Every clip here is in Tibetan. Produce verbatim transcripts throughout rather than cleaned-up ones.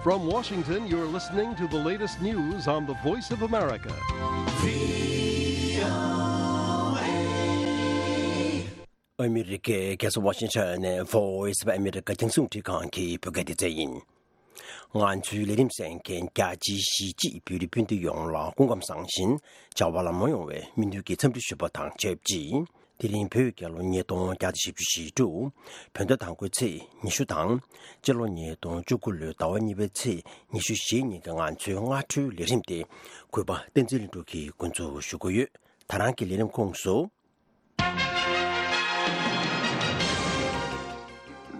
From Washington, you're listening to the latest news on the Voice of America. ཨ་མི་རི་ཀའི་རྒྱལ་ས་ཝ་ཤིང་ཊོན་ནས་Voice of America རྒྱང་སྲིང་འཕྲིན་ཁང་གི་བོད་སྐད་སྡེ་ཚན་ཡིན། ང་ཚོའི་ལས་རིམ་གསན་མཁན་རྒྱ་ཆེའི་གཞིས་བྱེས་བོད་རིགས་སྤུན་ཟླ་ཡོངས་ལ་སྐུ་ཁམས་བཟང་ཞིང་བྱ་བ་ལམ་ལྷོང་ཡོང་བའི་སྨོན་འདུན་གྱི་འཚམས་འདྲི་ཞུ་བ་དང་ཆབས་ཅིག་དེ་རིང་བོད་རྒྱལ་ལོ་ཉིས་སྟོང་བརྒྱ་དང་བཞི་བཅུ་ཞེ་དྲུག་བོད་ཟླ་དང་པོའི་ཚེས་ཉི་ཤུ་དང་། སྤྱི་ལོ་ཉིས་སྟོང་བཅུ་དགུ་ལོའི་ཟླ་བ་གཉིས་པའི་ཚེས་ཉི་ཤུ་ཞེ་གཉིས་ཀྱི་ང་ཚོའི་སྔ་དྲོའི་ལས་རིམ་དེ་གུས་པ་བསྟན་འཛིན་ལྷུན་གྲུབ་ཀྱིས་འགོ་འཛུགས་ཞུ་གི་ཡོད། ད་རང་གི་ལས་རིམ་ཁོངས་སུ།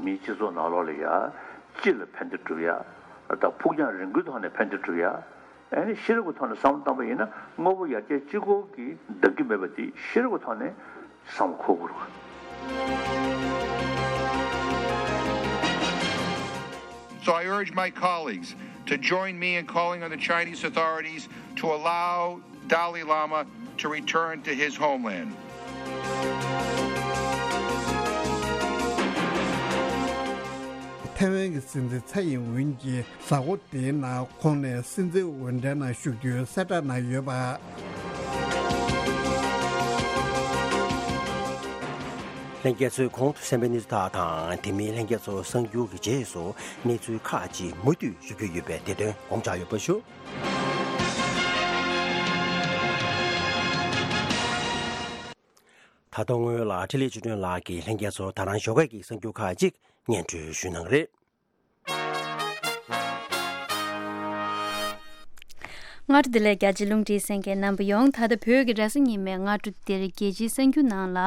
མིའི་སྤྱི་ཚོགས་ནང་ལོགས་ལ་ཡ། སྤྱི་ལ་ཕན་བདེ་སྒྲུབ་ཡ། ད་ཕུགས་རྒྱང་རིང་པོའི་ཐོག་ནས་ཕན་བདེ་སྒྲུབ་ཡ། ཨ་ནི་ཤེས་རིག་གི་ཐོག་ནས་བསམ་བློ་བཏང་པ་ཡིན་ན་དངོས་པོ་ཡར་རྒྱས་གཅིག་པོ་གིས་འདང་གི་མེད་པ་དེ་ཤེས་རིག་གི་ཐོག་ནས་བསམ་བློ་འཁོར་དགོས་རེད། So I urge my colleagues to join me in calling on the Chinese authorities to allow Dalai Lama to return to his homeland. ཐའེ་ཝན་གྱི་སྲིད་འཛིན་ཚའེ་ཡིན་ཝུན་གྱིས་གཟའ་འཁོར་འདིའི་ནང་ཁོང་ནས་སྲིད་འཛིན་འོས་གྲལ་ནང་ཞུགས་རྒྱུའི་གསལ་བསྒྲགས་གནང་ཡོད་པ། ལྷན་རྒྱས་ཚོས་གོང་དུ་གསན་པའི་གནས་ཚུལ་དག་དང་། དེ་མིན་ལྷན་རྒྱས་ཚོ་གསར་འགྱུར་གྱི་རྗེས་སུ་གནས་ཚུལ་ཁག་ཅིག་མུ་མཐུད་ཞུ་རྒྱུ་ཡོད་པས་དེ་དོན་དགོངས་འཇགས་ཡོད་པ་ཞུ། ད་དུང་སྔོན་ལ་འཕྲིན་ལས་ཆོས་སྒྲོན་ལགས་ཀྱིས་ལྷན་རྒྱས་ཚོར་ད་རང་ཞོགས་ཀས་ཀྱི་གསར་འགྱུར་ཁག་ཅིག་སྙན་སྒྲོན་ཞུ་གནང་གི་རེད། སྔ་དྲོ་བདེ་ལེགས། རྒྱ་ཆེའི་རླུང་འཕྲིན་གསན་མཁན་རྣམ་པ་ཡོངས། ད་ལྟ་བོད་ཀྱི་རེས་གཟའ་ཉི་མའི་སྔ་དྲོ་འདིར་རྒྱལ་སྤྱིའི་གསར་འགྱུར་ནང་ལ།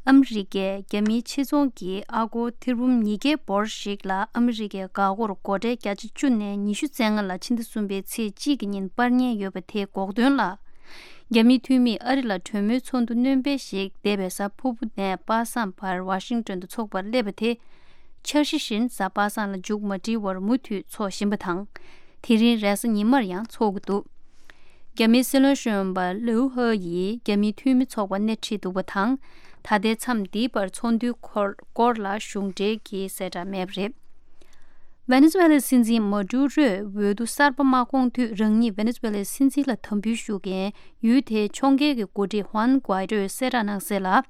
ཨ་མི་རི་ཀས་རྒྱ་མིའི་ཆེད་རྫོང་གི་ཨ་སྒོར་ཐེར་འབུམ་ཉིས་བརྒྱའི་འབོར་ཞིག་ལ་ཨ་མི་རི་ཀའི་འགག་སྒོར་སྒོ་ཁྲལ་བརྒྱ་ཆ་བཅུ་ནས་ཉི་ཤུ་བཙན་ལྔ་ལ་ཕྱི་ཟླ་གསུམ་པའི་ཚེས་གཅིག་གི་ཉིན་སྤར་ཉེན་ཡོད་པ་དེའི་འགོག་དོན་ལ། རྒྱ་མིའི་འཐུས་མིས་ཨ་རི་ལ་གྲོས་མོལ་ཚོགས་འདུ་སྣོན་སྤེལ་ཞིག་འདས་པའི་གཟའ་ཕུར་བུ་ནས་པ་སངས་བར་ཝ་ཤིང་ཏོན་དུ་འཚོགས་པར་སླེབས་པ་དེ། འཆར་གཞི་བཞིན་གཟའ་པ་སངས་ལ་མཇུག་མ་སྒྲིལ་བར་མུ་མཐུད་འཚོགས་བཞིན་པ་དང་། དེ་རིང་རེས་གཟའ་ཉི་མར་ཡང་འཚོགས་ཀྱི་འདུག་རྒྱ་མིའི་སྲིད་བློན་གཞོན་པ་ལིའུ་ཧེ་ཡིས་རྒྱ་མིའི་འཐུས་མི་ཚོགས་པར་སྣེ་ཁྲིད་འདུག་པ་དང་། ད་ལྟའི་མཚམས་འདིའི་བར་ཚོགས་འདུའི་སྐོར་སྐོར་ལ་གཞུང་འབྲེལ་གྱི་གསལ་བསྒྲགས་མེད་པ་རེད། ཝེ་ནེ་ཛུ་ཝེ་ལའི་སྲིད་འཛིན་མ་ཌུ་རོས་འོས་བསྡུ་གསར་པ་མ་བསྐོངས་དུས་རང་ཉིད་ཝེ་ནེ་ཛུ་ཝེ་ལའི་སྲིད་འཛིན་ལ་དམ་འབུལ་ཞུ་མཁན་ཡུལ་དེའི་ཕྱོགས་འགལ་གྱི་འགོ་ཁྲིད་ཧུན་གུའེ་ཏོས་གསལ་བསྒྲགས་གནང་གསལ་ལ།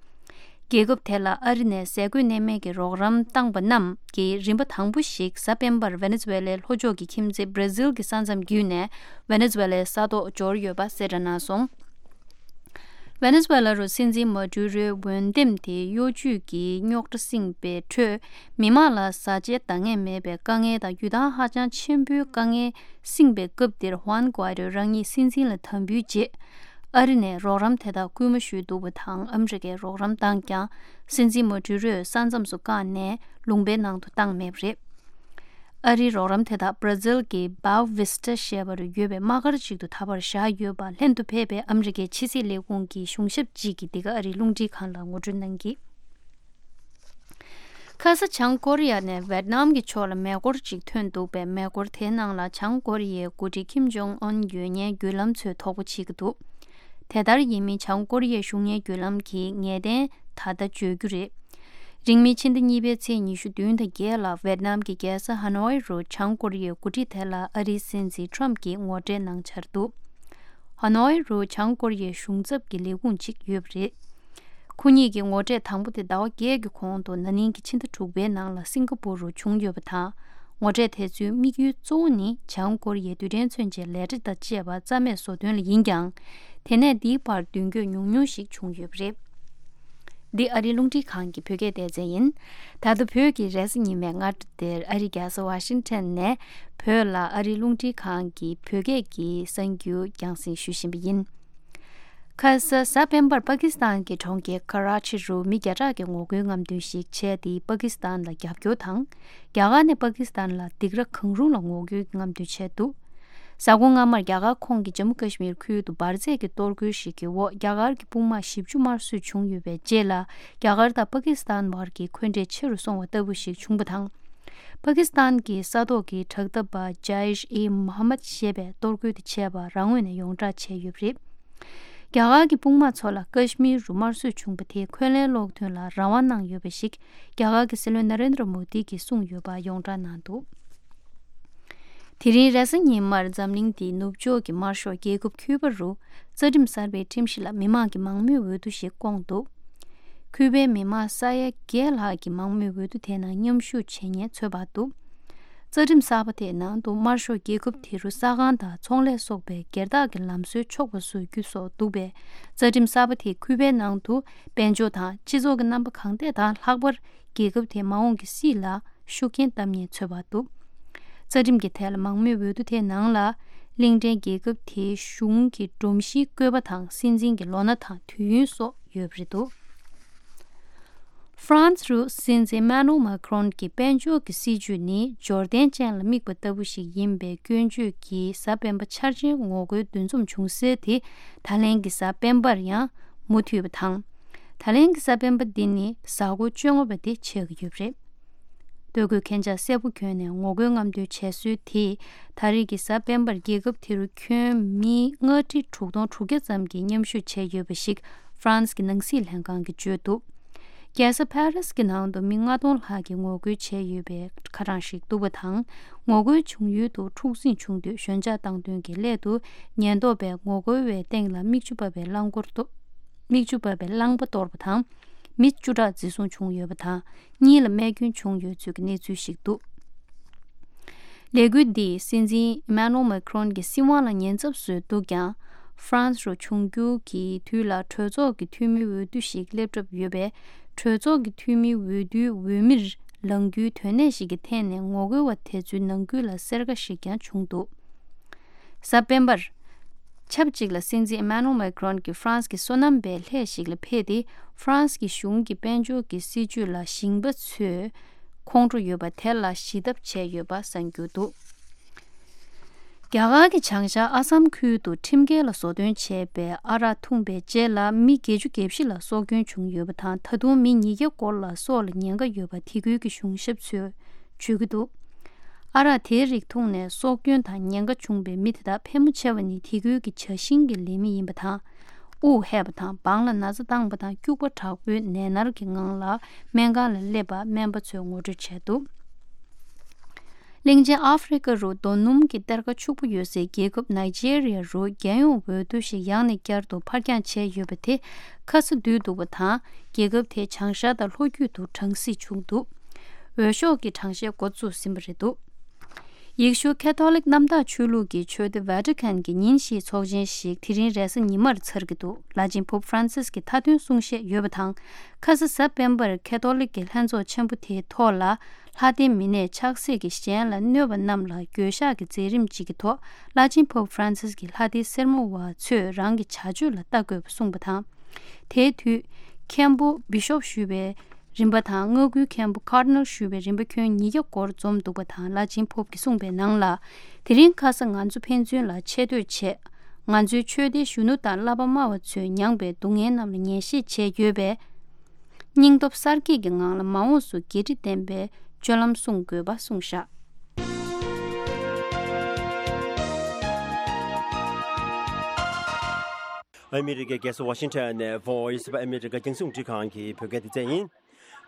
རྒྱལ་ཁབ་དེ་ལ་ཨ་རི་ནས་ཟས་གོས་གནས་མལ་གྱི་རོགས་རམ་བཏང་པ་རྣམས་ཀྱི་རིམ་པ་དང་པོ་ཞིག་གཟའ་སྤེན་པར་ཝེ་ནེ་ཛུ་ཝེ་ལའི་ལྷོ་ཕྱོགས་ཀྱི་ཁྱིམ་མཚེས་བྷ་ར་ཟིལ་གྱི་ས་མཚམས་བརྒྱུད་ནས་ཝེ་ནེ་ཛུ་ཝེ་ལའི་ས་ཐོག་འབྱོར་ཡོད་པ་གསལ་བསྒྲགས་གནང་སོང་། ཝེ་ནེ་ཛུ་ཝེ་ལ་རུ་སྲིད་འཛིན་མ་ཌུ་རོའི་འོས་འདེམས་དེ་གཡོ་ཇུས་ཀྱི་རྙོག་དྲ་བསྲིངས་པའི་ཁྲོད། མི་མང་ལ་བཟའ་བཅའི་འདང་ངེས་མེད་པའི་དཀའ་ངལ་དང་རྒྱུ་དང་ཧ་ཅང་ཆེན་པོའི་དཀའ་ངལ་བསྲིངས་པའི་སྐབས་འདིར་ཧུན་གུའེ་ཏོས་རང་ཉིད་སྲིད་འཛིན་ལ་དམ་འབུལ་རྗེས། ཨ་རི་ནས་རོགས་རམ་དེ་དག་སྐུལ་མ་ཞུས་འདུག་པ་དང་། ཨ་མི་རི་ཀས་རོགས་རམ་བཏང་ཀྱང་། སྲིད་འཛིན་མ་ཌུ་རོས་ས་མཚམས་སུ་བཀག་ནས་ལུང་པའི་ནང་དུ་བཏང་མེད་པ་རེད། ཨ་རིའི་རོགས་རམ་དེ་དག་བྷ་ར་ཟིལ་གྱི་བའོ་ཝིས་ཊ་ཞེས་པར་ཡོད་པའི་དམག་སྒར་ཅིག་ཏུ་ད་བར་བཞག་ཡོད་པ་ལྷན་དུ་ཕེབས་པའི་ཨ་མི་རི་ཀའི་ཕྱི་སྲིད་ལས་ཁུངས་ཀྱི་གཞུང་ཞབས་ཅིག་གིས་འདི་ག་ཨ་རིའི་རླུང་འཕྲིན་ཁང་ལ་ངོ་སྤྲོད་གནང་གིས། ཁ་ས་བྱང་ཀོ་རི་ཡ་ནས་ཝེད་ནམ་གྱི་ཕྱོགས་ལ་མེ་འཁོར་ཅིག་ཐོན་འདུག་པས། མེ་འཁོར་དེའི་ནང་ལ་བྱང་ཀོ་རི་ཡའི་འགོ་ཁྲིད་ཁིམ་ཇོང་ཨོན་ཡོད་ཉེན་བརྒྱུད་ལམ་ཚོས་དོགས་པ་བྱེད་ཀྱི་འདུག་དེ་ལྟར་ཡིན་མིན་བྱང་ཀོ་རི་ཡའི་གཞུང་གཉེར་བརྒྱུད་ལམ་གྱིས་ངེས་གཏན་ད་ལྟ་བརྗོད་རྒྱུ་རེད། རིང་མིན་ཕྱི་ཟླ་གཉིས་པའི་ཚེས་ཉི་ཤུ་བདུན་དང་བརྒྱད་ལ་ཝེད་ནམ་གྱི་རྒྱལ་ས་ཧ་ནོའི་རུ་བྱང་ཀོ་རི་ཡའི་འགོ་ཁྲིད་དེ་ལ་ཨ་རིའི་སྲིད་འཛིན་ཁྲོམ་གྱིས་ངོ་སྤྲོད་གནང་འཆར་འདུག་ཧ་ནོའི་རུ་བྱང་ཀོ་རི་ཡའི་གཞུང་ཚབ་ཀྱི་ལས་ཁུངས་ཅིག་ཡོད་པ་རེད། ཁོ་གཉིས་ཀྱི་ངོ་སྤྲོད་དང་པོ་དེ་ཟླ་བ་བརྒྱད་ཀྱི་གོང་དུ་ན་ནིང་གི་ཕྱི་ཟླ་དྲུག་པའི་ནང་ལ་སིང་ག་པུར་རུ་བྱུང་ཡོད་པ་དང་། ངོ་སྤྲོད་དེ་ཚོའི་དམིགས་ཡུལ་གཙོ་བོ་ནི་བྱང་ཀོ་རི་ཡའི་རྡུལ་ཕྲན་མཚོན་ཆའི་ལས་གྲྭ་དང་བཅས་པ་རྩ་མེད་བཟོ་དོན་ལ་ཡིན་ཀྱང་། དེ་ནས་འདིའི་བར་མདུན་སྐྱོད་ཉུང་ཉུང་ཞིག་བྱུང་ཡོད་པ་རེད། འདི་ཨ་རིའི་རླུང་འཕྲིན་ཁང་གི་བོད་སྐད་སྡེ་ཚན་ཡིན། ད་ལྟ་བོད་ཀྱི་རེས་གཟའ་ཉི་མའི་སྔ་དྲོ་འདིར་ཨ་རིའི་རྒྱལ་ས་ཝ་ཤིང་ཊོན་ནས་བོད་ལ་ཨ་རིའི་རླུང་འཕྲིན་ཁང་གི་བོད་སྐད་ཀྱི་གསར་འགྱུར་རྒྱང་སྲིང་ཞུ་བཞིན་པ་ཡིན། ཁ་ས་གཟའ་སྤེན་པར་པ་ཀི་སི་ཐན་གྱི་གྲོང་ཁྱེར་ཀ་ར་ཆི་རུ་མི་བརྒྱ་ཕྲག་གི་ངོ་རྒོལ་རྔམ་སྟོན་ཞིག་བྱས་ཏེ། པ་ཀི་སི་ཐན་ལ་རྒྱབ་སྐྱོར་དང་། རྒྱ་གར་ནས་པ་ཀི་སི་ཐན་ལ་སྡིགས་ར་གང་རུང་ལ་ངོ་རྒོལ་རྔམ་སྟོན་བྱས་འདུག་གཟའ་འཁོར་སྔ་མར་རྒྱ་གར་ཁོངས་ཀྱི་ཇམ་མུ་ཀ་ཤི་མིར་ཁུལ་དུ་འབར་རྫས་ཀྱི་གཏོར་རྒོལ་ཞིག་གི་འོག་རྒྱ་གར་གྱི་དཔུང་དམག་བཞི་བཅུ་དམར་གསོད་བྱུང་ཡོད་པའི་རྗེས་ལ། རྒྱ་གར་དང་པ་ཀི་སི་ཐན་བར་གྱི་འཁོན་འགྲས་ཆེ་རུ་སོང་བ་ལྟ་བུ་ཞིག་བྱུང་བ་དང་། པ་ཀི་སི་ཐན་གྱི་ས་ཐོག་གི་དྲག་འཐབ་པ་ཇཱ་ཨིཤ་ཨི་མོ་ཧམ་མད་ཞེས་པས་གཏོར་རྒོལ་དེ་བྱས་པ་རང་ངོས་ནས་ཡོངས་བསྒྲགས་བྱས་ཡོད་པ་རེད། རྒྱ་གར་གྱི་དཔུང་དམག་ཚོ་ལ་ཀ་ཤི་མིར་རུ་དམར་གསོད་བྱུང་བ་དེ་འཁོན་ལན་སློག་དོན་ལ་རང་དབང་གནང་ཡོད་པ་ཞིག་རྒྱ་གར་གྱི་སྲིད་བློན་ན་རེན་དྲ་མོ་དི་གིས་གསུངས་ཡོད་པ་ཡོངས་བསྒྲགས་གནང་འདུག་དེ་རིང་རེས་གཟའ་ཉི་མར་འཛམ་གླིང་འདིའི་ནུབ་ཕྱོགས་ཀྱི་དམར་ཤོག་རྒྱལ་ཁབ་ཁིའུ་པ་རུ་རྩ་ཁྲིམས་གསར་པའི་ཁྲིམས་གཞི་ལ་མི་མང་གི་མང་མོས་འོས་བསྡུ་ཞིག་བསྐོངས་འདུག་ཁིའུ་པའི་མི་མང་ས་ཡ་བརྒྱད་ལྷག་གིས་མང་མོས་འོས་བསྡུ་དེའི་ནང་མཉམ་ཞུགས་བྱེད་མཁན་ཚོད་དཔག་འདུག་རྩ་ཁྲིམས་གསར་པ་དེའི་ནང་དུ་དམར་ཤོག་རྒྱལ་ཁབ་དེ་རུ་ས་ཁང་དང་ཚོང་ལས་སོགས་པའི་སྒེར་བདག་གི་ལམ་སྲོལ་ཆོག་པ་བཟོ་རྒྱུ་སོགས་འདུག་པས། རྩ་ཁྲིམས་གསར་པ་དེས་ཁིའུ་པའི་ནང་དུ་དཔལ་འབྱོར་དང་སྤྱི་ཚོགས་ཀྱི་རྣམ་པ་གང་ཐད་དང་ལྷག་པར་རྒྱལ་ཁབ་དེའི་མ་འོངས་ཀྱི་སྲིད་ལ་ཤུགས་རྐྱེན་བཏབ་ཉེན་ཚོད་དཔག་འདུག་རྩ་ཁྲིམས་ཀྱི་ཐད་ལ་མང་མོས་འོས་བསྡུ་དེའི་ནང་ལ་གླིང་ཕྲན་རྒྱལ་ཁབ་དེའི་གཞུང་གི་སྒྲོམ་གཞིའི་བཀོད་པ་དང་སྲིད་འཛིན་གྱི་ལོ་ན་དང་དུས་ཡུན་སོགས་ཡོད་པ་རེད་འདུག་ཧྥ་རན་སི་རུ་སྲིད་འཛིན་ཨེ་མ་ནུ་ཨེལ་མཱ་ཁི་རོན་གྱི་དཔལ་འབྱོར་གྱི་སྲིད་ཇུས་ནི་འབྱོར་ལྡན་ཅན་ལ་དམིགས་པ་ལྟ་བུ་ཞིག་ཡིན་པའི་སྐྱོན་བརྗོད་ཀྱིས་གཟའ་སྤེན་པ་འཆར་ཅན་ངོ་རྒོལ་འདུ་འཛོམས་བྱུང་སའི་དེ་ད་ལན་གྱི་གཟའ་སྤེན་པར་ཡང་མུ་མཐུད་པ་དང་། ད་ལན་གྱི་གཟའ་སྤེན་པ་འདི་ནི་གཟའ་འཁོར་བཅོ་ལྔ་པ་དེ་ཆགས་ཀྱི་ཡོད་པ་རེད། ལྟོ་གོས་མཁན་ཆ་སེར་པོ་གྱོན་ནས་ངོ་རྒོལ་རྔམ་སྟོན་བྱས་སྲོལ་དེས་ད་རེས་ཀྱི་གཟའ་སྤེན་པར་རྒྱལ་ཁབ་དེ་རུ་ཁྱོན་མི་ལྔ་ཁྲི་དྲུག་སྟོང་དྲུག་བརྒྱ་ཙམ་གྱིས་མཉམ་ཞུགས་བྱས་ཡོད་པ་ཞིག་ཧྥ་རན་སི་གི་ནང་སྲིད་ལྷན་ཁང་གིས་བརྗོད་འདུག་རྒྱལ་ས་ཕ་རིས་ཀྱི་ནང་དུ་མི་ལྔ་སྟོང་ལྷག་གིས་ངོ་རྒོལ་བྱས་ཡོད་པའི་ཁ་གྲངས་ཤིག་འདུག་པ་དང་། ངོ་རྒོལ་བྱུང་ཡུལ་དུ་འཁྲུག་འཛིང་བྱུང་དུས་ཞོད་འཇགས་བཏང་དོན་གྱི་སླད་དུ་ཉེན་རྟོག་པས་ངོ་རྒོལ་བའི་སྟེང་ལ་མིག་ཆུ་འབབ་པའི་རླངས་འཁོར་གཏོར། མིག་ཆུ་འབབ་པའི་རླངས་པ་གཏོར་བ་དང་། མི་བཅུ་ཕྲག་འཛིན་བཟུང་བྱུང་ཡོད་པ་དང་། གཉིས་ལ་རྨས་སྐྱོན་བྱུང་ཡོད་ཚུལ་གྱི་གནས་ཚུལ་ཞིག་འདུག་ལས་འགུལ་འདིས་སྲིད་འཛིན་ཨི་མ་ནུ་ཨེལ་མཱ་ཁི་རོན་གྱི་སྲིད་དབང་ལ་ཉེན་ཚབས་བཟོས་འདུག་ཀྱང་། ཧྥ་རན་སི་རུ་འབྱུང་འགྱུར་གྱི་དུས་ལ་གྲོས་ཚོགས་ཀྱི་འཐུས་མིའི་འོས་བསྡུ་ཞིག་སླེབས་གྲབས་ཡོད་པས། གྲོས་ཚོགས་ཀྱི་འཐུས་མིའི་འོས་བསྡུའི་འོས་མིར་ལངས་རྒྱུའི་དོན་གནད་ཞིག་གི་ཐད་ནས་ངོ་རྒོལ་བ་དེ་ཚོའི་ནང་ཁུལ་ལ་སེར་ཁ་ཞིག་ཀྱང་བྱུང་འདུག་གཟའ་སྤེན་པར། ཆབས་ཅིག་ལ་སྲིད་འཛིན་ཨི་མ་ནུ་མེ་ཀི་རོན་གྱིས་ཧྥ་རན་སི་གི་སོ་ནམ་པའི་ལྷས་ཤིག་ལ་ཕེབས་ཏེ། ཧྥ་རན་སི་གི་གཞུང་གི་དཔལ་འབྱོར་གྱི་སྲིད་ཇུས་ལ་ཞིང་པ་ཚོས་ཁོང་ཁྲོ་ཡོད་པ་དེ་ལ་ཞི་ཐབས་བྱས་ཡོད་པ་གསར་འགྱུར་འདུག་རྒྱ་གར་གྱི་བྱང་ཤར་ཨ་སམ་ཁུལ་དུ་ཁྲིམས་འགལ་ལ་བཟོ་སྐྲུན་བྱས་པའི་ཨ་རག་འཐུང་པའི་རྗེས་ལ་མི་བརྒྱད་ཅུ་གྱ་བཞི་ལ་སྲོག་སྐྱོན་བྱུང་ཡོད་པ་དང་། ད་དུང་མི་ཉིས་བརྒྱ་སྐོར་ལ་སྲོག་ལ་ཉེན་ཁ་ཡོད་པ་དེ་ཁུལ་གྱི་གཞུང་ཞབས་ཚོས་བརྗོད་ཀྱི་འདུག་ཨ་རག་དེའི་རིགས་འཐུང་ནས་སྲོག་སྐྱོན་དང་ཉེན་ཁ་བྱུང་བའི་མི་དེ་དག་ཕལ་མོ་ཆེ་བ་ནི་དེ་ཁུལ་གྱི་བྱ་ཤིང་གི་ལས་མི་ཡིན་པ་དང་། དབུགས་ཧད་པ་དང་། འབངས་ལ་ན་ཚ་བཏང་བ་དང་། སྐྱུག་པ་དྲག་པོའི་ནད་མནར་གྱི་ངང་ལ་སྨན་ཁང་ལ་སླེབས་པ་སྨན་པ་ཚོས་ངོ་སྤྲོད་བྱས་འདུག་གླིང་ཆེན་ཨ་ཧྥེ་རི་ཀ་རུ་རྡོ་སྣུམ་གྱི་གཏེར་ཁ་ཕྱུག་པོ་ཡོད་སའི་རྒྱལ་ཁབ་ནཱི་ཇེ་རི་ཡ་རུ་རྒྱལ་ཡོངས་འོས་བསྡུ་ཞིག་ཡང་ནས་བསྐྱར་དུ་ཕར་འགྱངས་བྱས་ཡོད་པ་དེ་ཁ་ཚ་དུས་འདུག་པ་དང་། རྒྱལ་ཁབ་དེ་བྱང་ཤར་དང་ལྷོ་རྒྱུད་དུ་གྲང་སྲིད་བྱུང་འདུག་འོས་ཤོག་གི་གྲངས་བཤེར་འགོ་བཙུགས་ཟིན་པ་རེད་འདུག་ཡེ་ཤུ་ཁ་ཐོ་ལིག་གནམ་བདག་ཆོས་ལུགས་ཀྱི་ཆོས་སྡེ་ཝེ་ཏི་ཀན་གྱི་ཉིན་ཞིག་ཚོགས་ཆེན་ཞིག་དེ་རིང་རེས་གཟའ་ཉི་མར་ཚར་གྱི་འདུག་བླ་ཆེན་པོབ་ཧྥ་རན་སིས་ཀྱི་མཐའ་དོན་གསུང་བཤད་ཡོད་པ་དང་། ཁ་ས་གཟའ་སྤེན་པར་ཁ་ཐོ་ལིག་གི་ལྷན་ཚོགས་ཆེན་པོ་དེའི་ཐོག་ལ་ལྷ་སྡེ་མི་སྣས་ཆགས་སྲེད་ཀྱིས་གཞན་ལ་གནོད་པ་རྣམས་ལ་འགྱོད་བཤགས་ཀྱི་མཛད་རིམ་གཅིག་གི་ཐོག་བླ་ཆེན་པོབ་ཧྥ་རན་སིས་ཀྱིས་ལྷ་སྡེའི་སེར་མོ་བ་ཚོས་རང་གི་བྱ་སྤྱོད་ལ་ལྟ་དགོས་པ་གསུངས་པ་དང་། དེའི་དུས་མཁན་པོ་བི་ཤོབ་ཞུ་བའི་རིམ་པ་དང་། མངའ་ཁུལ་མཁན་པོ་ཀར་ཌི་ནལ་ཞུ་བའི་རིམ་པ་ཁྱོན་ཉིས་བརྒྱ་སྐོར་འཛོམས་འདུག་པ་དང་། བླ་ཆེན་པོབ་ཀྱིས་གསུངས་པའི་ནང་ལ། དེ་རིང་ཁ་སང་ང་ཚོ་ཕན་ཚུན་ལ་ཆེ་བསྟོད་བྱས། ང་ཚོའི་ཆོས་སྡེའི་གཞོན་ནུ་དང་བསླབ་པ་སྨྲ་བ་ཚོས་མྱངས་པའི་སྡུག་བསྔལ་རྣམས་ལ་ངེས་ཤེས་བྱས་ཡོད་པས། སྙིང་སྟོབས་གསར་སྐྱེད་ཀྱི་ངང་ལ་མ་འོངས་སུ་འགན་འཁྲི་ལྡན་པའི་སྤྱོད་ལམ་སྲུང་དགོས་པ་གསུངས་བཞག་ཨ་མི་རི་ཀའི་རྒྱལ་ས་ཝ་ཤིང་ཊོན་ནས་Voice of America རྒྱང་སྲིང་རླུང་འཕྲིན་ཁང་གི་བོད་སྐད་སྡེ་ཚན་ཡིན།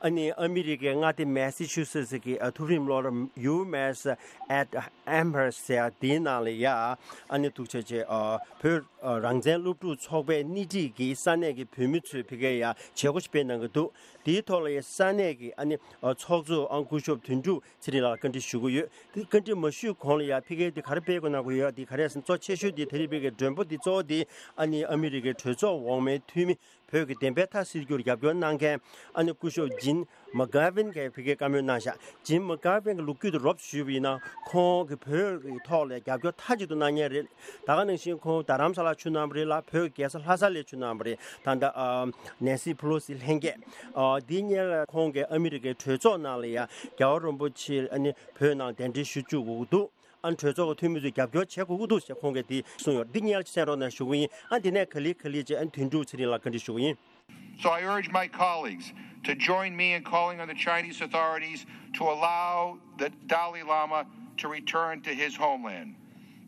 ཨ་ནི་ཨ་མི་རི་ཀའི་མངའ་སྡེ་མེ་སི་ཆུ་སེ་སི་གི་ཨ་མཐོ་རིམ་སློབ་གྲྭ་ཡུ་མེ་སི་ཨེཊ་ཨེམ་ཧར་སི་ཟེར་ཡ་དེའི་ནང་ལ་ཡ་ཨ་ནི་འདུག་བྱས་བྱས་ཨ་བོད་ཨ་རང་བཙན་སློབ་ཕྲུག་ཚོགས་པའི་སྣེ་ཁྲིད་ཀྱིས་ས་གནས་ཀྱི་བོད་མི་ཚོས་ཕ་གིར་ཡ་བྱེད་སྒོ་ཞིག་སྤེལ་གནང་གི་འདུག་དེའི་ཐོག་ལ་ཡ་ས་གནས་ཀྱི་ཨ་ནི་ཨ་ཚོགས་གཙོ་ཨ་སྐུ་ཞབས་དོན་གྲུབ་ཚེ་རིང་ལགས་ལ་བཀའ་འདྲི་ཞུ་གི་ཡོད། དེ་བཀའ་འདྲི་མ་ཞུས་གོང་ལ་ཡ་ཕ་གིར་དེ་ག་རེ་སྤེལ་དགོས་གནང་གི་ཡོད། དེ་ག་རེ་ཟེར་ན་གཙོ་ཆེ་ཤོས་དེ་དེ་རིང་ཕ་གིའི་མགྲོན་པོ་དེ་གཙོ་བོ་དེ་ཨ་ནི་ཨ་མི་རི་ཀའི་གྲོས་ཚོགས་འོག་མའི་འཐུས་མི། བོད་ཀྱི་བདེན་པའི་མཐའ་སེལ་རྒྱུར་རྒྱབ་སྐྱོར་གནང་མཁན་ཨ་ནི་སྐུ་ཞབས་ཇིན་མ་གྷ་ཝིན་གྱིས་ཕ་གིར་བཀའ་མོལ་གནང་བཞག་ཇིན་མ་གྷ་ཝིན་གྱི་ལོ་རྒྱུས་དེ་རོབ་ཞུས་པ་ཡིན་ན་ཁོང་གིས་བོད་ཀྱི་ཐོག་ལ་རྒྱབ་སྐྱོར་མཐའ་གཅིག་ཏུ་གནང་མཁན་རེད། ད་ག་ནང་བཞིན་ཁོང་རྡ་རམ་ས་ལ་བཞུགས་གནང་བ་རེད་ལ། བོད་ཀྱི་རྒྱལ་ས་ལྷ་ས་ལ་བཞུགས་གནང་བ་རེད། ད་ལྟ་ཨ་ནེན་སི་ཕེ་ལོ་སི་ལྷན་རྒྱས་ཨ་འདི་སྔོན་ལ་ཁོང་གིས་ཨ་མི་རི་ཀའི་གྲོས་ཚོགས་ནང་ལ་ཡ་རྒྱལ་བ་རིན་པོ་ཆེ་ཨ་ནི་བོད་ནང་གདན་འདྲེན་ཞུ་བཅུག་དགོས་ཀྱི་འདུག་ཨ་ནི་གྲོས་ཚོགས་ཀྱི་འཐུས་མི་ཚོས་རྒྱབ་སྐྱོར་བྱེད་དགོས་ཀྱི་འདུག་ཅེས་ཁོང་གིས་འདི་གསུངས་ཡོད། འདི་སྔོན་ལ་གསན་རོགས་གནང་ཞུ་གི་ཡིན། ཨ་འདི་ནས་ག་ལེ་ག་ལེ་བྱས་ཨ་ནི་དོན་གྲུབ་ཚེ་རིང་ལགས་བཀའ་འདྲི་ཞུ་གི་ཡིན། So I urge my colleagues to join me in calling on the Chinese authorities to allow the Dalai Lama to return to his homeland.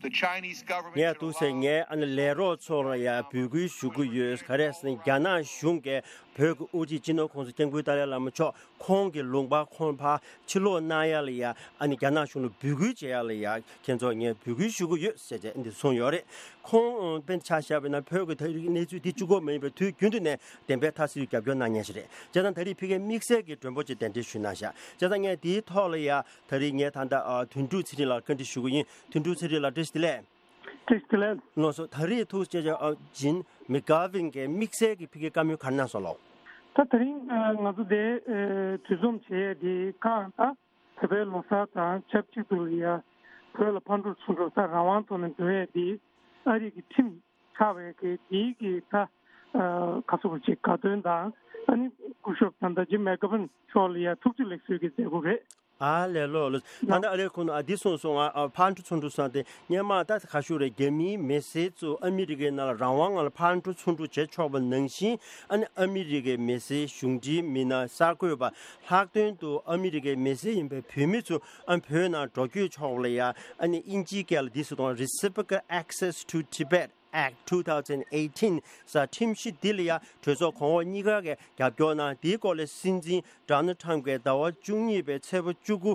The Chinese government ངས་འདུག་སེ་ངའི་ཨ་ནི་ལས་རོགས་ཚོ་ལ་ཡང་འབོད་སྐུལ་ཞུ་གི་ཡོད། ག་རེ་ཟེར་ན་རྒྱ་ནག་གཞུང་གིས་ བོད་ཀྱི་དབུ་ཁྲིད་སྤྱི་ནོར་༸གོང་ས་༸སྐྱབས་མགོན་ཏཱ་ལའི་བླ་མ་མཆོག་ཁོང་གི་ལུང་པ་ཁོང་ཕར་ཕྱིར་ལོག་གནང་ཡ་ལ་ཡ་ཨ་ནི་རྒྱ་ནག་གཞུང་ལ་འབོད་སྐུལ་བྱེད་ཡ་ལ་ཡ་ཁྱེད་ཚོ་ངས་འབོད་སྐུལ་ཞུ་གི་ཡོད་ཟེར་བྱས་འདི་གསུངས་ཡོད་རེད། ཁོང་དཔེར་ཆ་བཞག་པ་ཡིན་ན་བོད་ཀྱི་ད་རེས་གནས་ཚུལ་འདི་གཅིག་པོ་མ་ཡིན་པར་དུས་རྒྱུན་དུ་ནས་བདེན་པའི་མཐའ་གསལ་རྒྱབ་སྐྱོར་གནང་མཁན་ཞིག་རེད། བྱས་ཙང་ད་རེས་ཕ་གིའི་དམིགས་བསལ་གྱི་མགྲོན་པོ་ཅིག་གདན་འདྲེན་ཞུས་གནང་ཤག་བྱས་ཙང་ངས་འདིའི་ཐོག་ལ་ཡ་ད་རེས་ངས་ད་ལྟ་དོན་གྲུབ་ཚེ་རིང་ལགས་བཀའ་འདྲི་ཞུ་གི་ཡིན། དོན་གྲུབ་ཚེ་རིང་ལགས་བཀྲ་ཤིས་བདེ་ལེགས། བཀྲ་ཤིས་བདེ་ལེགས། ལགས་སོ། ད་རེས་ཐུགས་རྗེ་ཆེ་ཇིན་མེག་གྷ་ཝིན་གྱིས་དམིགས་བསལ་གྱི་ཕ་གིའི་བཀའ་མོལ་ག་རེ་གནང་སོང་ལགས། ད་དེ་རིང་ང་ཚོ་འདིར་གྲོས་འཛོམས་བྱེད་ཡས་འདི་གང་ལྟར་བོད་པའི་ལོ་གསར་དང་ཆབས་ཅིག་ཏུ་ལ་ཡ་བོད་ལ་ཕར་འགྲོ་ཚུར་འགྲོ་ད་རང་དབང་ཐོག་ནས་འགྲོ་ཡས་འདི་ཨ་རི་གི་ཁྲིམས་ཆགས་པའི་གི་འདི་གི་ད་ག་ཚོད་ཅིག་དགའ་སྟོན་དང་ཨ་ནི་སྐུ་ཞབས་ད་ལྟ་ཇིན་མེག་གྷ་ཝིན་མཆོག་ལ་ཡ་ཐུགས་རྗེ་ལེགས་གསོལ་གྱི་མཛད་སྒོ་རེད། ཨ་ལས་ལོ་ལོ། ད་ལྟ་ཨ་རིའི་ཁོང་ཨ་འདི་གསུངས་སོང་ཨ། ཕར་འགྲོ་ཚུར་འགྲོ་སོང་སྟེ་སྔོན་མ་ད་ག་ཞུ་རེད། རྒྱ་མིའི་མི་སེར་ཚོ་ཨ་མི་རི་ཀའི་ནང་ལ་རང་དབང་ངང་ལ་ཕར་འགྲོ་ཚུར་འགྲོ་བྱེད་ཆོག་པ་ནང་བཞིན་ཨ་ནི་ཨ་མི་རི་ཀའི་མི་སེར་གཞུང་འབྲེལ་མི་སྣ་གསར་འགོད་པ་ལྷག་དོན་དུ་ཨ་མི་རི་ཀའི་མི་སེར་ཡིན་པའི་བོད་མི་ཚོ་ཨ་བོད་ནང་འགྲོ་སྐྱོད་ཆོག་པ་ལ་ཡ་ཨ་ནི་དབྱིན་ཇིའི་སྐད་ལ་འདི་ཟེར་དང་Reciprocal Access to Tibet Act two thousand eighteen ཟེར་ཁྲིམས་གཞི་འདི་ལ་ཡང་གྲོས་ཚོགས་གོང་འོག་གཉིས་ཀ་གིས་རྒྱབ་སྐྱོར་གནང་། འདིའི་སྐོར་ལ་སྲིད་འཛིན་Donald Trump གིས་ཟླ་བ་བཅུ་གཉིས་པའི་ཚེས་པ་བཅུ་དགུ་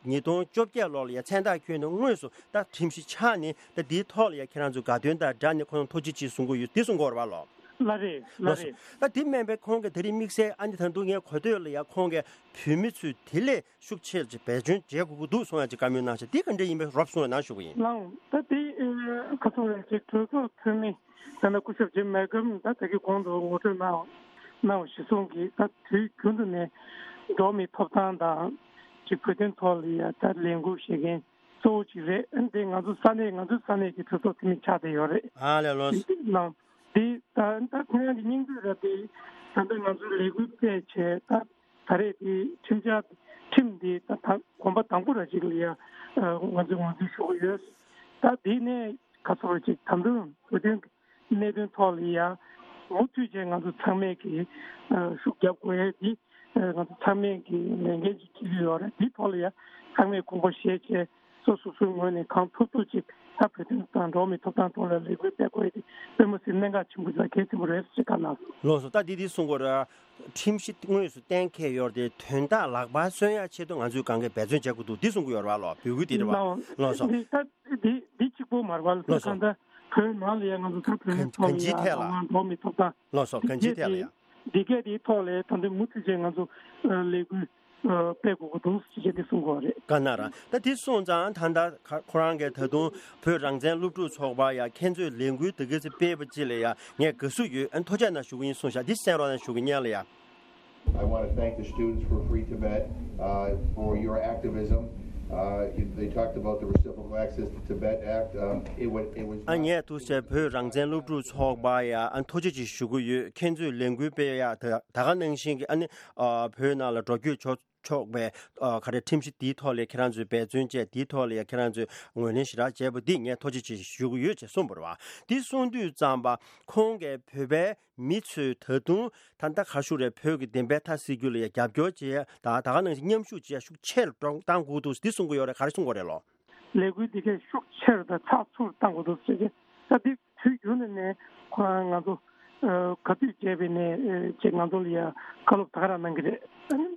ཉིས་སྟོང་བཅོ་བརྒྱད་ལོ་ལ་ཡང་མཚན་རྟགས་བསྐྱོན་ནས་དངོས་སུ་ད་ཁྲིམས་གཞི་ཆགས་ནས་ད་འདིའི་ཐོག་ལ་ཡང་ཁྱེད་རང་ཚོས་དགའ་སྟོན་དང་སྦྲགས་ནས་ཁོང་ཐུགས་རྗེ་ཆེ་གསུང་གི་ཡོད། འདི་གསུང་གི་ཡོད་རེད་པ་ལགས། ལགས་རེད། ལགས་ལགས་སོ། རེད། ད་འདི་མིན་པའི་ཁོང་གིས་ད་རེས་དམིགས་བསལ་ཨ་ནི་ད་དུང་ངས་གོ་ཐོས་ལ་ཡང་ཁོང་གིས་བོད་མི་ཚོས་དེ་ལས་ཤུགས་ཆེར་གྱི་འབད་བརྩོན་བྱེད་དགོས་ཀྱི་འདུག་གསུང་ཡག་ཅིག་བཀའ་མོལ་གནང་ཤག་འདི་ག་འདྲ་ཡིན་པའི་རོབ་གསུང་རོགས་གནང་ཞུ་གི་ཡིན། ལགས་འོང་། ད་དེ་ཁ་སང་ལ་ཅིག་གྲོས་ཚོགས་འཐུས་མི་ད་ནི་སྐུ་ཞབས་ཇིམ་མེག་གྷ་ཝིན་ད་ད་གི་གོང་དུ་ངོ་སྤྲོད་གནང་གནང་བ་གཞིར་བཟུང་གིས་ད་དུས་རྒྱུན་དུ་ནས་འགྲོ་བ་མིའི་ཐོབ་ཐང་དང་ཅིག་བོད་དོན་ཐོག་ལ་ཡ་ད་ལས་འགུལ་བྱེད་མཁན་གཙོ་བོ་ཅིག་རེད། འདི་ང་ཚོ་ས་གནས་ང་ཚོའི་ས་གནས་ཀྱི་གྲོས་ཚོགས་འཐུས་མི་ཆགས་བསྡད་ཡོད་རེད། ཨ་ལས་ལོ། ལགས་འོང་། འདི་ད་ད་ཁོང་རང་གི་སྙིང་བསྡུས་རེད་དེ། ད་ལྟ་ང་ཚོའི་ལས་འགུལ་སྤེལ་བྱས་ད་ད་རེས་དེ་ཁྲིམས་འཆར་ཁྲིམས་འདི་ད་ད་གོམ་པ་དང་པོ་ར་ཅིག་ལ་ཡ་ང་ཚོས་ངོས་འཛིན་ཞུ་གི་ཡོད། ད་དེ་ནས་ག་ཚོད་ར་ཅིག་ད་དུང་བོད་དོན་གནད་དོན་ཐོག་ལ་ཡ་མུ་མཐུད་བྱས་ང་ཚོ་ཚང་མས་ཀྱི་ཤུགས་རྒྱབ་དགོས་ཡ་དེ་ང་ཚོ་ཚང་མས་ཀྱི་ལས་འགན་ཅིག་འཁྱེར་གྱི་ཡོད་རེད། དེ་ཐོག་ལ་ཡ་ཚང་མས་དགོངས་པ་བཞེས་བྱས། སོ་སོ་སོའི་ངོས་ནས་གང་ཐུབ་ཐུབ་ཅིག་ད་བོད་དོན་དང་འགྲོ་བ་མིའི་ཐོབ་ཐང་ཐོག་ལ་ལས་འགུལ་སྤེལ་དགོས་ཡ་དེ་དཔེ་མི་སྲིད་གནད་འགག་ཆེན་པོ་དང་གལ་ཆེན་པོ་རེད་ཟེར་བཀའ་གནང་སོང་། ལགས་སོ། ད་འདི་འདི་གསུང་དགོས་རེད། ཁྲིམས་གཞི་དངོས་སུ་གཏན་འཁེལ་ཡོད་རེད་དེ་དོན་དག་ལག་བསྟར་སོན་ཡ་ཆེད་དུ་ང་ཚོས་གང་གས་འབད་བརྩོན་བྱེད་དགོས་འདུག་འདི་གསུང་གི་ཡོད་རེད་པ་ལགས། འབོད་སྐུལ་འདི་རེད་པ། ལགས་སོ། འདི་ད་འདི་འདི་གཅིག་པོ་མ་རེད་པ་ལགས། ལགས་སོ། གང་ལྟར་བོད་ནང་ལ་ཡ་ང་ཚོ་ད་བོད་མི་ཚོ་ལ་ཡ་གང་ལྟར་འགྲོ་བ་མིའི་ཐོབ་ཐང་། ལགས་སོ། གང་ཅིའི་ཐད་ལ་ཡ། འདི་གས་དེའི་ཐོག་ལ་ད་ལྟ་མུ་མཐུད་བྱས་ང་ཚོ་ལས་འགུལ་སྤེལ་དགོས་ཀྱི་འདུག་ཅེས་དེ་གསུང་གི་ཡོད་རེད། ག་ན་ར་ད་དེ་སོང་ཙང་ད་ལྟ་ཁོ་རང་གིས་ད་དུང་བོད་རང་བཙན་སློབ་ཕྲུག་ཚོགས་པ་ཡ་ཁྱེད་ཚོས་ལས་འགུལ་དེ་ག་ཚོད་སྤེལ་བ་ཅིག་ལ་ཡ་ངས་དགའ་བསུ་ཡོད། ཨ་ཐུགས་རྗེ་གནང་ཞུ་གི་ཡིན་གསུངས་ཤག་འདི་གསན་རོགས་གནང་ཞུ་གི་ཡིན། ཡ་ལ་ཡ། I want to thank the students for Free Tibet, uh, for your activism. Uh, you- they talked about the Reciprocal Access to Tibet Act. Um, it was, it was ཨ་ངས་ཐུགས་རྗེ་བོད་རང་བཙན་སློབ་ཕྲུག་ཚོགས་པ་ཡ་ཨ་ཐུགས་རྗེ་ཆེ་ཞུ་གི་ཡོད། ཁྱེད་ཚོས་ལས་འགུལ་སྤེལ་ཡ་ད་ད་ག་ནང་བཞིན་གྱི་ཨ་ནི་ཨ་བོད་ནང་ལ་འགྲོ་སྐྱོད་ཆོག་ཆོག་པའི་ཨ་ག་རེ་ཁྲིམས་གཞི་དེའི་ཐོག་ལ་ཁྱེད་རང་ཚོས་འབད་བརྩོན་བྱས་དེའི་ཐོག་ལ་ཡ་ཁྱེད་རང་ཚོས་ངོས་ལེན་ཞེ་དྲག་བྱས་པ་འདི་ངས་ཐུགས་རྗེ་ཆེ་ཞུ་གི་ཡོད་ཅེས་གསུངས་པ་རེད་པ། འདི་གསུང་དུས་ཙམ་པ་ཁོང་གིས་བོད་པའི་མི་ཚོས་ད་དུང་ད་ལྟ་ག་ཞུ་རེད། བོད་ཀྱི་བདེན་པའི་མཐའ་གསལ་རྒྱུ་ལ་ཡ་རྒྱབ་སྐྱོར་བྱེད་ཡ་ད་ད་ག་ནང་བཞིན་མཉམ་ཞུགས་བྱེད་ཡ་ཤུགས་ཆེ་རུ་གཏོང་གཏོང་དགོས་འདུག་འདི་གསུང་གི་ཡོད་རེད། ག་རེ་གསུང་གི་རེད་ལོ། ལས་འགུལ་འདི་གས་ཤུགས་ཆེ་རུ་དང་ཚགས་ཚུད་གཏང་དགོས་འདུག་ཟེར་གྱི། ད་འདི་དུས་རྒྱུན་ནས་ནས་ཁོ་རང་ང་ཚོ་ག་དུས་བྱས་པའི་ནས་ཅེས་ང་ཚོ་ལ་ཡ་བཀའ་སློབ་ད་ག་རང་གནང་གི་རེད། ཨ་ནི་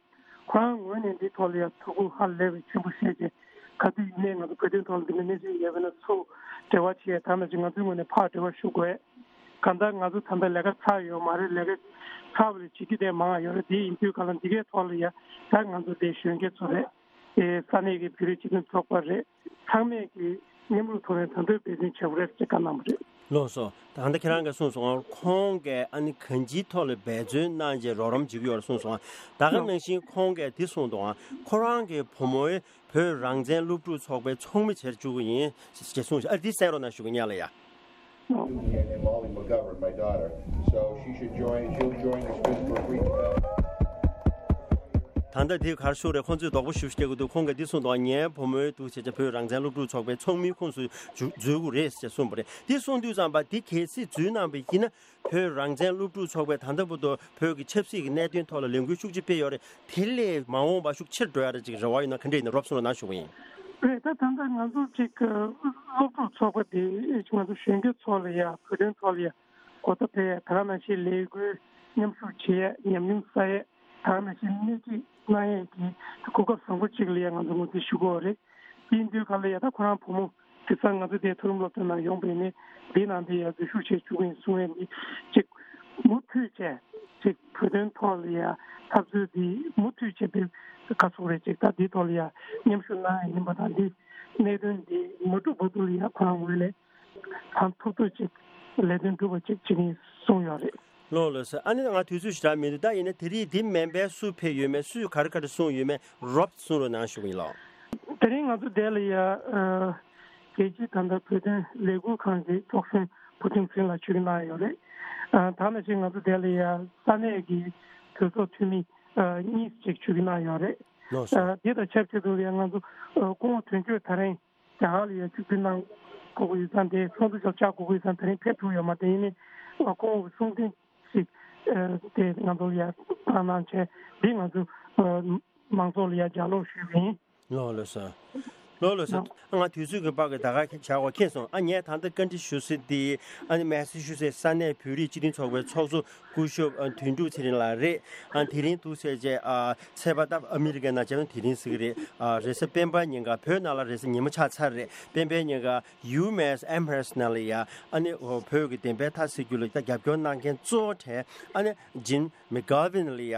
ཁོ་རང་ངོས་ནས་འདི་ཐོག་ལ་ཡ་ཐུགས་ཁུར་ཧ་ལས་པའི་ཆེན་པོ་བཤད་ཀྱི། ག་དུས་ཡིན་ནའི་ང་ཚོ་བོད་དོན་ཐོག་ལ་འདི་འདྲ་གནས་ཚུལ་ཡོད་པ་ན་ཚུར་འབྲེལ་བ་བྱེད་ཡ་ད་ནང་བཞིན་ང་ཚོའི་ངོས་ནས་ཕར་འབྲེལ་བ་ཞུ་དགོས། གང་ལྟར་ང་ཚོ་ད་ལྟ་ལས་ཀ་ཚར་ཡོད་མ་རེད། ལས་ཀ་ཚར་བ་ལས་བྱེད་རྒྱུ་དེ་མང་བ་ཡོད་རེད། དེ་ཡིན་དུས་ག་ལ་འདི་གའི་ཐོག་ལ་ཡ་ད་ང་ཚོ་དེ་གཞོན་སྐྱེས་ཚོ་རེད། དེ་ས་གནས་ཀྱི་བོད་རིགས་སྤྱི་མཐུན་ཚོགས་པ་རེད། ཚང་མས་ཀྱི་མཉམ་རུབ་ཐོག་ནས་ད་དུང་འབད་བརྩོན་བྱེད་དགོས་རེད་ཅེས་བཀའ་གནང་བ་རེད། ལགས་སོ། ད་ལྟ་ཁྱེད་རང་གིས་གསུངས་སོང་། ཁོང་གིས་ཨ་ནི་གང་ཅིའི་ཐོག་ལ་འབད་བརྩོན་གནང་རྗེས་རོགས་རམ་བྱེད་ཀྱི་ཡོད་རེད་གསུངས་སོང་། ད་ག་ནང་བཞིན་ཁོང་གིས་འདི་གསུངས་འདུག་ཁོ་རང་གི་བུ་མོའི་བོད་རང་བཙན་སློབ་ཕྲུག་ཚོགས་པའི་ཚོགས་མི་བྱེད་བཅུག་གི་ཡིན་ཞེས་གསུངས་ཤག་ཨ་འདི་གསན་རོགས་གནང་ཞུ་གི་ཡིན། ཡ་ལ་ཡ། And Molly McGovern, my daughter. So she should join, she'll join the Students for Free Tibet. ད་ལྟ་དེ་གར་ཤོར་རེད། ཁོང་ཚོས་རྡོག་པོ་ཞུ་སྐྱེ་དགོས་འདུག་ཁོང་གིས་འདི་གསུངས་འདུག་ངའི་བུ་མོའི་འདུག་བྱས་བྱས་བོད་རང་བཙན་སློབ་ཕྲུག་ཚོགས་པའི་ཚོགས་མིའི་ཁོངས་སུ་འཛུལ་འཛུལ་དགོས་རེད་ཅེས་གསུངས་པ་རེད། འདི་གསུངས་དུས་ཙམ་པ་འདི་གལ་སྲིད་འཛུལ་གནང་བ་ཡིན་ན་བོད་རང་བཙན་སློབ་ཕྲུག་ཚོགས་པས་ད་ལྟ་བར་དུ་བོད་ཀྱི་ཆབ་སྲིད་ཀྱི་གནད་དོན་ཐོག་ལ་ལས་འགུལ་ཤུགས་ཆེ་སྤེལ་ཡོད་རེད། དེ་ལས་མ་འོངས་པ་ཤུགས་ཆེར་འགྲོ་ཡ་རེད་ཅིག་རེ་བ་ཡོད་ན་ག་འདྲ་ཡིན་ན་རོབ་གསུངས་རོགས་གནང་ཞུ་གི་ཡིན། རེད། ད་ད་ལྟ་ང་ཚོ་ཅིག་སློབ་ཕྲུག་ཚོགས་པ་དེ་ང་ཚོ་གཞོན་སྐྱེས་ཚོ་ལ་ཡ་བོད་དོན་ཐོག་ལ་ཡ་གོ་བརྡ་སྤེལ་ཡ་ད་ག་ནང་བཞིན་ལས་འགུལ་ མཉམ་ཞུགས་བྱེད་ཡས། ཉམས་མྱོང་བསགས་ཡས། དེ་ག་ནང་བཞིན་སྣེ་ཁྲིད་གནང་ཡས་ཀྱི་གོ་སྐབས་བཟང་པོ་ཅིག་ལ་ཡ་ང་ཚོ་ངོས་འཛིན་ཞུ་གི་ཡོད་རེད། དེ་ཡིན་དུས་ག་ལ་ཡ་ད་ཁོ་རང་བུ་མོ་དེང་སང་ང་ཚོ་དེ་མཐོ་རིམ་སློབ་གྲྭ་ནང་ཡོང་པའི་ནི་འདི་ནང་དེ་ཡ་འཛུལ་ཞུགས་བྱེད་བཅུག་གི་ཡིན་གསུང་ཡས་འདི་ཅིག་མུ་མཐུད་བྱས་ཅིག་བོད་དོན་ཐོག་ལ་ཡ་འཐབ་རྩོད་འདི་མུ་མཐུད་བྱས་པའི་ག་ཚོད་རེད་ཅིག་ད་འདི་ཐོག་ལ་ཡ་མཉམ་ཞུགས་གནང་ཡས་ཡིན་པ་དང་འདི་གནད་དོན་འདི་མ་འགྲུབ་བར་དུ་ལ་ཡ་ཁོ་རང་ངོས་ནས་གང་ཐུབ་ཐུབ་ཅིག་ལས་དོན་སྒྲུབ་པ་ཅིག་བྱེད་ཀྱི་ཡིན་གསུངས་ཡོད་རེད། ལགས་ལགས་སོ། ཨ་ནི་ང་དུས་ཚོད་ཞེ་དྲག་མི་འདུག་ད་ཡིན་ན་དེ་རིང་འདི་མིན་པའི་སུ་ཕེབས་ཡོད་མེད། སུས་ག་རེ་ག་རེ་གསུངས་ཡོད་མེད་རོབ་གསུང་རོགས་གནང་ཞུ་གི་ཡིན་ལགས། དེ་རིང་ང་ཚོ་འདི་ལ་ཡ་ཨ་རྒྱལ་སྤྱིའི་ད་ལྟ་བོད་དོན་ལས་འགུལ་ཁང་གི་ཚོགས་གཞོན་བུ་ཆུང་ཚེ་རིང་ལགས་ཆིབས་བསྒྱུར་གནང་ཡོད་རེད། ཨ་ད་ནང་བཞིན་ང་ཚོ་འདི་ལ་ཡ་ས་གནས་ཀྱི་གྲོས་ཚོགས་འཐུས་མི་ཨ་གཉིས་ཅིག་ཆིབས་བསྒྱུར་གནང་ཡོད་རེད། ལགས་སོ། ཨ་འདི་དང་ཆབས་ཅིག་ཏུ་ལ་ཡ་ང་ཚོ་ཨ་སྐུ་ངོ་དོན་གཅོད་ད་རིང་རྒྱ་གར་ལ་ཡ་ཆིབས་བསྒྱུར་གནང་དགོས་ཀྱི་ཡོད་ཙང་དེ་ཚོགས་འདུ་ཞོགས་ཆགས་དགོས་ཀྱི་ཡོད་ཙང་དེ་རིང་ཕེབས་ཐུབ་ཡོད་མ་རེད། ཡིན་ནའི་ཨ་སྐུ་ངོ་གི་གསུང་འཕྲིན་ཞིག་ཨ་དེ་ང་ཚོ་ལ་ཡ་བཏང་གནང་བྱས་འདི་ང་ཚོ་ཨ་མང་ཚོགས་ལ་ཡ་ལྗགས་ཀློག་ཞུས་པ་ཡིན། ལགས་ལགས་སོ། ལགས་ལགས་སོ། ལགས། ང་དུས་ཚོད་ཀྱི་བར་གྱི་ད་ག་བྱ་བ་ཁེངས་སོང་། ཨ་ངས་ད་ལྟ་བཀའ་འདྲི་ཞུ་སྲིད་དེ་ཨ་ནི་མེ་སི་ཆུ་སེ་ས་གནས་བོད་རིགས་སྤྱི་མཐུན་ཚོགས་པའི་ཚོགས་གཙོ་སྐུ་ཞབས་ཨ་དོན་གྲུབ་ཚེ་རིང་ལགས་རེད། ཨ་དེ་རིང་འདུག་ཟེར་བྱས་ཨ་ཚེས་པ་ད་ཨ་མི་རི་ཀའི་ནང་བྱས་ན་དེ་རིང་ཟེར་གི་རེད། ཨ་རེས་གཟའ་སྤེན་པ་ཉིན་ཀ་བོད་ནང་ལ་རེས་གཟའ་ཉི་མ་ཆགས་ཚར་རེད། སྤེན་པའི་ཉིན་ཀ་ཡུ་མེ་སི་ཨེམ་ཧེ་སི་ནང་ལ་ཡ་ཨ་ནི་བོད་ཀྱི་བདེན་པའི་མཐའ་གསལ་རྒྱུ་ལ་ད་རྒྱབ་སྐྱོར་གནང་མཁན་གཙོ་བོ་གྲས་ཨ་ནི་ཇིན་མི་གྷ་ཝིན་ལ་ཡ་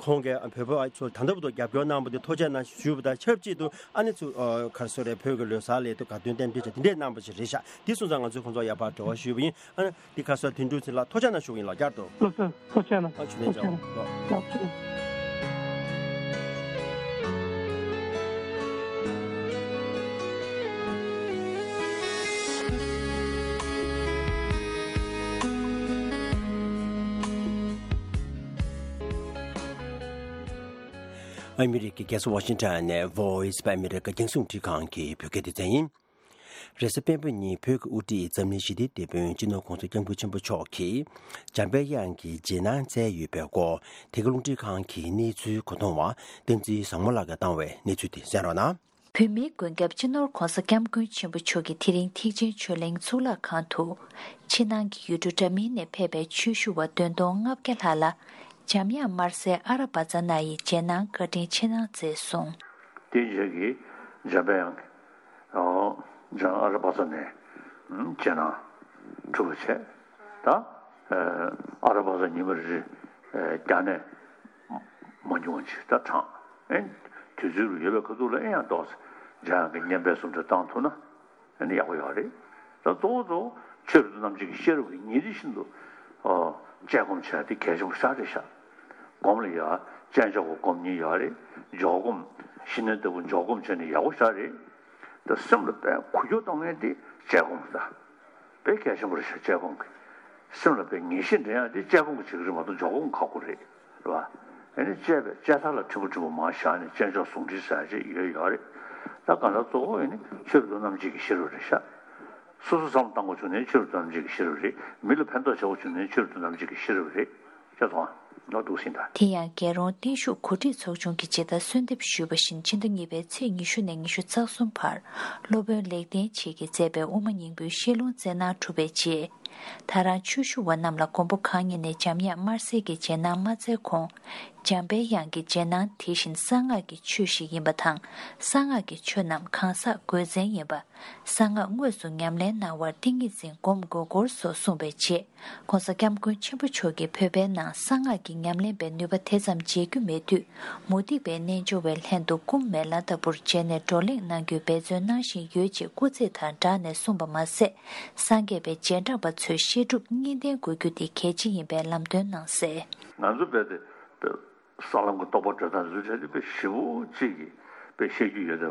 ཁོང་གིས་བོད་པ་ཚོ་ད་ལྟ་བར་དུ་རྒྱབ་སྐྱོར་གནང་བ་དེ་ཐུགས་རྗེ་གནང་ཞུས་པ་དང་ཆབས་ཅིག་ཏུ་ཨ་ནི་ཚུ་ཨ་ག་རེ་ཟེར་རེད། བོད་ཀྱི་ལོ་གསར་སླེབས་དུས་དགའ་སྟོན་རྟེན་འབྲེལ་བྱས་དེ་འདྲས་གནང་བ་ཞིག་རེད་ཤག་དེ་སོང་ཙང་ང་ཚོས་ཁོང་ཚོར་ཡར་ཕར་འབྲེལ་བ་ཞུས་པ་ཡིན། ཨ་ནི་འདི་ག་རེ་ཟེར་དོན་གྲུབ་ཚེ་རིང་ལགས་ཐུགས་རྗེ་གནང་ཞུ་གི་ཡིན་ལགས། བསྐྱར་དུ། ལགས་སོ། ཐུགས་རྗེ་གནང་། ལགས་སོ། ཐུགས་རྗེ་གནང་། ལགས་སོ། ཨ་མི་རི་ཀའི་རྒྱལ་ས་ཝ་ཤིང་ཊོན་ནས་Voice of America རྒྱང་སྲིང་རླུང་འཕྲིན་ཁང་གི་བོད་སྐད་སྡེ་ཚན་ཡིན། རེས་གཟའ་སྤེན་པ་ཉིན་བོད་ཀྱི་དབུ་ཁྲིད་འཛམ་གླིང་ཞི་བདེའི་དེད་དཔོན་སྤྱི་ནོར་༸གོང་ས་༸སྐྱབས་མགོན་ཆེན་པོ་མཆོག་གིས་འཇམ་དཔལ་དབྱངས་ཀྱི་རྗེས་གནང་བསྩལ་ཡོད་པའི་སྐོར་དེ་ག་རླུང་འཕྲིན་ཁང་གི་གནས་ཚུལ་གོ་མཐོང་བ་བསྟན་འཛིན་བཟང་མོ་ལགས་ཀྱིས་བཏང་བའི་གནས་ཚུལ་དེ་གསན་རོགས་གནང་། བོད་མིའི་མགོན་སྐྱབས་སྤྱི་ནོར་༸གོང་ས་༸སྐྱབས་མགོན་ཆེན་པོ་མཆོག་གིས་དེ་རིང་ཐེག་ཆེན་ཆོས་གླིང་གཙུག་ལག་ཁང་དུ། ཕྱི་ནང་གི་ཡུལ་གྲུ་འདྲ་མིན་ནས་ཕེབས་པའི་ཆོས་ཞུ་བ་བདུན་སྟོང་ལྔ་བརྒྱ་ལྷག་ལ་འཇམ་དབྱངས་དམར་གསལ་ཨ་ར་བ་ཙ་ན་ཡི་རྗེས་གནང་བཀའ་དྲིན་ཆེ་གནང་མཛད་སོང་། དེའི་རྗེས་ཀྱི་འཇམ་དཔལ་དབྱངས་ཀྱིས་འཇམ་ཨ་ར་བ་ཙ་ནའི་རྗེས་གནང་གྲུབ་པ་བྱས། ད་ཨ་ར་བ་ཙ་ཉི་མ་རེ་རེ་རྒྱ་ནས་མ་ཉུང་བ་ཅིག་ད་དྲངས། ཨེ་དུས་ཚོད་ལ་ཡོད་པའི་ཁ་ཐུག་ལ་ཨེ་ཡང་ཏོག་ཙམ་འཇམ་དབྱངས་ཀྱི་བསྙེན་པའི་སུམ་ཆ་བཏང་ཐུབ་ན་ཨ་ནི་ཡག་པོ་ཡོད་རེད། ད་གཙོ་བོ་གཙོ་བོ་ཆོས་རབ་ཏུ་རྣམ་འབྱེད་ཀྱི་ཤེས་རབ་ཀྱི་ཉིན་རེ་བཞིན་དུ་ཨ་དཔྱད་སྒོམ་བྱས་དེ་གལ་ཆེན་པོ་ཞེ་དྲག་རེད་ཤག་སྒོམ་ལ་ཡ་དཔྱད་འཇོག་གི་སྒོམ་གཉིས་ཡོད་རེད། འཇོག་སྒོམ་ཤི་ནས་ལྟ་བུ་འཇོག་སྒོམ་བྱས་ནས་ཡག་པོ་ཞེ་དྲག་རེད། ད་སེམས་ལ་དཔེ་འགུལ་སྐྱོད་གཏོང་མཁན་དེ་དཔྱད་སྒོམ་རེད། དཔེ་གལ་ཆེན་པོ་རེད་ཤག་དཔྱད་སྒོམ་གྱི། སེམས་ལ་དཔེ་ངེས་ཤེས་འདྲེན་ཡག་དེ་དཔྱད་སྒོམ་གྱི་བྱེད་ཀྱི་རེད་མ་གཏོགས་འཇོག་སྒོམ་ཁག་པོ་རེད། རེད་བ། ཨ་ནི་དཔྱད་པའི་དཔྱད་མཐའ་ལ་ཕྲན་བུ་ཕྲན་བུ་མར་བཞག་ནས་དཔྱད་འཇོག་ཟུང་འབྲེལ་ཟེར་ཡག་ཅིག་ཡོད་ཡོད་རེད། ད་གང་ལྟར་གཙོ་བོ་ཨ་ནི་ཆོས་རབ་ཏུ་རྣམ་འབྱེད་ཀྱི་ཤེས་རབ་རེད་ཤག་སོ་སོ་བསམ་བློ་བཏང་དགོས་བྱུང་ན་ཆོས་རབ་ཏུ་རྣམ་འབྱེད་ཀྱི་ཤེས་རབ་རེད། མི་ལ་ཕན་ཐོགས་བྱེད་དགོས་བྱུང་ན་ཆོས་རབ་ཏུ་རྣམ་འབྱེད་ཀྱི་ཤེས་རབ་རེད། ཁྱེད་ཚོ་ཨ་ནོར་འདུག་ཟིན་ད། དེ་ཡང་རྒྱལ་རོང་བརྟན་བཞུགས་གོ་སྒྲིག་ཚོགས་ཆུང་གིས་ཇི་ལྟར་གསོལ་འདེབས་ཞུས་པ་བཞིན་ཕྱི་ཟླ་གཉིས་པའི་ཚེས་ཉི་ཤུ་ནས་ཉི་ཤུ་རྩ་གསུམ་བར་སློབ་དཔོན་ལེགས་ལྡན་འབྱེད་ཀྱིས་མཛད་པའི་དབུ་མ་སྙིང་པོའི་བཤད་ལུང་སྩལ་གནང་གྲུབ་པའི་རྗེས། ད་རང་ཆོས་ཞུ་བ་རྣམས་ལ་མགོན་པོ་གང་ཉིད་ནས་འཇམ་དབྱངས་དམར་གསལ་གྱི་རྗེས་གནང་མ་སྩལ་གོང་། འཇམ་དཔལ་དབྱངས་ཀྱི་རྗེས་གནང་དེ་བཞིན་གསང་སྔགས་ཀྱི་ཆོས་ཤིག་ཡིན་པ་དང་། གསང་སྔགས་ཀྱི་ཆོས་རྣམས་གང་ཟག་དགོས་མཚན་ཡིན་པ། གསང་སྔགས་དངོས་སུ་ཉམས་ལེན་གནང་བར་ཏིང་ངེ་འཛིན་སྒོམ་དགོས་སྐོར་སོགས་གསུངས་པའི་རྗེས། ༸གོང་ས་༸སྐྱབས་མགོན་ཆེན་པོ་མཆོག་གིས་བོད་པའི་ནང་གསང་སྔགས་ཀྱི་ཉམས་ལེན་པའི་ནུས་པ་དེ་ཙམ་མཇལ་རྒྱུ་མེད་དུས། མུ་སྟེགས་པའི་རྣལ་འབྱོར་བའི་ལྷན་དུ་སྐུ་མེ་ལྷ་ལྟ་བུར་མཇལ་ནས་བགྲོ་གླེང་གནང་རྒྱུའི་འབད་བརྩོན་གནང་བཞིན་ཡོད་ཅེས་སྐུ་ཚེ་དང་སྦྲགས་ནས་གསུངས་པ་མ་ཟད། སངས་རྒྱས་པའི་རྗེས་འབྲང་པ་ཚོས་བཤད་སྒྲུབ་གཉིས་ལྡན་དགོས་རྒྱུ་དེ་གལ་ཆེ་ཡིན་པའི་ལམ་སྟོན་གནང་གསལ། ང་ཚོ་རྦད་དེ་ས་ལམ་གྱི་རྟོགས་པ་སྒྲོ་བཏགས་འཛུལ་བྱས་ཏེ་དཔེ་ཞེ་པོ་ཅིག་གིས་དཔེ་བཤད་རྒྱུ་ཡོད་དེ།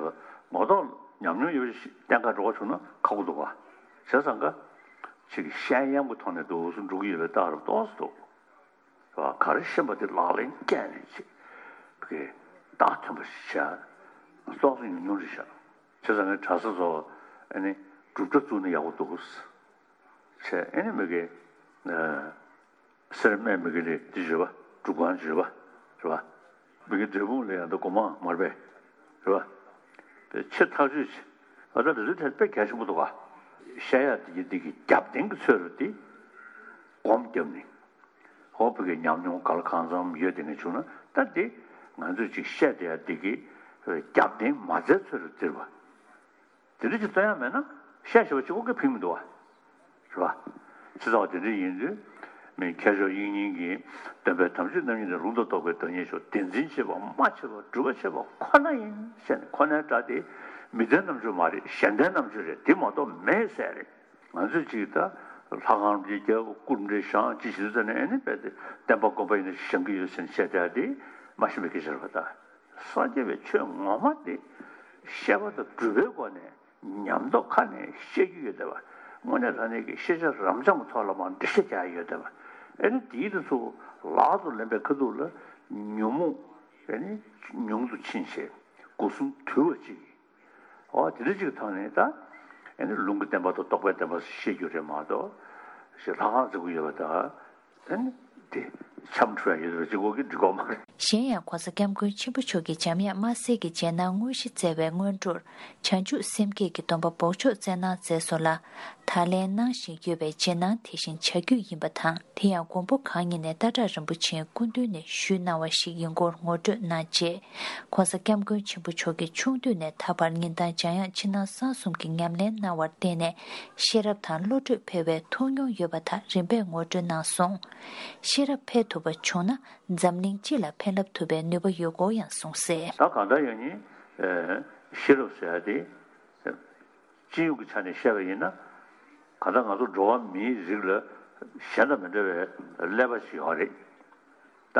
ངོ་ཐོག་ཉམས་མྱོང་ཡོད་པ་ཞིག་གཏན་འཁེལ་འགྲོ་བ་བྱུང་ན་ཁག་པོ་འདུག་ག་བྱས་ཙང་ཀ་ཅིག་གི་བཤད་ཡམ་གྱི་ཐོག་ནས་འདུག་སེ་འགྲོ་གི་ཡོད་པའི་རྟགས་རབ་ཏོག་ཙམ་འདུག་རེད་བ། ག་རེ་ཤེས་པ་དེ་ལག་ལེན་བཀལ་ནས་ཅིག་གི་རྟགས་ཐོན་པ་ཞིག་བྱས་ཏོག་ཙམ་ཉུང་ཉུང་རེད་ཤག་བྱས་ཙང་ངས་གྲྭ་ས་ཚོ་ཨ་ནི་སྒྲུབ་གྲྭ་བཙུགས་ན་ཡག་པོ་འདུག་ཟེར། བྱས་ཨ་ནི་མི་གི་ཨ། སེར་སྨད་མི་གི་ལས་དེ་བརྗོད་པ། སྒྲུབ་ཁང་བརྗོད་པ་རེད་བ། མི་གི་འབྲས་སྤུངས་ལ་ཡང་ད་སྒོ་མང་མར་པས་རེད་བ། དེ་ཆེ་ཐག་ཆོད་ཆེ། ཨ་ད་དེ་ཚོའི་ཐད་དཔེ་གལ་ཆེན་པོ་འདུག་ག་བཤད་ཡག་དེ་གི་དེ་གི་རྒྱབ་རྟེན་གྱི་ཚོད་རེད་དེ། སྒོམ་བརྒྱབ་ནས། ཧོ་བོད་ཀྱི་ཉམས་མྱོང་ག་ལ་གང་འཚམ་ཡོད་དེ་ངས་བྱུང་ན་ད་དེ་ང་ཚོས་ཅིག་བཤད་བསྡད་ཡ་དེ་གི་རྒྱབ་རྟེན་མ་མཛད་ཚོད་ལ་བརྩིར་བ། དེ་འདྲ་ཅིག་སྟོན་ཡ་མེད་ན་བཤད་ཤེས་པ་གཅིག་པོ་གིས་ཕན་མི་འདུག་བ། རེད་བ། ཅི་ཙམ་དེ་འདྲ་ཡིན་དུས་མི་མཁས་མཆོག་དབྱིག་གཉེན་གྱི་སྟོན་པའི་དམ་ཆོས་རྣམ་གཉིས་ནི་ལུང་དང་རྟོགས་པའི་བདག་ཉིད་མཆོག་བདེན་འཛིན་བྱེད་པ་སྨྲ་བྱེད་པ་སྒྲུབ་པ་བྱེད་པ་ཁོ་ན་ཡིན་ཟེར་ནས་ཁོ་ནའི་སྒྲ་དེ་མི་ལྡན་རྣམ་འགྱུར་མ་རེད། གཞན་ལྡན་རྣམ་འགྱུར་རེད། དེ་མ་གཏོགས་མེད་ཟེར་རེད། ང་ཚོས་ཅིག་ད་ལྷ་ཁང་རྒྱལ་རྒྱལ་པོ་སྐུ་འདྲ་ཞང་ཅི་ཞིག་ཟེར་ནས་ཨེ་ནི་རྦད་དེ་བསྟན་པ་དགོན་པ་ཡིན་ན་བཞེངས་ཀྱི་ཡོད་ཟེར་ནས་བཤད་བསྡད་དེ་མ་ཤེས་པའི་སྐད་ཆ་རེད་པ། ད་སངས་རྒྱས་པའི་ཆོས་ངོ་མ་དེ་བཤད་པ་དང་སྒྲུབ་པའི་སྒོ་ནས་ཉམས་རྟོགས་ཁ་ནས་བཤད་རྒྱུ་ཡོད་བསྡད་པ། དངོས་གནས་དྲང་གནས་ཀྱི་ཤེས་བྱ་རབ་འབྱམས་ཀྱི་ཐོག་ལ་མར་འགྲེལ་བཤད་རྒྱག་ཡ་ཡོད་བསྡད་པ། ཨེ་ནི་དེའི་དེ་ཚོ་ལག་ཏུ་ལེན་པའི་ཁ་ཐུག་ལ་ཉོན་མོངས་ཨེ་ནི་ཉུང་དུ་ཕྱིན་བྱས་སྒོ་གསུམ་དུལ་བ་ཅིག་འོ་དེ་འདྲ་ཅིག་ཐོག་ནས་ད་ཨེ་ནི་ལུང་གི་བསྟན་པ་དང་རྟོགས་པའི་བསྟན་པ་བཤད་རྒྱུ་རེད་མ་གཏོགས་ཞེས་ལྷ་ཁང་བརྩིགས་ཀྱི་ཡོད་པ་དང་ཨེ་ནི་དེ་འཆམ་འཁྲུལ་ཡ་ཡོད་པ་ཅིག་གོ་གི་འགྲིག་གོ་མ་རེད། གཞན་ཡང་༸གོང་ས་༸སྐྱབས་མགོན་ཆེན་པོ་མཆོག་གིས་འཇམ་དབྱངས་དམར་གསལ་གྱི་རྗེས་གནང་དངོས་གཞི་བསྩལ་བའི་སྔོན་འགྲོར་བྱང་ཆུབ་སེམས་བསྐྱེད་ཀྱི་སྡོམ་པ་འབོགས་ཆོག་སྩལ་གནང་མཛད་སོང་ལ། ད་ལན་གནང་བཞིན་ཡོད་པའི་རྗེས་གནང་དེ་བཞིན་བྱ་རྒྱུད་ཡིན་པ་དང་། དེ་ཡང་མགོན་པོ་གང་ཉིད་ནས་ཏཱ་ཏྲ་རིན་པོ་ཆེའི་སྐུ་མདུན་ནས་ཞུས་གནང་བ་ཞིག་ཡིན་སྐོར་ངོ་སྤྲོད་གནང་རྗེས།༸གོང་ས་༸སྐྱབས་མགོན་ཆེན་པོ་མཆོག་གིས་ཆུང་དུས་ནས་ད་བར་ཉིན་ལྟར་འཇམ་དབྱངས་ཕྱི་ནང་གསང་གསུམ་གྱི་ཉམས་ལེན་གནང་བར་བརྟེན་ནས་ཤེས་རབ་དང་བློ་གྲོས་འཕེལ་བའི་ཐུགས་མྱོང་ཡོད་པ་དག་རིམ་པས་ངོ་སྤྲོད་གནང་སོང་། ཤེས་རབ་འཕེལ་ཐུབ་པ་བྱུང་ན་འཛམ་གླིང་སྤྱི་ལ་ཕན་རླབས་ཐུབ་པའི་ནུས་པ་ཡོད་སྐོར་ཡང་གསུངས་གསལ། ད་གང་ལྟར་ཡང་ནི་ཤེས་རབ་ཟེར་ཡ་དེ། སྤྱི་ཡོངས་ཀྱི་ཆ་ནས་བཤད་པ་ཡིན་ན། གང་ལྟར་ང་ཚོ་འགྲོ་བ་མིའི་རིགས་ལ་གཞན་དང་མི་འདྲ་བའི་ཀླད་པ་ཞིག་ཡོད་རེད། ད་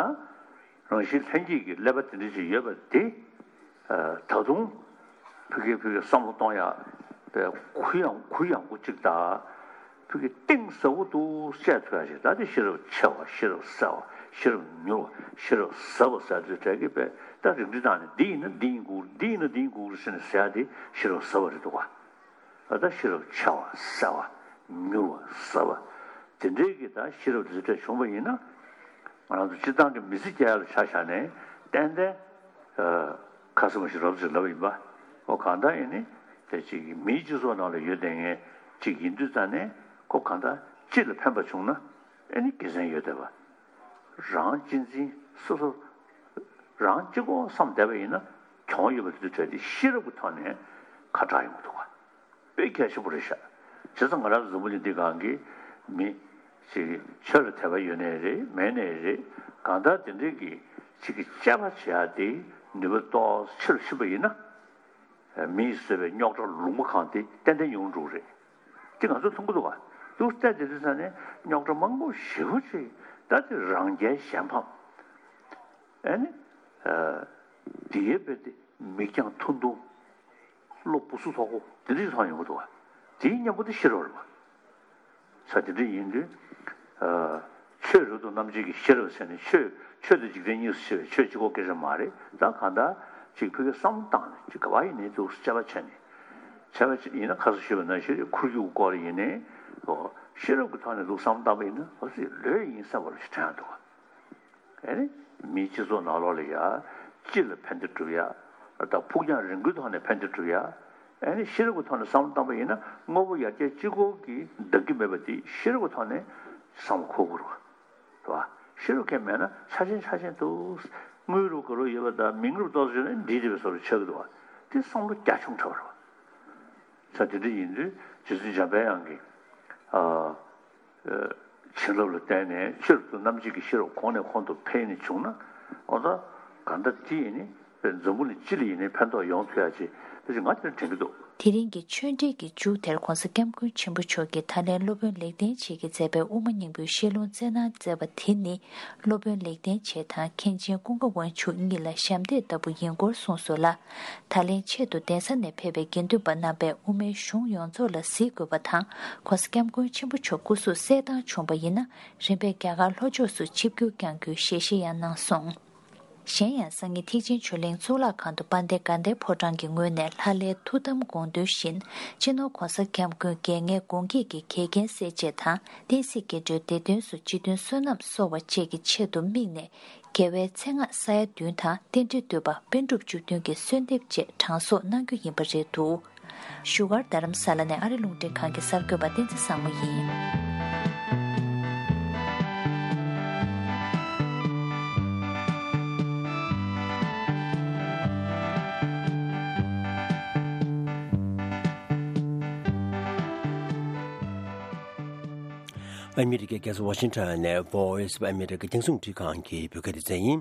རང་བཞིན་ལྷན་སྐྱེས་ཀྱི་ཀླད་པ་དེ་འདྲ་ཞིག་ཡོད་པ་དེ། ད་དུང་ཕ་གི་ཕ་གི་བསམ་བློ་གཏོང་ཡག་གུ་ཡངས་གུ་ཡངས་པོ་གཅིག་དང་། ཕ་གི་གཏིང་ཟབ་པོ་འདུག་བཤད་ཐུབ་ཡག་ཞིག་ད་དེ་ཤེས་རབ་ཆེ་བ། ཤེས་རབ་གསལ་བ། ཤེས་རབ་མྱུར་བ། ཤེས་རབ་ཟབ་པ་ཟེར་དུས་གྲས་ཀྱི་པས་ད་རིགས་འདི་དང་ནི་འདི་ཡིན་ན་འདི་ཡིན་དགོས། འདི་ཡིན་ན་འདི་ཡིན་དགོས་ཟེར་ནས་ཟེར་ཡག་དེ་ཤེས་རབ་ཟབ་པ་རེད་འདུག་ག་ད་ལྟ་ཤེས་རབ་ཆེ་བ་གསལ་བ་མྱུར་བ་ཟབ་པ་དེ་འདྲའི་གི་ད་ཤེས་རབ་དེ་ཚོ་བྱུང་བ་ཡིན་ན། ང་རང་ཚོ་སྤྱིར་བཏང་གི་མི་ཚེ་སྐྱེལ་ཡ་ལ་ཆ་བཞག་ནས་ཏན་ཏན་ཁ་སེམས་ཤིག་རབ་ཅིག་ལབ་ཡིན་པ། ཨོ་གང་ལྟར་ཡིན་ནི་དེ་ཅིག་མིའི་སྤྱི་ཚོགས་ནང་ལ་ཡོད་བསྡད་མཁན་ཅིག་ཡིན་དུས་ཙང་ནས་ཁོ་གང་ལྟར་སྤྱི་ལ་ཕན་པ་བྱུང་ན་ཨེ་ནི་དགེ་མཚན་ཡོད་བསྡད་པ། རང་གཅེས་འཛིན་སོ་སོ་རང་གཅིག་པོ་བསམ་བསྡད་པ་ཡིན་ན་གྱོང་ཡོད་པ་དེ་ཚོ་བྲལ་ཏེ་ཤེས་རབ་ཀྱི་ཐོག་ནས་ཁ་གྲག་ཡོང་གི་འདུག་ག་དཔེ་གལ་ཆེན་པོ་རེད་ཤག་བྱས་ཙང་ང་རང་འཛམ་བུ་གླིང་འདི་སྒང་གི་མི་ཞིག་ཆོས་ལ་དད་པ་ཡོད་ནའི་རེད་མེད་ནའི་རེད། གང་ལྟར་དེ་འདྲའི་གི་ཅིག་གི་དཔྱད་པ་བྱེད་ཡ་དེ་ནུས་པ་ཏོག་ཙམ་ཆེ་རུ་ཕྱིན་པ་ཡིན་ན། མིས་བཟོས་པའི་རྙོག་དྲ་ལུང་པ་གང་དེ་ཏན་ཏན་ཡོང་འགྲོ་གི་རེད། དེ་ང་ཚོས་མཐོང་གི་འདུག་ག་འདུག་སྟེ་དེ་དུས་ཙང་ནས་རྙོག་དྲ་མང་པོ་ཞེ་པོ་ཅིག་ད་དེ་རང་རྒྱལ་གཞན་ཕམ། ཨེ་ནི། དེའི་དཔེ་དེ། མིག་རྒྱང་ཐུང་ཐུང་། བློ་སྦུ་སུབ་ཚ་པོ་དེ་འདྲ་ཞིག་མཐོང་ཡོང་གི་འདུག་བ། དེའི་གཉེན་པོ་དེ་ཤེས་རབ་རེད་བ། ས་དེ་འདྲ་ཡིན་དུས། ཆོས་རབ་ཏུ་རྣམ་འབྱེད་ཀྱི་ཤེས་རབ་ཟེར་ནས་ཆོས་ཆོས་དང་འཇིག་རྟེན་གཉིས་སུ་ཕྱེ་བའི་ཆོས་གཅིག་པོ་སྐད་ཆ་མ་རེད། ད་གང་ལྟར་ཅིག་ཕ་གིའི་བསམ་བློ་བཏང་ནས་ཅིག་ག་བ་ཡིན་ནའི་འདུག་དཔྱད་པ་བྱས་ནས། དཔྱད་པ་ཡིན་ན་ཁ་སང་ཞུས་པ་ནང་བཞིན་ཁོར་ཡུག་སྐོར་ཡིན་ནའི། ཤེས་རབ་ཀྱི་ཐོག་ནས་འདུག་བསམ་བློ་བཏང་པ་ཡིན་ན་འོ་ཙི་ལོས་ཡིན་བསམ་པ་ཞིག་དྲན་འདུག་བ། ཨེ་ནི། མིའི་སྤྱི་ཚོགས་ནང་ལོགས་ལ་ཡ། སྤྱི་ལ་ཕན་བདེ་སྒྲུབ་ཡ། དང་ཕུགས་རྒྱང་རིང་པོའི་ཐོག་ནས་ཕན་བདེ་སྒྲུབ་ཡ། ཨེ་ནི་ཤེས་རབ་ཀྱི་ཐོག་ནས་བསམ་བློ་བཏང་པ་ཡིན་ན་དངོས་པོ་ཡར་རྒྱས་གཅིག་པོ་གིས་འདང་གི་མེད་པ་དེ་ཤེས་རབ་ཀྱི་ཐོག་ནས་བསམ་བློ་འཁོར་དགོས་རེད་བ། རེད་བ། ཤེས་རབ་ཁྱད་མེད་ན་ཆ་ཆེན་ཆ་ཆེན་དུ། དངུལ་རུ་དགའ་རུ་ཡོད་པ་དང་མིང་རུ་ཏོག་ཙམ་ཡོད་ན་འདི་འདི་བའི་བཟོ་འདྲ་ཆགས་ཀྱི་འདུག་བ། དེ་བསམ་བློ་རྒྱ་ཆུང་དྲགས་པ་རེད་བ། ས་དེ་འདྲ་ཡིན་དུས་རྗེ་བཙུན་འཇམ་པའི་དབྱངས་ཀྱིས། ཨ། བྱིན་རླབས་ལ་བརྟེན་ནས་ཆོས་རབ་ཏུ་རྣམ་འབྱེད་ཀྱི་ཤེས་རབ་གོང་ནས་གོང་དུ་འཕེལ་ནས་བྱུང་ན། འོ་ད་གང་ལྟར་དེ་ཡིན་ནི་འཛམ་བུ་གླིང་སྤྱི་ལ་ཡིན་ནི་ཕན་ཐོགས་ཡོང་ཐུབ་ཡ་ཅིག་དེ་ཅིག་ང་དེར་དྲན་གྱི་འདུག་དེ་རིང་གི་ཆོས་འབྲེལ་གྱི་མཇུག་དེར་༸གོང་ས་༸སྐྱབས་མགོན་ཆེན་པོ་མཆོག་གིས་ད་ལན་སློབ་དཔོན་ལེགས་ལྡན་འབྱེད་ཀྱིས་མཛད་པའི་དབུ་མ་སྙིང་པོའི་བཤད་ལུང་སྩལ་གནང་མཛད་པ་དེ་ནི། སློབ་དཔོན་ལེགས་ལྡན་འབྱེད་དང་མཁན་ཆེན་ཀུན་དགའ་དབང་ཕྱུག་གཉིས་ལ་ཞབས་འདེགས་ལྟ་བུ་ཡིན་སྐོར་གསུངས་སོང་ལ། ད་ལན་ཆེད་དུ་གདན་ས་ནས་ཕེབས་པའི་དགེ་འདུན་པ་རྣམ་པས་དབུ་མའི་གཞུང་ཡོངས་རྫོགས་ལ་གཟིགས་དགོས་པ་དང་། ༸གོང་ས་༸སྐྱབས་མགོན་ཆེན་པོ་མཆོག་སྐུ་གཟུགས་གསལ་ཐང་བྱུང་བ་ཡིན་ན། རིམ་པས་རྒྱ་གར་ལྷོ་ཕྱོགས་སུ་ཆིབས་བསྒྱུར་བསྐྱང་རྒྱུའི་ཞལ་བཞེས་ཡང་གནང་སོང་། གཞན་ཡང་སང་ཉིན་ཐེག་ཆེན་ཆོས་གླིང་གཙུག་ལག་ཁང་དུ་དཔལ་ལྡན་དགའ་ལྡན་ཕོ་བྲང་གི་ངོས་ནས་ལྷ་ལྷའི་ཐུགས་དམ་དགོངས་དོན་བཞིན། སྤྱི་ནོར་༸གོང་ས་༸སྐྱབས་མགོན་རྒྱལ་ངེས་དགོངས་བཀྱིག་གི་འགལ་རྐྱེན་སེལ་ཆེད་དང་། བསྟན་སྲིད་རྒྱས་སྤྲོས་བདེ་དོན་སོགས་སྤྱི་དོན་བསོད་ནམས་གསོ་བ་བཅས་ཀྱི་ཆེད་དུ་དམིགས་ནས། རྒྱལ་བའི་མཚན་སྔགས་ས་ཡ་བདུན་དང་རྟེན་འབྲེལ་བསྟོད་པ་པཎ་གྲུབ་བཅུ་བདུན་གྱི་གསོལ་འདེབས་བཅས་གྲངས་གསོག་གནང་རྒྱུ་ཡིན་པ་རེད་འདུག་བཞུགས་སྒར་རྡ་རམ་ས་ལ་ནས་ཨ་རི་རླུང་འཕྲིན་ཁང་གི་གསར་འགོད་པ་བསྟན་འཛིན་བཟང་མོ་ཡིན། ཨ་མི་རི་ཀའི་རྒྱལ་ས་ཝ་ཤིང་ཊོན་ནས་Voice of America རྒྱང་སྲིང་རླུང་འཕྲིན་ཁང་གི་བོད་སྐད་སྡེ་ཚན་ཡིན།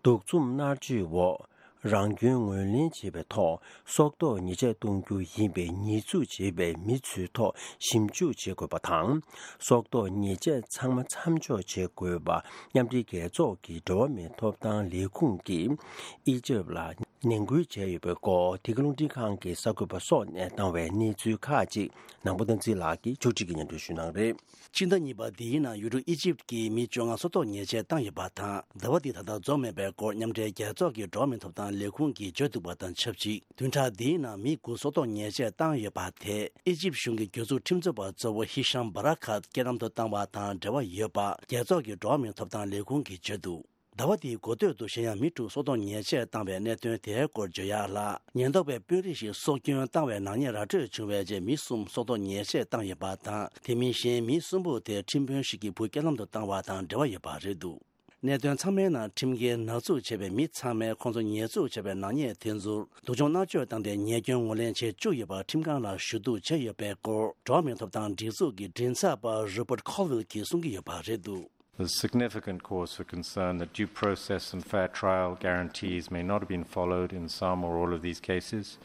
གདུག་རྩུབ་མནར་གཅོད་འོག་རང་སྐྱོན་ངོས་ལེན་བྱེད་པའི་ཐོག་སྲོག་ཐོག་ཉེས་ཆད་གཏོང་རྒྱུ་ཡིན་པའི་ཉེས་འཛུགས་བྱས་པའི་མི་ཚོའི་ཐོག་ཞིབ་འཇུག་བྱེད་དགོས་པ་དང་། སྲོག་ཐོག་ཉེས་ཆད་ཚང་མ་མཚམས་འཇོག་བྱེད་དགོས་པ་མཉམ་འབྲེལ་རྒྱལ་ཚོགས་ཀྱི་འགྲོ་བ་མིའི་ཐོབ་ཐང་ལས་ཁུངས་ཀྱིས་ཨི་ཇིབ་ལ་ནན་སྐུལ་བྱས་ཡོད་པའི་སྐོར། འདི་ག་རླུང་འཕྲིན་ཁང་གི་གསར་འགོད་པ་སོགས་ནས་བཏང་བའི་གནས་ཚུལ་ཁག་ཅིག་ནང་པ་བསྟན་འཛིན་ལགས་ཀྱིས་ཕྱོགས་སྒྲིག་གིས་སྙན་སྒྲོན་ཞུ་གནང་རེད། སྤྱི་ཟླ་གཉིས་པ་འདིའི་ནང་ཡུལ་གྲུ་ཨི་ཇིབ་ཀྱི་མི་བཅོ་ལྔ་སྲོག་ཐོག་ཉེས་ཆད་བཏང་ཡོད་པ་དང་། ཟླ་བ་འདི་ད་ལྟ་རྫོགས་མེད་པའི་སྐོར་མཉམ་འབྲེལ་རྒྱལ་ཚོགས་ཀྱི་འགྲོ་བ་མིའི་ཐོབ་ཐང་ལས་ཁུངས་ཀྱིས་བརྗོད་འདུག་པ་དང་ཆབས་ཅིག་བདུན་ཕྲག་འདིའི་ནང་མི་དགུ་སྲོག་ཐོག་ཉེས་ཆད་བཏང་ཡོད་པ་དེ་ཨི་ཇིབ་གཞུང་གི་གྱོད་འཛུགས་ཁྲིམས་རྩོད་པ་གཙོ་བོ་ཧི་ཤམ་བྷ་ར་ཁཱད་རྐྱེན་ལམ་དུ་བཏང་བ་དང་འབྲེལ་བ་ཡོད་པ་རྒྱལ་ཚོགས་ཀྱི་འགྲོ་བ་མིའི་ཐོབ་ཐང་ལས་ཁུངས་ཀྱིས་བརྗོད་འདུག་ཟླ་བ་འདིའི་འགོ་སྟོད་དུ་གཞན་ཡང་མི་དྲུག་སྲོག་ཐོག་ཉེས་ཆད་བཏང་བའི་གནད་དོན་དེའི་སྐོར་བརྗོད་ཡག་ལ། ཉེན་རྟོག་པས་དཔོན་རིགས་ཤིག་སྲོག་སྐྱོན་བཏང་བའི་ནག་ཉེས་ར་སྤྲོད་བྱུང་བའི་རྗེས་མི་གསུམ་སྲོག་ཐོག་ཉེས་ཆད་བཏང་ཡོད་པ་དང་། དེ་མིན་གཞན་མི་གསུམ་པོ་དེ་ཁྲིམས་དཔོན་ཞིག་གིས་བུ་རྐྱེན་ལམ་དུ་བཏང་བ་དང་འབྲེལ་བ་ཡོད་པ་རེད་འདུག་གནད་དོན་ཚང་མའི་ནང་ཁྲིམས་འགལ་ནག་འཛུགས་བྱས་པའི་མི་ཚང་མས་ཁོང་ཚོ་ཉེས་འཛུགས་བྱས་པའི་ནག་ཉེས་དེ་ཚོར་སྡུག་སྦྱོང་མནར་གཅོད་བཏང་སྟེ་ཉེས་སྐྱོན་ངོས་ལེན་བྱེད་བཅུག་ཡོད་པ་ཁྲིམས་ཁང་ལ་ཞུ་གཏུག་བྱས་ཡོད་པའི་སྐོར་འགྲོ་བ་མིའི་ཐོབ་ཐང་སྒྲིག་འཛུགས་ཀྱི་མགྲིན་ཚབ་པ་Rupert Colville གྱིས་གསུང་གི་ཡོད་པ་རེད་འདུག There's significant cause for concern that due process and fair trial guarantees may not have been followed in some or all of these cases,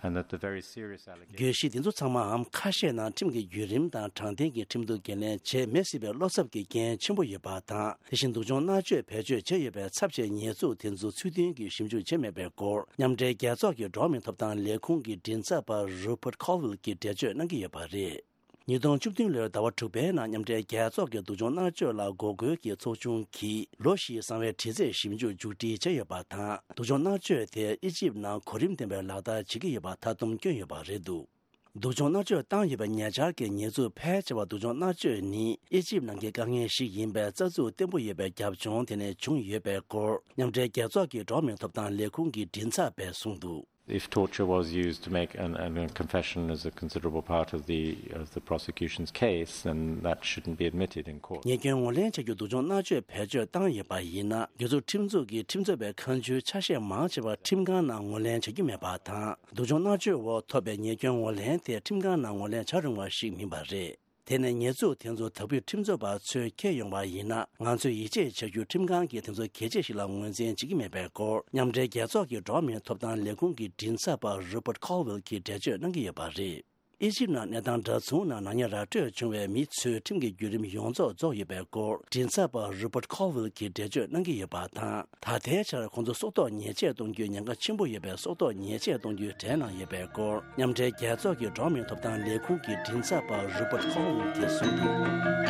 and that the very serious allegations བརྗོད་གཞི་འདི་ཚོ་ཚང་མའམ་ཁ་ཤས་ནང་ཁྲིམས་ཀྱི་བརྒྱུད་རིམ་དང་དྲང་བདེན་གྱི་ཁྲིམས་གཏུག་འགན་ལེན་བྱེད་མེད་སྲིད་པའི་བློ་འཚབ་ཀྱི་རྐྱེན་ཆེན་པོ་ཡོད་པ་དང་། དེ་བཞིན་སྡུག་སྦྱོང་མནར་གཅོད་བེད་སྤྱོད་བྱས་ཡོད་པའི་ཚབས་ཆེའི་ཉེས་འཛུགས་དེ་ཚོ་ཚུལ་མཐུན་གྱིས་ཞིབ་འཇུག་བྱས་མེད་པའི་སྐོར་མཉམ་འབྲེལ་རྒྱལ་ཚོགས་ཀྱི་འགྲོ་བ་མིའི་ཐོབ་ཐང་ལས་ཁུངས་ཀྱི་མགྲིན་ཚབ་པ་Rupert Colville གྱིས་འགྲེལ་བརྗོད་གནང་གི་ཡོད་པ་རེད། ཉིས་སྟོང་བཅུ་བདུན་ལོའི་ཟླ་བ་དྲུག་པའི་ནང་མཉམ་འབྲེལ་རྒྱལ་ཚོགས་ཀྱི་སྡུག་སྦྱོང་མནར་གཅོད་ལ་འགོག་རྒོལ་གྱི་ཚོགས་ཆུང་གིས་ལོ་བཞིའི་གསང་བའི་དྲི་རྩད་ཞིབ་འཇུག་མཇུག་སྒྲིལ་བྱས་ཡོད་པ་དང་། སྡུག་སྦྱོང་མནར་གཅོད་དེ་ཨི་ཇིབ་ནང་གོ་རིམ་ལྡན་པའི་ལག་བསྟར་བྱེད་ཀྱི་ཡོད་པ་མཐའ་སྡོམ་བསྐྱོན་ཡོད་པ་རེད་འདུག་སྡུག་སྦྱོང་མནར་གཅོད་བཏང་ཡོད་པའི་ཉེ་ཆར་གྱི་ཉེས་འཛུགས་ཕལ་ཆེ་བ་སྡུག་སྦྱོང་མནར་གཅོད་ནི་ཨི་ཇིབ་ནང་གི་དཀའ་ངལ་ཞིག་ཡིན་པའི་རྩ་འཛུགས་བརྟན་པོ་ཡོད་པའི་རྒྱབ་ལྗོངས་དེ་ནས་བྱུང་ཡོད་པའི་སྐོར་མཉམ་འབྲེལ་རྒྱལ་ཚོགས་ཀྱི་འགྲོ་བ་མིའི་ཐོབ་ཐང་ལས་ཁུངས་ཀྱི་མགྲིན་ཚབ་པས་གསུངས་འདུག If torture was used to make an, an, a confession as a considerable part of the, of the prosecution's case, then that shouldn't be admitted in court. ཉེས་སྐྱོན་ངོས་ལེན་བྱ་རྒྱུ་སྡུག་སྦྱོང་མནར་གཅོད་བེད་སྤྱོད་བཏང་ཡོད་པ་ཡིན་ན། གྱོད་འཛུགས་ཁྲིམས་འཛུགས་ཀྱི་ཁྲིམས་རྩོད་པའི་ཁ་མཆུའི་ཆ་ཤས་མང་ཆེ་བ་ཁྲིམས་ཁང་ནང་ངོས་ལེན་བྱ་རྒྱུ་མེད་པ་དང་། སྡུག་སྦྱོང་མནར་གཅོད་འོག་ཐོབ་པའི་ཉེས་སྐྱོན་ངོས་ལེན་དེ་ཁྲིམས་ཁང་ནང་ངོས་ལེན་བྱ་རུང་བ་ཞིག་མིན་པ་རེད། དེ་ནས་ཉེས་འཛུགས་དེ་ཚོ་དག་ཕུད་ཁྲིམས་རྩོད་པ་ཚོས་འཁྱེར་ཡོང་བ་ཡིན་ན། ང་ཚོས་ཡིད་ཆེས་བྱ་རྒྱུ་ཁྲིམས་ཁང་གིས་དེ་ཚོ་གལ་ཆེ་ཞིག་ལ་ངོས་འཛིན་བྱེད་ཀྱི་མེད་པའི་སྐོར་མཉམ་འབྲེལ་རྒྱལ་ཚོགས་ཀྱི་འགྲོ་བ་མིའི་ཐོབ་ཐང་ལས་ཁུངས་ཀྱི་མགྲིན་ཚབ་པ་Rupert Colville གྱིས་འགྲེལ་བརྗོད་གནང་གི་ཡོད་པ་རེད། ཨི་ཇིབ་ནང་གནས་སྟངས་འདྲ་མཚུངས་ནང་ནག་ཉེས་ར་སྤྲོད་བྱུང་བའི་མི་ཚོའི་ཁྲིམས་ཀྱི་བརྒྱུད་རིམ་ཡོངས་རྫོགས་རྫོགས་ཡོད་པའི་སྐོར་མགྲིན་ཚབ་པ་Rupert Colville གྱིས་འགྲེལ་བརྗོད་གནང་གི་ཡོད་པ་དང་། ད་ལྟའི་ཆར་ཁོང་ཚོ་སྲོག་ཐོག་ཉེས་ཆད་གཏོང་རྒྱུའི་ཉེན་ཁ་ཆེན་པོ་ཡོད་པའི་སྲོག་ཐོག་ཉེས་ཆད་གཏོང་རྒྱུའི་གྲས་ནང་ཡོད་པའི་སྐོར་མཉམ་འབྲེལ་རྒྱལ་ཚོགས་ཀྱི་འགྲོ་བ་མིའི་ཐོབ་ཐང་ལས་ཁུངས་ཀྱི་མགྲིན་ཚབ་པ་Rupert Colville གྱིས་གསུངས་འདུག་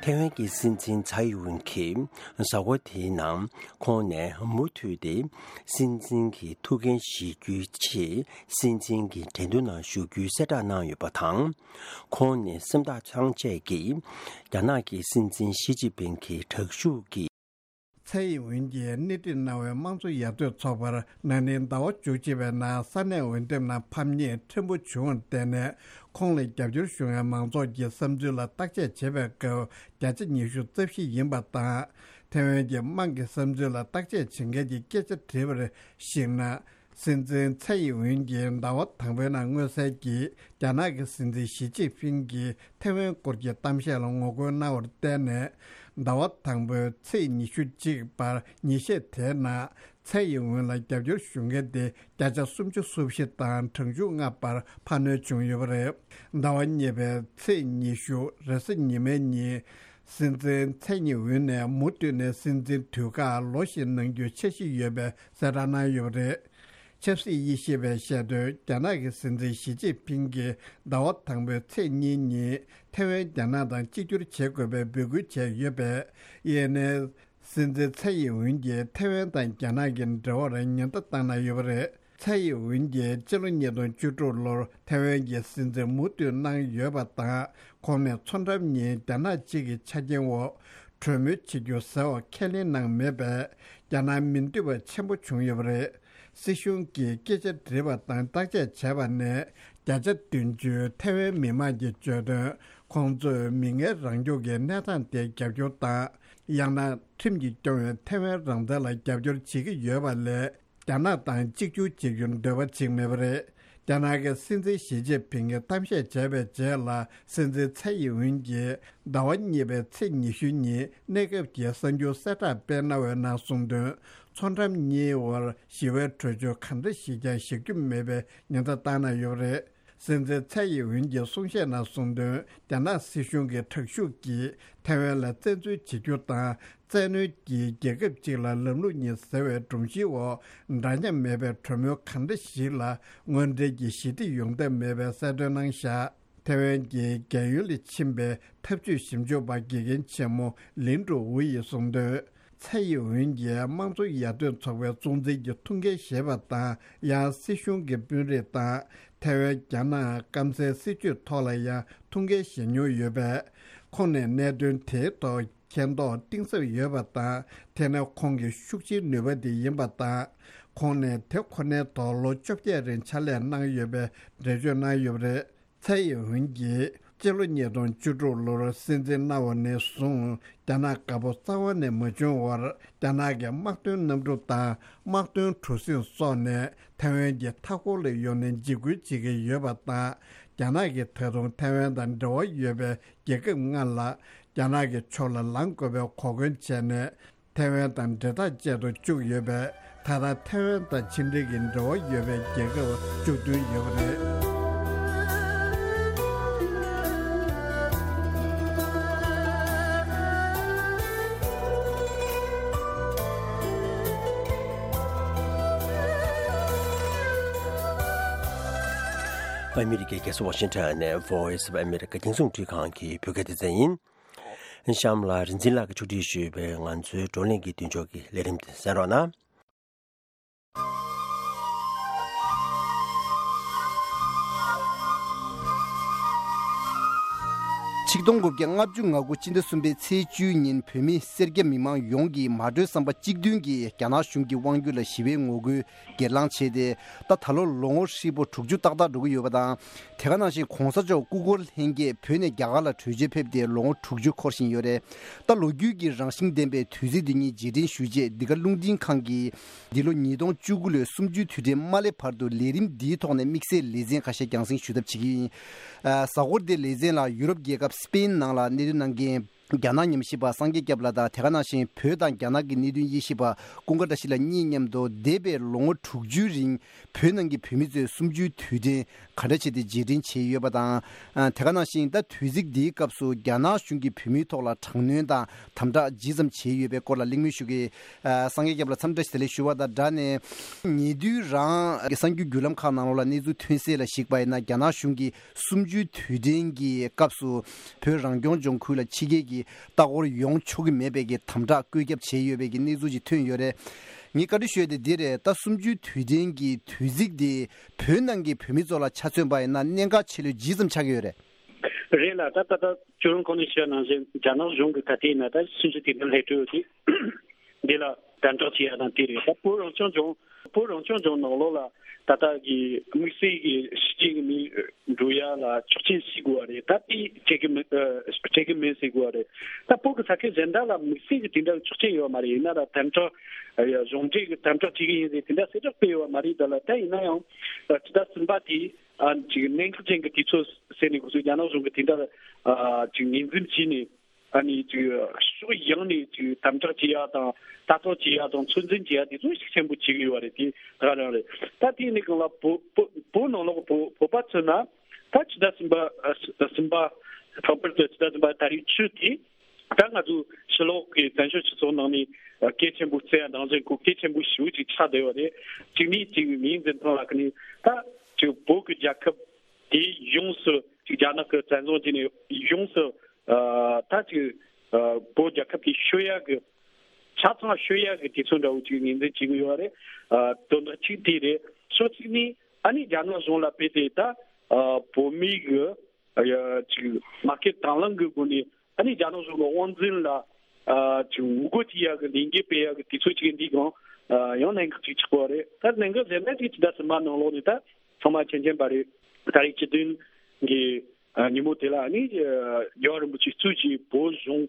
ཐའེ་ཝན་གྱི་སྲིད་འཛིན་ཚའེ་ཡིན་ཝུན་གྱིས་གཟའ་འཁོར་དེའི་ནང་ཁོང་ནས་མུ་མཐུད་དེ་སྲིད་འཛིན་གྱི་ཐུགས་འགན་བཞེས་རྒྱུའི་ཆེད་སྲིད་འཛིན་གྱི་འགྲན་བསྡུར་ནང་ཞུགས་རྒྱུའི་གསལ་བསྒྲགས་གནང་ཡོད་པ་དང་། ཁོང་ནས་སེམས་ཐག་ཚང་བཅད་ཀྱིས་རྒྱ་ནག་གི་སྲིད་འཛིན་ཞི་ཅིན་ཕིང་གི་དྲག་ཤུགས་ཀྱིས། ཚའེ་ཡིན་ཝུན་གྱིས་སྣེ་ཁྲིད་གནང་བའི་དམངས་གཙོ་ཡར་ཐོན་ཚོགས་པར་ན་ནིང་ཟླ་བ་བཅུ་གཅིག་པའི་ནང་ས་གནས་འོས་འདེམས་ནང་ཕམ་ཉེས་ཕྲན་བུ་བྱུང་བར་བརྟེན་ནས། ཁོང་ལ་རྒྱབ་སྐྱོར་ཞུ་མཁན་མང་ཚོགས་ཀྱི་བསམ་ཚུལ་ལ་བརྟག་དཔྱད་བྱེད་པའི་སྐབས་བརྒྱ་ཆ་ཉི་ཤུ་རྩ་བཞི་ཡིན་པ་དང་། ཐའེ་ཝན་གྱི་དམངས་ཀྱི་བསམ་ཚུལ་ལ་བརྟག་དཔྱད་བྱེད་མཁན་གྱི་སྐད་ཆ་དྲིས་པར་གཞིགས་ན། སྲིད་འཛིན་ཚའེ་ཡིན་ཝུན་གྱིས་ཟླ་བ་དང་པོའི་ནང་མངོན་གསལ་གྱིས་རྒྱ་ནག་གི་སྲིད་འཛིན་ཞི་ཅིན་ཕིང་གིས་ཐའེ་ཝན་སྐོར་གྱི་གཏམ་བཤད་ལ་ངོ་རྒོལ་གནང་བར་བརྟེན་ནས། ཟླ་བ་དང་པོའི་ཚེས་ཉི་ཤུ་གཅིག་བར་ཉིན་ཤས་དེའི་ནང་ཚའེ་ཡིན་ཝུན་ལ་རྒྱབ་སྐྱོར་ཞུ་མཁན་དེ་བརྒྱ་ཆ་སུམ་ཅུ་སོ་བཞི་དང་གྲངས་ཆུང་ལྔ་བར་འཕར་སྣོན་བྱུང་ཡོད་པ་རེད། ཟླ་བ་གཉིས་པའི་ཚེས་ཉི་ཤུ་རེས་གཟའ་ཉི་མའི་ཉིན། སྲིད་འཛིན་ཚའེ་ཡིན་ཝུན་ནས་མུ་མཐུད་ནས་སྲིད་འཛིན་དུས་བཀག་ལོ་བཞི་གནང་རྒྱུའི་འཆར་གཞི་ཡོད་པའི་གསལ་བསྒྲགས་གནང་ཡོད་པ་རེད། ཆབ་སྲིད་དབྱེ་ཞིབ་པས་བཤད་དོན། རྒྱ་ནག་གི་སྲིད་འཛིན་ཞི་ཅིན་ཕིང་གིས་ཟླ་བ་དང་པོའི་ཚེས་གཉིས་ཉིན་ཐའེ་ཝན་རྒྱ་ནག་དང་གཅིག་གྱུར་བྱེད་དགོས་པའི་འབོད་སྐུལ་བྱས་ཡོད་པས། ཨེ་ཨེན་ཨེ། སྲིད་འཛིན་ཚའེ་ཡིན་ཝུན་གྱིས་ཐའེ་ཝན་དང་རྒྱ་ནག་གི་འབྲེལ་བར་ཉེན་བརྡ་བཏང་གནང་ཡོད་པ་རེད། ཚའེ་ཡིན་ཝུན་གྱིས་ཕྱི་ལོ་ཉིས་སྟོང་བཅུ་དྲུག་ལོར་ཐའེ་ཝན་གྱི་སྲིད་འཛིན་མུ་མཐུད་གནང་ཡོད་པ་དང་། ཁོང་ནས་མཚོ་འགྲམ་གཉིས་རྒྱ་ནག་གཅིག་གི་ཆ་རྐྱེན་འོག་གྲོས་མོལ་བྱེད་རྒྱུ་ཟེར་བ་ཁས་ལེན་གནང་མེད་པས། རྒྱ་ནག་མི་འདོད་པ་ཆེན་པོ་བྱུང་ཡོད་པ་རེད། སྲིད་གཞུང་གིས་སྐད་ཆ་དྲིས་པ་དང་བརྟག་དཔྱད་བྱས་པ་ནས་བརྒྱ་ཆ་བདུན་ཅུ་ཐའེ་ཝན་མི་མང་གིས་བརྗོད་དོན། ཁོང་ཚོས་མི་ངན་རང་སྐྱོང་གི་གནས་སྟངས་དེ་རྒྱབ་སྐྱོར་དང་། ཡང་ན་ཁྲིམས་ཀྱིས་སྐྱོང་བའི་ཐའེ་ཝན་རང་བཙན་ལ་རྒྱབ་སྐྱོར་བྱེད་ཀྱི་ཡོད་པ་ལས། རྒྱ་ནག་དང་གཅིག་གྱུར་བྱེད་རྒྱུར་འདོད་པ་བྱེད་ཀྱི་མེད་པ་རེད། རྒྱ་ནག་གི་སྲིད་འཛིན་ཞི་ཅིན་ཕིང་གིས་གཏམ་བཤད་བྱས་པའི་རྗེས་ལ། སྲིད་འཛིན་ཚའེ་ཡིན་ཝུན་གྱིས་ཟླ་བ་གཉིས་པའི་ཚེས་ཉི་ཤུ་ཉིན་གནས་སྐབས་ཀྱི་གསར་འགྱུར་གསལ་བསྒྲགས་སྤེལ་གནང་བའི་ནང་གསུངས་དོན། མཚོ་འགྲམ་གཉིས་བར་ཞི་བའི་གྲོས་ཆོད་གང་འདྲ་ཞིག་ཀྱང་བཞག་རྒྱུ་མེད་པའི་ཉེན་བརྡ་བཏང་གནང་ཡོད་པ་རེད། སྲིད་འཛིན་ཚའེ་ཡིན་ཝུན་གྱི་གསུང་བཤད་ནང་གསུངས་དོན། རྒྱ་ནག་སྲིད་གཞུང་གི་དྲག་ཤུགས་ཀྱིས་ཐའེ་ཝན་ལ་བཙན་འཛུལ་བྱེད་རྒྱུ་དང་། བཙན་གནོན་གྱིས་རྒྱལ་ཁབ་ཅིག་ལ་ལམ་ལུགས་གཉིས་ཟེར་བའི་སྒྲོམ་གཞིའི་འོག་འདྲ་མཉམ་མེད་པའི་གྲོས་མོལ་གང་འདྲ་ཞིག་ལ་དངོས་འབྲེལ་གྱི་ཞི་བདེ་ཡོང་ཐབས་མེད་པའི་གསལ་སྟོན་གནང་བཞག་ཐའེ་ཝན་གྱི་རྒྱལ་ཡུལ་ལ་ཕྱིན་པའི་འཐབ་ཇུས་ཞིབ་འཇུག་པ་དགེ་རྒན་ཆེན་མོ་ལིན་ཀྲུའུ་ཝུའུ་ཡིས་གསུངས་དོན། ཚའེ་ཡིན་ཝུན་གྱིས་དམངས་གཙོ་ཡར་ཐོན་ཚོགས་པའི་གཙོ་འཛིན་གྱི་ཐུགས་འགན་བཞེས་པ་དང་། ཡང་སྲིད་གཞུང་གི་དཔོན་རིགས་དང་། ཐའེ་ཝན་རྒྱ་ནག་སྐམ་སའི་སྲིད་ཇུས་ཐོག་ལ་ཡང་ཐུགས་འགན་བཞེས་མྱོང་ཡོད་པས། ཁོང་ནས་གནད་དོན་དེའི་ཐོག་མཁྱེན་རྟོགས་གཏིང་ཟབ་ཡོད་པ་དང་། དེ་ནི་ཁོང་གི་ཤུགས་ཆེའི་ནུས་པ་དེ་ཡིན་པ་དང་། ཁོང་ནས་དེ་ཁོ་ནའི་ཐོག་ལོ་བཅོ་བརྒྱད་རིང་ཕྱག་ལས་གནང་ཡོད་པའི་འགྲེལ་བརྗོད་གནང་ཡོད་པ་རེད། ཚའེ་ཡིན་ཝུན་གྱིས་སྤྱི་ལོ་ཉིས་སྟོང་བཅུ་དྲུག་ལོར་སྲིད་འཛིན་གནང་བ་ནས་བཟུང་། རྒྱ་ནག་དགའ་པོ་རྩ་བ་ནས་མ་བྱུང་བར། རྒྱ་ནག་གི་དམག་དོན་གནམ་གྲུ་དང་དམག་དོན་གྲུ་གཟིངས་སོགས་ནས་ཐའེ་ཝན་གྱི་མཐའ་འཁོར་ལ་ཡོང་ནས་འཇིགས་སྐུལ་བྱེད་ཀྱི་ཡོད་པ་དང་། རྒྱ་ནག་གིས་ད་དུང་ཐའེ་ཝན་དང་འབྲེལ་བ་ཡོད་པའི་རྒྱལ་ཁབ་ལྔ་ལ། རྒྱ་ནག་གི་ཕྱོགས་ལ་ལངས་དགོས་པའི་གོ་སྐོན་བྱས་ནས། ཐའེ་ཝན་དང་འབྲེལ་ཐག་བཅད་དུ་བཅུག་ཡོད་པས། ད་ལྟ་ཐའེ་ཝན་དང་ཕྱི་འབྲེལ་གྱི་འབྲེལ་བ་ཡོད་པའི་རྒྱལ་ཁབ་བཅུ་བདུན་ཡོད་པ་རེད། ཨ་མི་རི་ཀའི་རྒྱལ་ས་ཝ་ཤིང་ཊོན་ནས་Voice of America རྒྱང་སྲིང་རླུང་འཕྲིན་ཁང་གི་བོད་སྐད་སྡེ་ཚན་ཡིན། གཤམ་ལ་རིག་འཛིན་ལགས་ཀྱིས་ཕྱོགས་སྒྲིག་ཞུས་པའི་ང་ཚོའི་བགྲོ་གླེང་གི་མདུན་ལྕོག་གི་ལས་རིམ་དེ་གསན་རོགས་གནང་། ཆིག་སྟོང་དགུ་བརྒྱ་ལྔ་བཅུ་ང་དགུ་སྤྱི་ཟླ་གསུམ་པའི་ཚེས་བཅུའི་ཉིན་བོད་མི་སེར་སྐྱ་མི་མང་ཡོངས་ཀྱིས་མ་གྲོས་བསམ་པ་གཅིག་མཐུན་གྱིས་རྒྱ་ནག་གཞུང་གི་དབང་སྒྱུར་ལ་ཞི་བའི་ངོ་རྒོལ་སྒེར་ལངས་བྱས་ཏེ། ད་ད་ལོ་ལོ་ངོ་ཧྲིལ་པོ་དྲུག་ཅུ་ཏག་ཏག་འགྲོ་གི་ཡོད་པ་དང་། དེ་ག་ནང་བཞིན་གོང་ས་མཆོག་སྐུ་འཁོར་ལྷན་རྒྱས་བོད་ནས་རྒྱ་གར་ལ་བྲོས་བྱོལ་ཕེབས་ཏེ་ལོ་ངོ་དྲུག་ཅུ་འཁོར་བཞིན་ཡོད་རེད། ད་ལོ་རྒྱུས་ཀྱི་རང་བཞིན་ལྡན་པའི་དུས་ཚིགས་འདི་ཉིད་རྗེས་དྲན་ཞུ་ཆེད་འདི་ག་རླུང་འཕྲིན་ཁང་གིས་འདི་ལོ་ཉིས་སྟོང་བཅུ་དགུ་ལོའི་གསུམ་བཅུའི་དུས་དྲན་མ་སླེབས་བར་དུ་ལས་རིམ་འདིའི་ཐོག་ནས་དམིགས་བསལ་ལེ་ཚན་ཁ་ཤས་རྒྱང་སྲིང་ཞུ་ཐབས་བྱེད་ཀྱི་ཡིན། ཨ། གཟའ་འཁོར་འདིའི་ལེ་ཚན་ལ་ཡུ་རོབ་རྒྱལ་ཁབ་སི་པེན་ནང་ལ་གནས་སྡོད་གནང་མཁན། རྒྱ་ནག་ཉམས་ཞིབ་པ་སངས་རྒྱས་སྐྱབས་ལགས་དང་། དེ་ག་ནང་བཞིན་བོད་དང་རྒྱ་ནག་གི་གནད་དོན་དབྱེ་ཞིབ་པ་ཀུན་དགའ་བཀྲ་ཤིས་ལགས་གཉིས་མཉམ་དུ་འདས་པའི་ལོ་ངོ་དྲུག་ཅུའི་རིང་བོད་ནང་གི་བོད་མི་ཚོས་གསུམ་བཅུའི་དུས་དྲན་ག་འདྲ་བྱས་ཏེ་རྗེས་དྲན་བྱས་ཡོད་པ་དང་། ཨ། དེ་ག་ནང་བཞིན་ད་དུས་ཚིགས་འདིའི་སྐབས་སུ་རྒྱ་ནག་གཞུང་གིས་བོད་མིའི་ཐོག་ལ་དྲག་གནོན་དང་དམ་དྲག་ཇི་ཙམ་བྱས་ཡོད་པའི་སྐོར་ལ་གླེང་མོལ་ཞུ་གི། ཨ། སངས་རྒྱས་སྐྱབས་ལགས་འཚམས་འདྲི་བཀྲ་ཤིས་བདེ་ལེགས་ཞུ་བ་དང་སྦྲགས་ནས། ཉེ་དུས་རང་གི་གསར་འགྱུར་བརྒྱུད་ལམ་ཁག་ནང་ལོགས་ལ་གནས་ཚུལ་ཐོན་གསལ་ལ་གཞིགས་པ་ཡིན་ན། རྒྱ་ནག་གཞུང་གིས་གསུམ་བཅུའི་དུས་དྲན་གྱི་སྐབས་སུ་བོད་རང་སྐྱོང་ལྗོངས་ཁུལ་ལ་ཕྱི་རྒྱལ་གྱི་ལྟ་སྐོར་ཡོང་ཆོག་གི་མེད་པའི་གི་དམ་དྲག་བཀོད་ཁྱབ་བྱས་ཡོད་པའི་གི་གནས་ཚུལ་ཅིག་ཐོན་ཡོད་རེད། ངས་བཀའ་འདྲི་ཞུ་ཡ་དེ་འདི་རེད། ད་གསུམ་བཅུའི་དུས་དྲན་གྱི་དུས་ཚིགས་དེ་བོད་ནང་གི་བོད་མི་ཚོ་ལ་ཆ་མཚོན་པ་ཡིན་ན་གནད་འགག་ཆེ་ལོས་ཇི་ཙམ་ཆགས་ཀྱི་ཡོད་རེད། རེད་ལ། ད་ད་ད་ཁྱོད་རང་གོང་ནས་བཤད་ནང་བཞིན་རྒྱ་ནག་གཞུང་གི་ད་ལྟའི་ན་ད་གསུམ་བཅུའི་དུས་དྲན་སླེབས་གྲབས་ཡོད་དུས། འདི་ལ་དམ་དྲག་བྱེད་ཡ་དང་དེ་རེད། ད་བོད་རང་སྐྱོང་ལྗོངས་བོད་རང་སྐྱོང་ལྗོངས་ནང་ལོགས་ལ་ད་ལྟ་གི་དམིགས་བསལ་གྱི་ཕྱི་རྒྱལ་གྱི་མི་འགྲོ་ཡ་ལ་ཆོག་མཆན་ཞིག་དགོས་པ་རེད། ད་དེ་སྤྲད་གི་མི་ཨ་སྤྲད་གི་མིན་ཟེར་དགོས་པ་རེད། ད་བོད་ཀྱི་ས་ཁུལ་གཞན་དག་ལ་དམིགས་བསལ་གྱི་དེ་འདྲ་ཆོག་མཆན་ཡོད་མ་རེད། ཡིན་ན་ད་དམ་དྲག་ཨ་ཡ་གཞུང་འབྲེལ་གྱི་དམ་དྲག་བྱེད་གི་ཡིན་ཟེར་དེ་འདྲ་གསལ་བསྒྲགས་སྤེལ་ཡོད་མ་རེད། ད་ལ་ད་ཡིན་ན་ཡང་ཨ་ཕྱི་ཟླ་གསུམ་པ་དེ་ཨ་ཅིག་གནད་འགག་ཅན་གྱི་དུས་ཚོད་ཟེར་ནས་ཁོ་ཚོས་རྒྱ་ནག་གཞུང་གི་དེ་འདྲ་ཨ་ཅིག་ངོས་འཛིན་བྱས་ནས། ཨ་ནི་ཅིག་ཕྱོགས་ཡོངས་ནས་ཅིག་དམ་དྲག་བྱེད་ཡ་དང་ལྟ་རྟོག་བྱེད་ཡ་དང་ཚོད་འཛིན་བྱེད་ཡ་དེ་ཚོ་ཤུགས་ཆེན་པོ་བྱེད་ཀྱི་ཡོད་རེད། དེ་ད་ག་རང་རེད། ད་དེ་ནི་གང་ལ་བོད་བོད་བོད་ནང་ལོགས་བོད་བོད་པ་ཚོ་ན་ད་ཕྱི་ཟླ་གསུམ་པ་ཨ་གསུམ་པ་ལྷག་པར་དུ་ཕྱི་ཟླ་གསུམ་པ་ད་རེས་ཆུ་དེ་ད་ང་ཚོ་ཕྱི་ལོགས་ཀྱི་བཙན་བྱོལ་སྤྱི་ཚོགས་ནང་ནས་གལ་ཆེན་པོ་བརྩི་ཡ་ནང་བཞིན་ཁོ་གལ་ཆེན་པོ་ཞེ་པོ་ཅིག་ཆགས་བསྡད་ཡོད་རེད། གཅིག་ནི་ཅིག་ངོས་འཛིན་སྟངས་ལ་ཁ་ནས་ད་ཅིག་བོད་ཀྱི་རྒྱལ་ཁབ་དེ་ཡོངས་སུ་ཅིག་རྒྱ་ནག་གི་བཙན་བཟུང་བྱས་ནས་ཡོངས་སུ། ཨ་ད་ཅིག་ཨ་བོད་རྒྱལ་ཁབ་ཀྱི་ཤོད་ཡག་གི་ཆ་ཚང་ཤོད་ཡག་གི་དུས་ཚོད་འདྲ་བོ་ཅིག་ངོས་འཛིན་བྱེད་ཀྱི་ཡོད་རེད། ཨ་དོན་དག་གཅིག་དེ་རེད། ཕྱོགས་གཅིག་ནས་ཨ་ནི་རྒྱ་ནག་གཞུང་ལ་དཔེ་དེ་ད་ཨ་བོད་མི་གི་ཨ་ཡ་ཅིག་མ་སྐད་དང་བླངས་གི་སྒོ་ནས་ཨ་ནི་རྒྱ་ནག་གཞུང་གི་དབང་འཛིན་ལ་ཨ་ཅིག་འུར་རྒོད་བྱེད་ཡག་གི་ལས་འགུལ་སྤེལ་ཡག་གི་དུས་ཚོད་ཅིག་འདི་གང་ ཡང་གནད་འགག་ཅིག་ཆགས་པ་རེད། ད་གནད་འགག་གཞན་པ་ཅིག་ཕྱི་ཟླ་གསུམ་པ་ནང་ལོགས་ནས་ད་ཚང་མ་མཁྱེན་མཁྱེན་པ་རེད། ད་རེས་སྤྱི་བདུན་གྱི་ཉིན་མོ་དེ་ལ་ནི་རྒྱལ་བ་རིན་པོ་ཆེ་གཙོས་ཀྱི་བོད་གཞུང་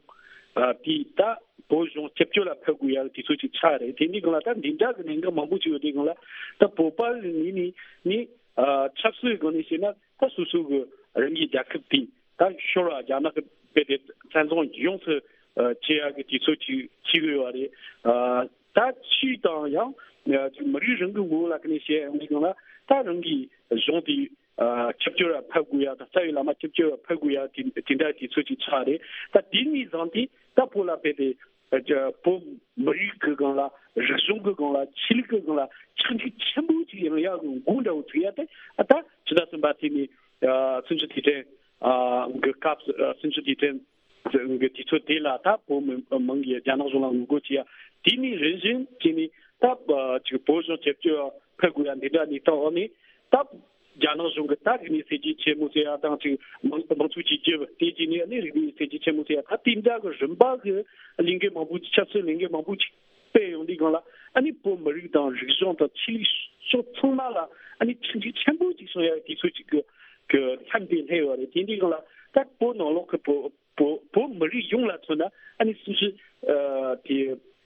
དེ་ད་བོད་གཞུང་སྐྱབས་བཅོལ་ལ་ཕེབས་དགོས་ཡག་དུས་ཚོད་ཅིག་ཆགས་རེད། དེ་འདི་སྒང་ལ་ད་འདི་འདྲ་གི་གནད་འགག་མང་པོ་ཅིག་ཡོད་དེ་སྒང་ལ་ད་བོད་པ་གི་ངོས་ནས་ནི་ཆབ་སྲིད་སྒང་ནས་བཤད་ན་ད་སོ་སོ་གི་རང་གི་རྒྱལ་ཁབ་དེ་ད་ཤོར་བ་རྒྱ་ནག་གི་དཔེ་དེ་བཙན་བཟུང་ཡོངས་སུ་བྱེད་ཡག་གི་དུས་ཚོད་ཅིག་ཅིག་ཡོད་པ་རེད། ད་ཕྱིས་དང་ཡང་མི་རིགས་རང་གི་ངོ་བོ་ལ་ཁ་ནས་བཤད་ཡོང་དུས་སྒང་ལ་ད་རང་གི་གཞུང་དེ་ཆིབས་བསྒྱུར་ཕེབས་དགོས་ཡ་དང་རྩ་བའི་བླ་མ་ཆིབས་བསྒྱུར་ཕེབས་དགོས་ཡ་དེ་དེ་འདྲ་དུས་ཚོད་ཅིག་ཆགས་རེད། ད་དེ་ནས་བཟུང་སྟེ་ད་བོད་ལ་དཔེ་དེ་བོད་མི་རིགས་ཀྱི་སྒང་ལ་རིག་གཞུང་གི་སྒང་ལ་ཆོས་ལུགས་ཀྱི་སྒང་ལ་ཆག་འཇིག་ཆེན་པོ་ཅིག་ཡོང་ཡག་གི་འགོ་འདྲ་བོ་ཚུགས་ཡ་དེ་ད་ཕྱི་ཟླ་གསུམ་པ་དེ་ནས་སུམ་ཅུ་དུས་དྲན་གི་སྐབས་སུ་སུམ་ཅུ་དུས་དྲན་གི་དུས་ཚོད་དེ་ལ་ད་བོད་མི་མང་གིས་རྒྱ་ནག་གཞུང་ལ་ངོ་རྒོལ་བྱེད་ཡ། དེ་ནས་རིམ་བཞིན་བྱས་ནས་ད་ཅིག་བོད་གཞུང་སྐྱབས་བཅོལ་ཕེབས་དགོས་ཡ་འདི་འདྲ་གནས་སྟངས་འོག་ནས་ད་རྒྱ་ནག་གཞུང་གི་ད་རིག་གནས་གསར་བརྗེ་ཆེན་མོ་ཟེར་ཡ་དང་ཅིག་མང་མང་གཙོ་གཅིག་གྱུར་དེ་བྱས་ནས་ནི་རིག་གནས་གསར་བརྗེ་ཆེན་མོ་ཟེར་ཡ་ད་དེ་འདྲ་གི་རིམ་པ་གི་ལས་འགུལ་མང་པོ་ཆབ་སྲིད་ལས་འགུལ་མང་པོ་ཅིག་སྤེལ་ཡོང་དུས་སྒང་ལ་ཨ་ནི་བོད་མི་རིགས་དང་རིག་གཞུང་དང་ཆོས་ལུགས་ཕྱོགས་ཚང་མ་ལ་ཨ་ནི་ཆག་འཇིག་ཆེན་པོ་ཅིག་བྱུང་ཡ་དུས་ཚོད་ཅིག་གི་གི་ལྷམ་དེ་སླེབས་ཡོད་རེད། དེ་འདྲའི་སྒང་ལ་ད་བོད་ནང་ལོགས་ཀྱི་བོད་བོད་བོད་མི་རིགས་ཡོངས་ལ་མཚོན་ན་ཨ་ནི་སུམ་ཅུ་ཨ་དེ་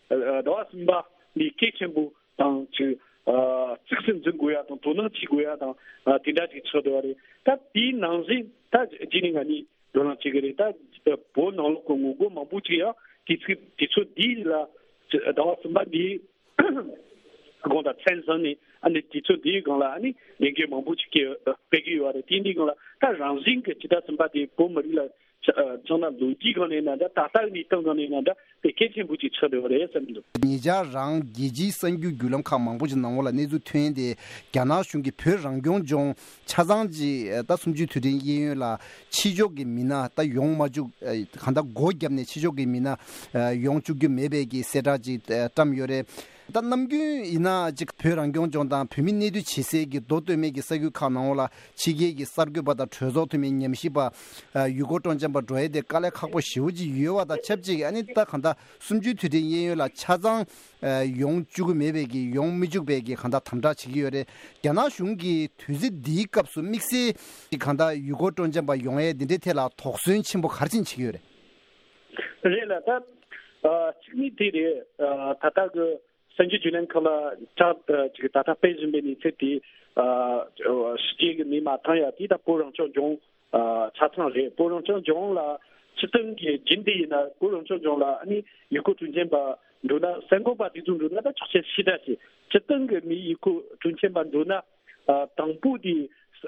ཨ་ཟླ་བ་གསུམ་པ་འདི་གལ་ཆེན་པོ་དང་ཅིག་ཨ་གཙིགས་སུ་འཛིན་དགོས་ཡ་དང་དོ་སྣང་བྱེད་དགོས་ཡ་དང་ཨ་དེ་འདྲ་ཅིག་ཆགས་བསྡད་པ་རེད། ད་དེའི་ནང་བཞིན་ད་རྗེས་ནས་ང་གཉིས་བགྲོ་གླེང་བྱེད་ཀྱི་རེད། ད་བོད་ནང་ལོགས་ཀྱི་ངོ་རྒོལ་མང་པོ་ཅིག་ཡང་དུས་ཚོད་དུས་ཚོད་འདི་ལ་ཟླ་བ་གསུམ་པ་འདི་དགོངས་དག་མཚན་བཟུང་ནས་ཨ་ནི་དུས་ཚོད་འདིའི་སྒང་ལ་ཨ་ནི་ལས་འགུལ་མང་པོ་ཅིག་སྤེལ་སྤེལ་གྱི་ཡོད་རེད། དེ་འདིའི་སྒང་ལ་ད་རང་བཞིན་གྱི་ཕྱི་ཟླ་གསུམ་པ་དེ་བོད་མི་རིགས་ལ་ཆ་ཆགས་ན་ལོ་རྒྱུས་སྒང་ནས་ན་འདྲ་ད་ལྟ་གི་གནས་སྟངས་སྒང་ནས་ན་འདྲ་དེ་གལ་ཆེན་པོ་ཅིག་ཆགས་བསྡད་ཡོད་རེད་བསམ་གྱི་འདུག་ཉེ་ཆར་རང་རྒྱལ་སྤྱིའི་གསར་འགྱུར་བརྒྱུད་ལམ་ཁག་མང་པོ་ཅིག་ནང་ལོགས་ལ་གནས་ཚུལ་ཐོན་ཏེ་རྒྱ་ནག་གཞུང་གིས་བོད་རང་སྐྱོང་ལྗོངས་ཆ་ཚང་ཅིག་ད་གསུམ་བཅུའི་དུས་དྲན་གཡས་གཡོན་ལ་ཕྱི་ཕྱོགས་ཀྱི་མི་སྣ་ད་ཡོང་མ་བཅུག་གང་ལྟར་སྒོ་བརྒྱབ་ནས་ཕྱི་ཕྱོགས་ཀྱི་མི་སྣ་ཡོང་བཅུག་རྒྱུ་མེད་པའི་གི་གསལ་བསྒྲགས་ཅིག་བཀྲམ་ཡོད་རེད། ད་ནམ་རྒྱུན་ཡིན་ན་ཅིག་བོད་རང་སྐྱོང་ལྗོངས་དང་བོད་མི་གནས་སྡོད་བྱེད་སའི་གི་མདོ་སྟོད་སྨད་ཀྱི་ས་ཁུལ་ཁག་ནང་ལ་ཕྱི་རྒྱལ་གྱི་གསར་འགོད་པ་དང་གྲོས་ཚོགས་འཐུས་མི་ཉམས་ཞིབ་པ་ཡུལ་སྐོར་སྤྲོ་འཆམ་པ་འགྲོ་ཡས་དེ་དཀའ་ལས་ཁག་པོ་ཞེ་པོ་ཅིག་ཡོད་པ་དང་ཆབས་ཅིག་ཨ་ནི་ད་གང་ལྟར་གསུམ་བཅུའི་དུས་དྲན་གཡས་གཡོན་ལ་ཆ་ཚང་ཡོང་བཅུག་གི་མེད་པའི་གི་ཡོང་མི་བཅུག་པའི་གི་གང་ལྟར་དམ་དྲག་བྱེད་ཀྱི་ཡོད་རེད། རྒྱ་ནག་གཞུང་གིས་དུས་ཚོད་འདིའི་སྐབས་སུ་དམིགས་བསལ་གྱི་གང་ལྟར་ཡུལ་སྐོར་སྤྲོ་འཆམ་པ་ཡོང་ཡས་འདི་འདྲའི་ཐད་ལ་དོགས་ཟོན་ཆེན་པོ་ག་རེ་བྱེད་ཀྱི་ཡོད་རེད། རེད་ལ་ད་ཨ་གཅིག་ནི་དེ་རེད། ཨ་ད་ལྟ་གི་གསར་འགྱུར་བརྒྱུད་ལམ་ཁག་ལ་ཅིག་ད་ལྟ་སྤེལ་བཞིན་པའི་གནས་ཚུལ་དེ་ཨ་ཕྱི་རྒྱལ་གི་མི་མ་ཐང་ཡ་དེ་ད་བོད་རང་སྐྱོང་ལྗོངས་ཨ་ཆ་ཚང་རེད། བོད་རང་སྐྱོང་ལྗོངས་ལ་སྤྱིར་བཏང་གི་རྒྱུན་དེ་ཡིན་ན་བོད་རང་སྐྱོང་ལྗོངས་ལ་ཨ་ནི་ཡུལ་སྐོར་སྤྲོ་འཆམ་པ་འགྲོ་ན་གསར་འགོད་པ་དེ་ཚོ་འགྲོ་ན་ད་ཆོག་མཆན་ཕྱིས་ད་ཞེས་སྤྱིར་བཏང་གི་མི་ཡུལ་སྐོར་སྤྲོ་འཆམ་པ་འགྲོ་ན་ཨ་དང་པོ་དེ་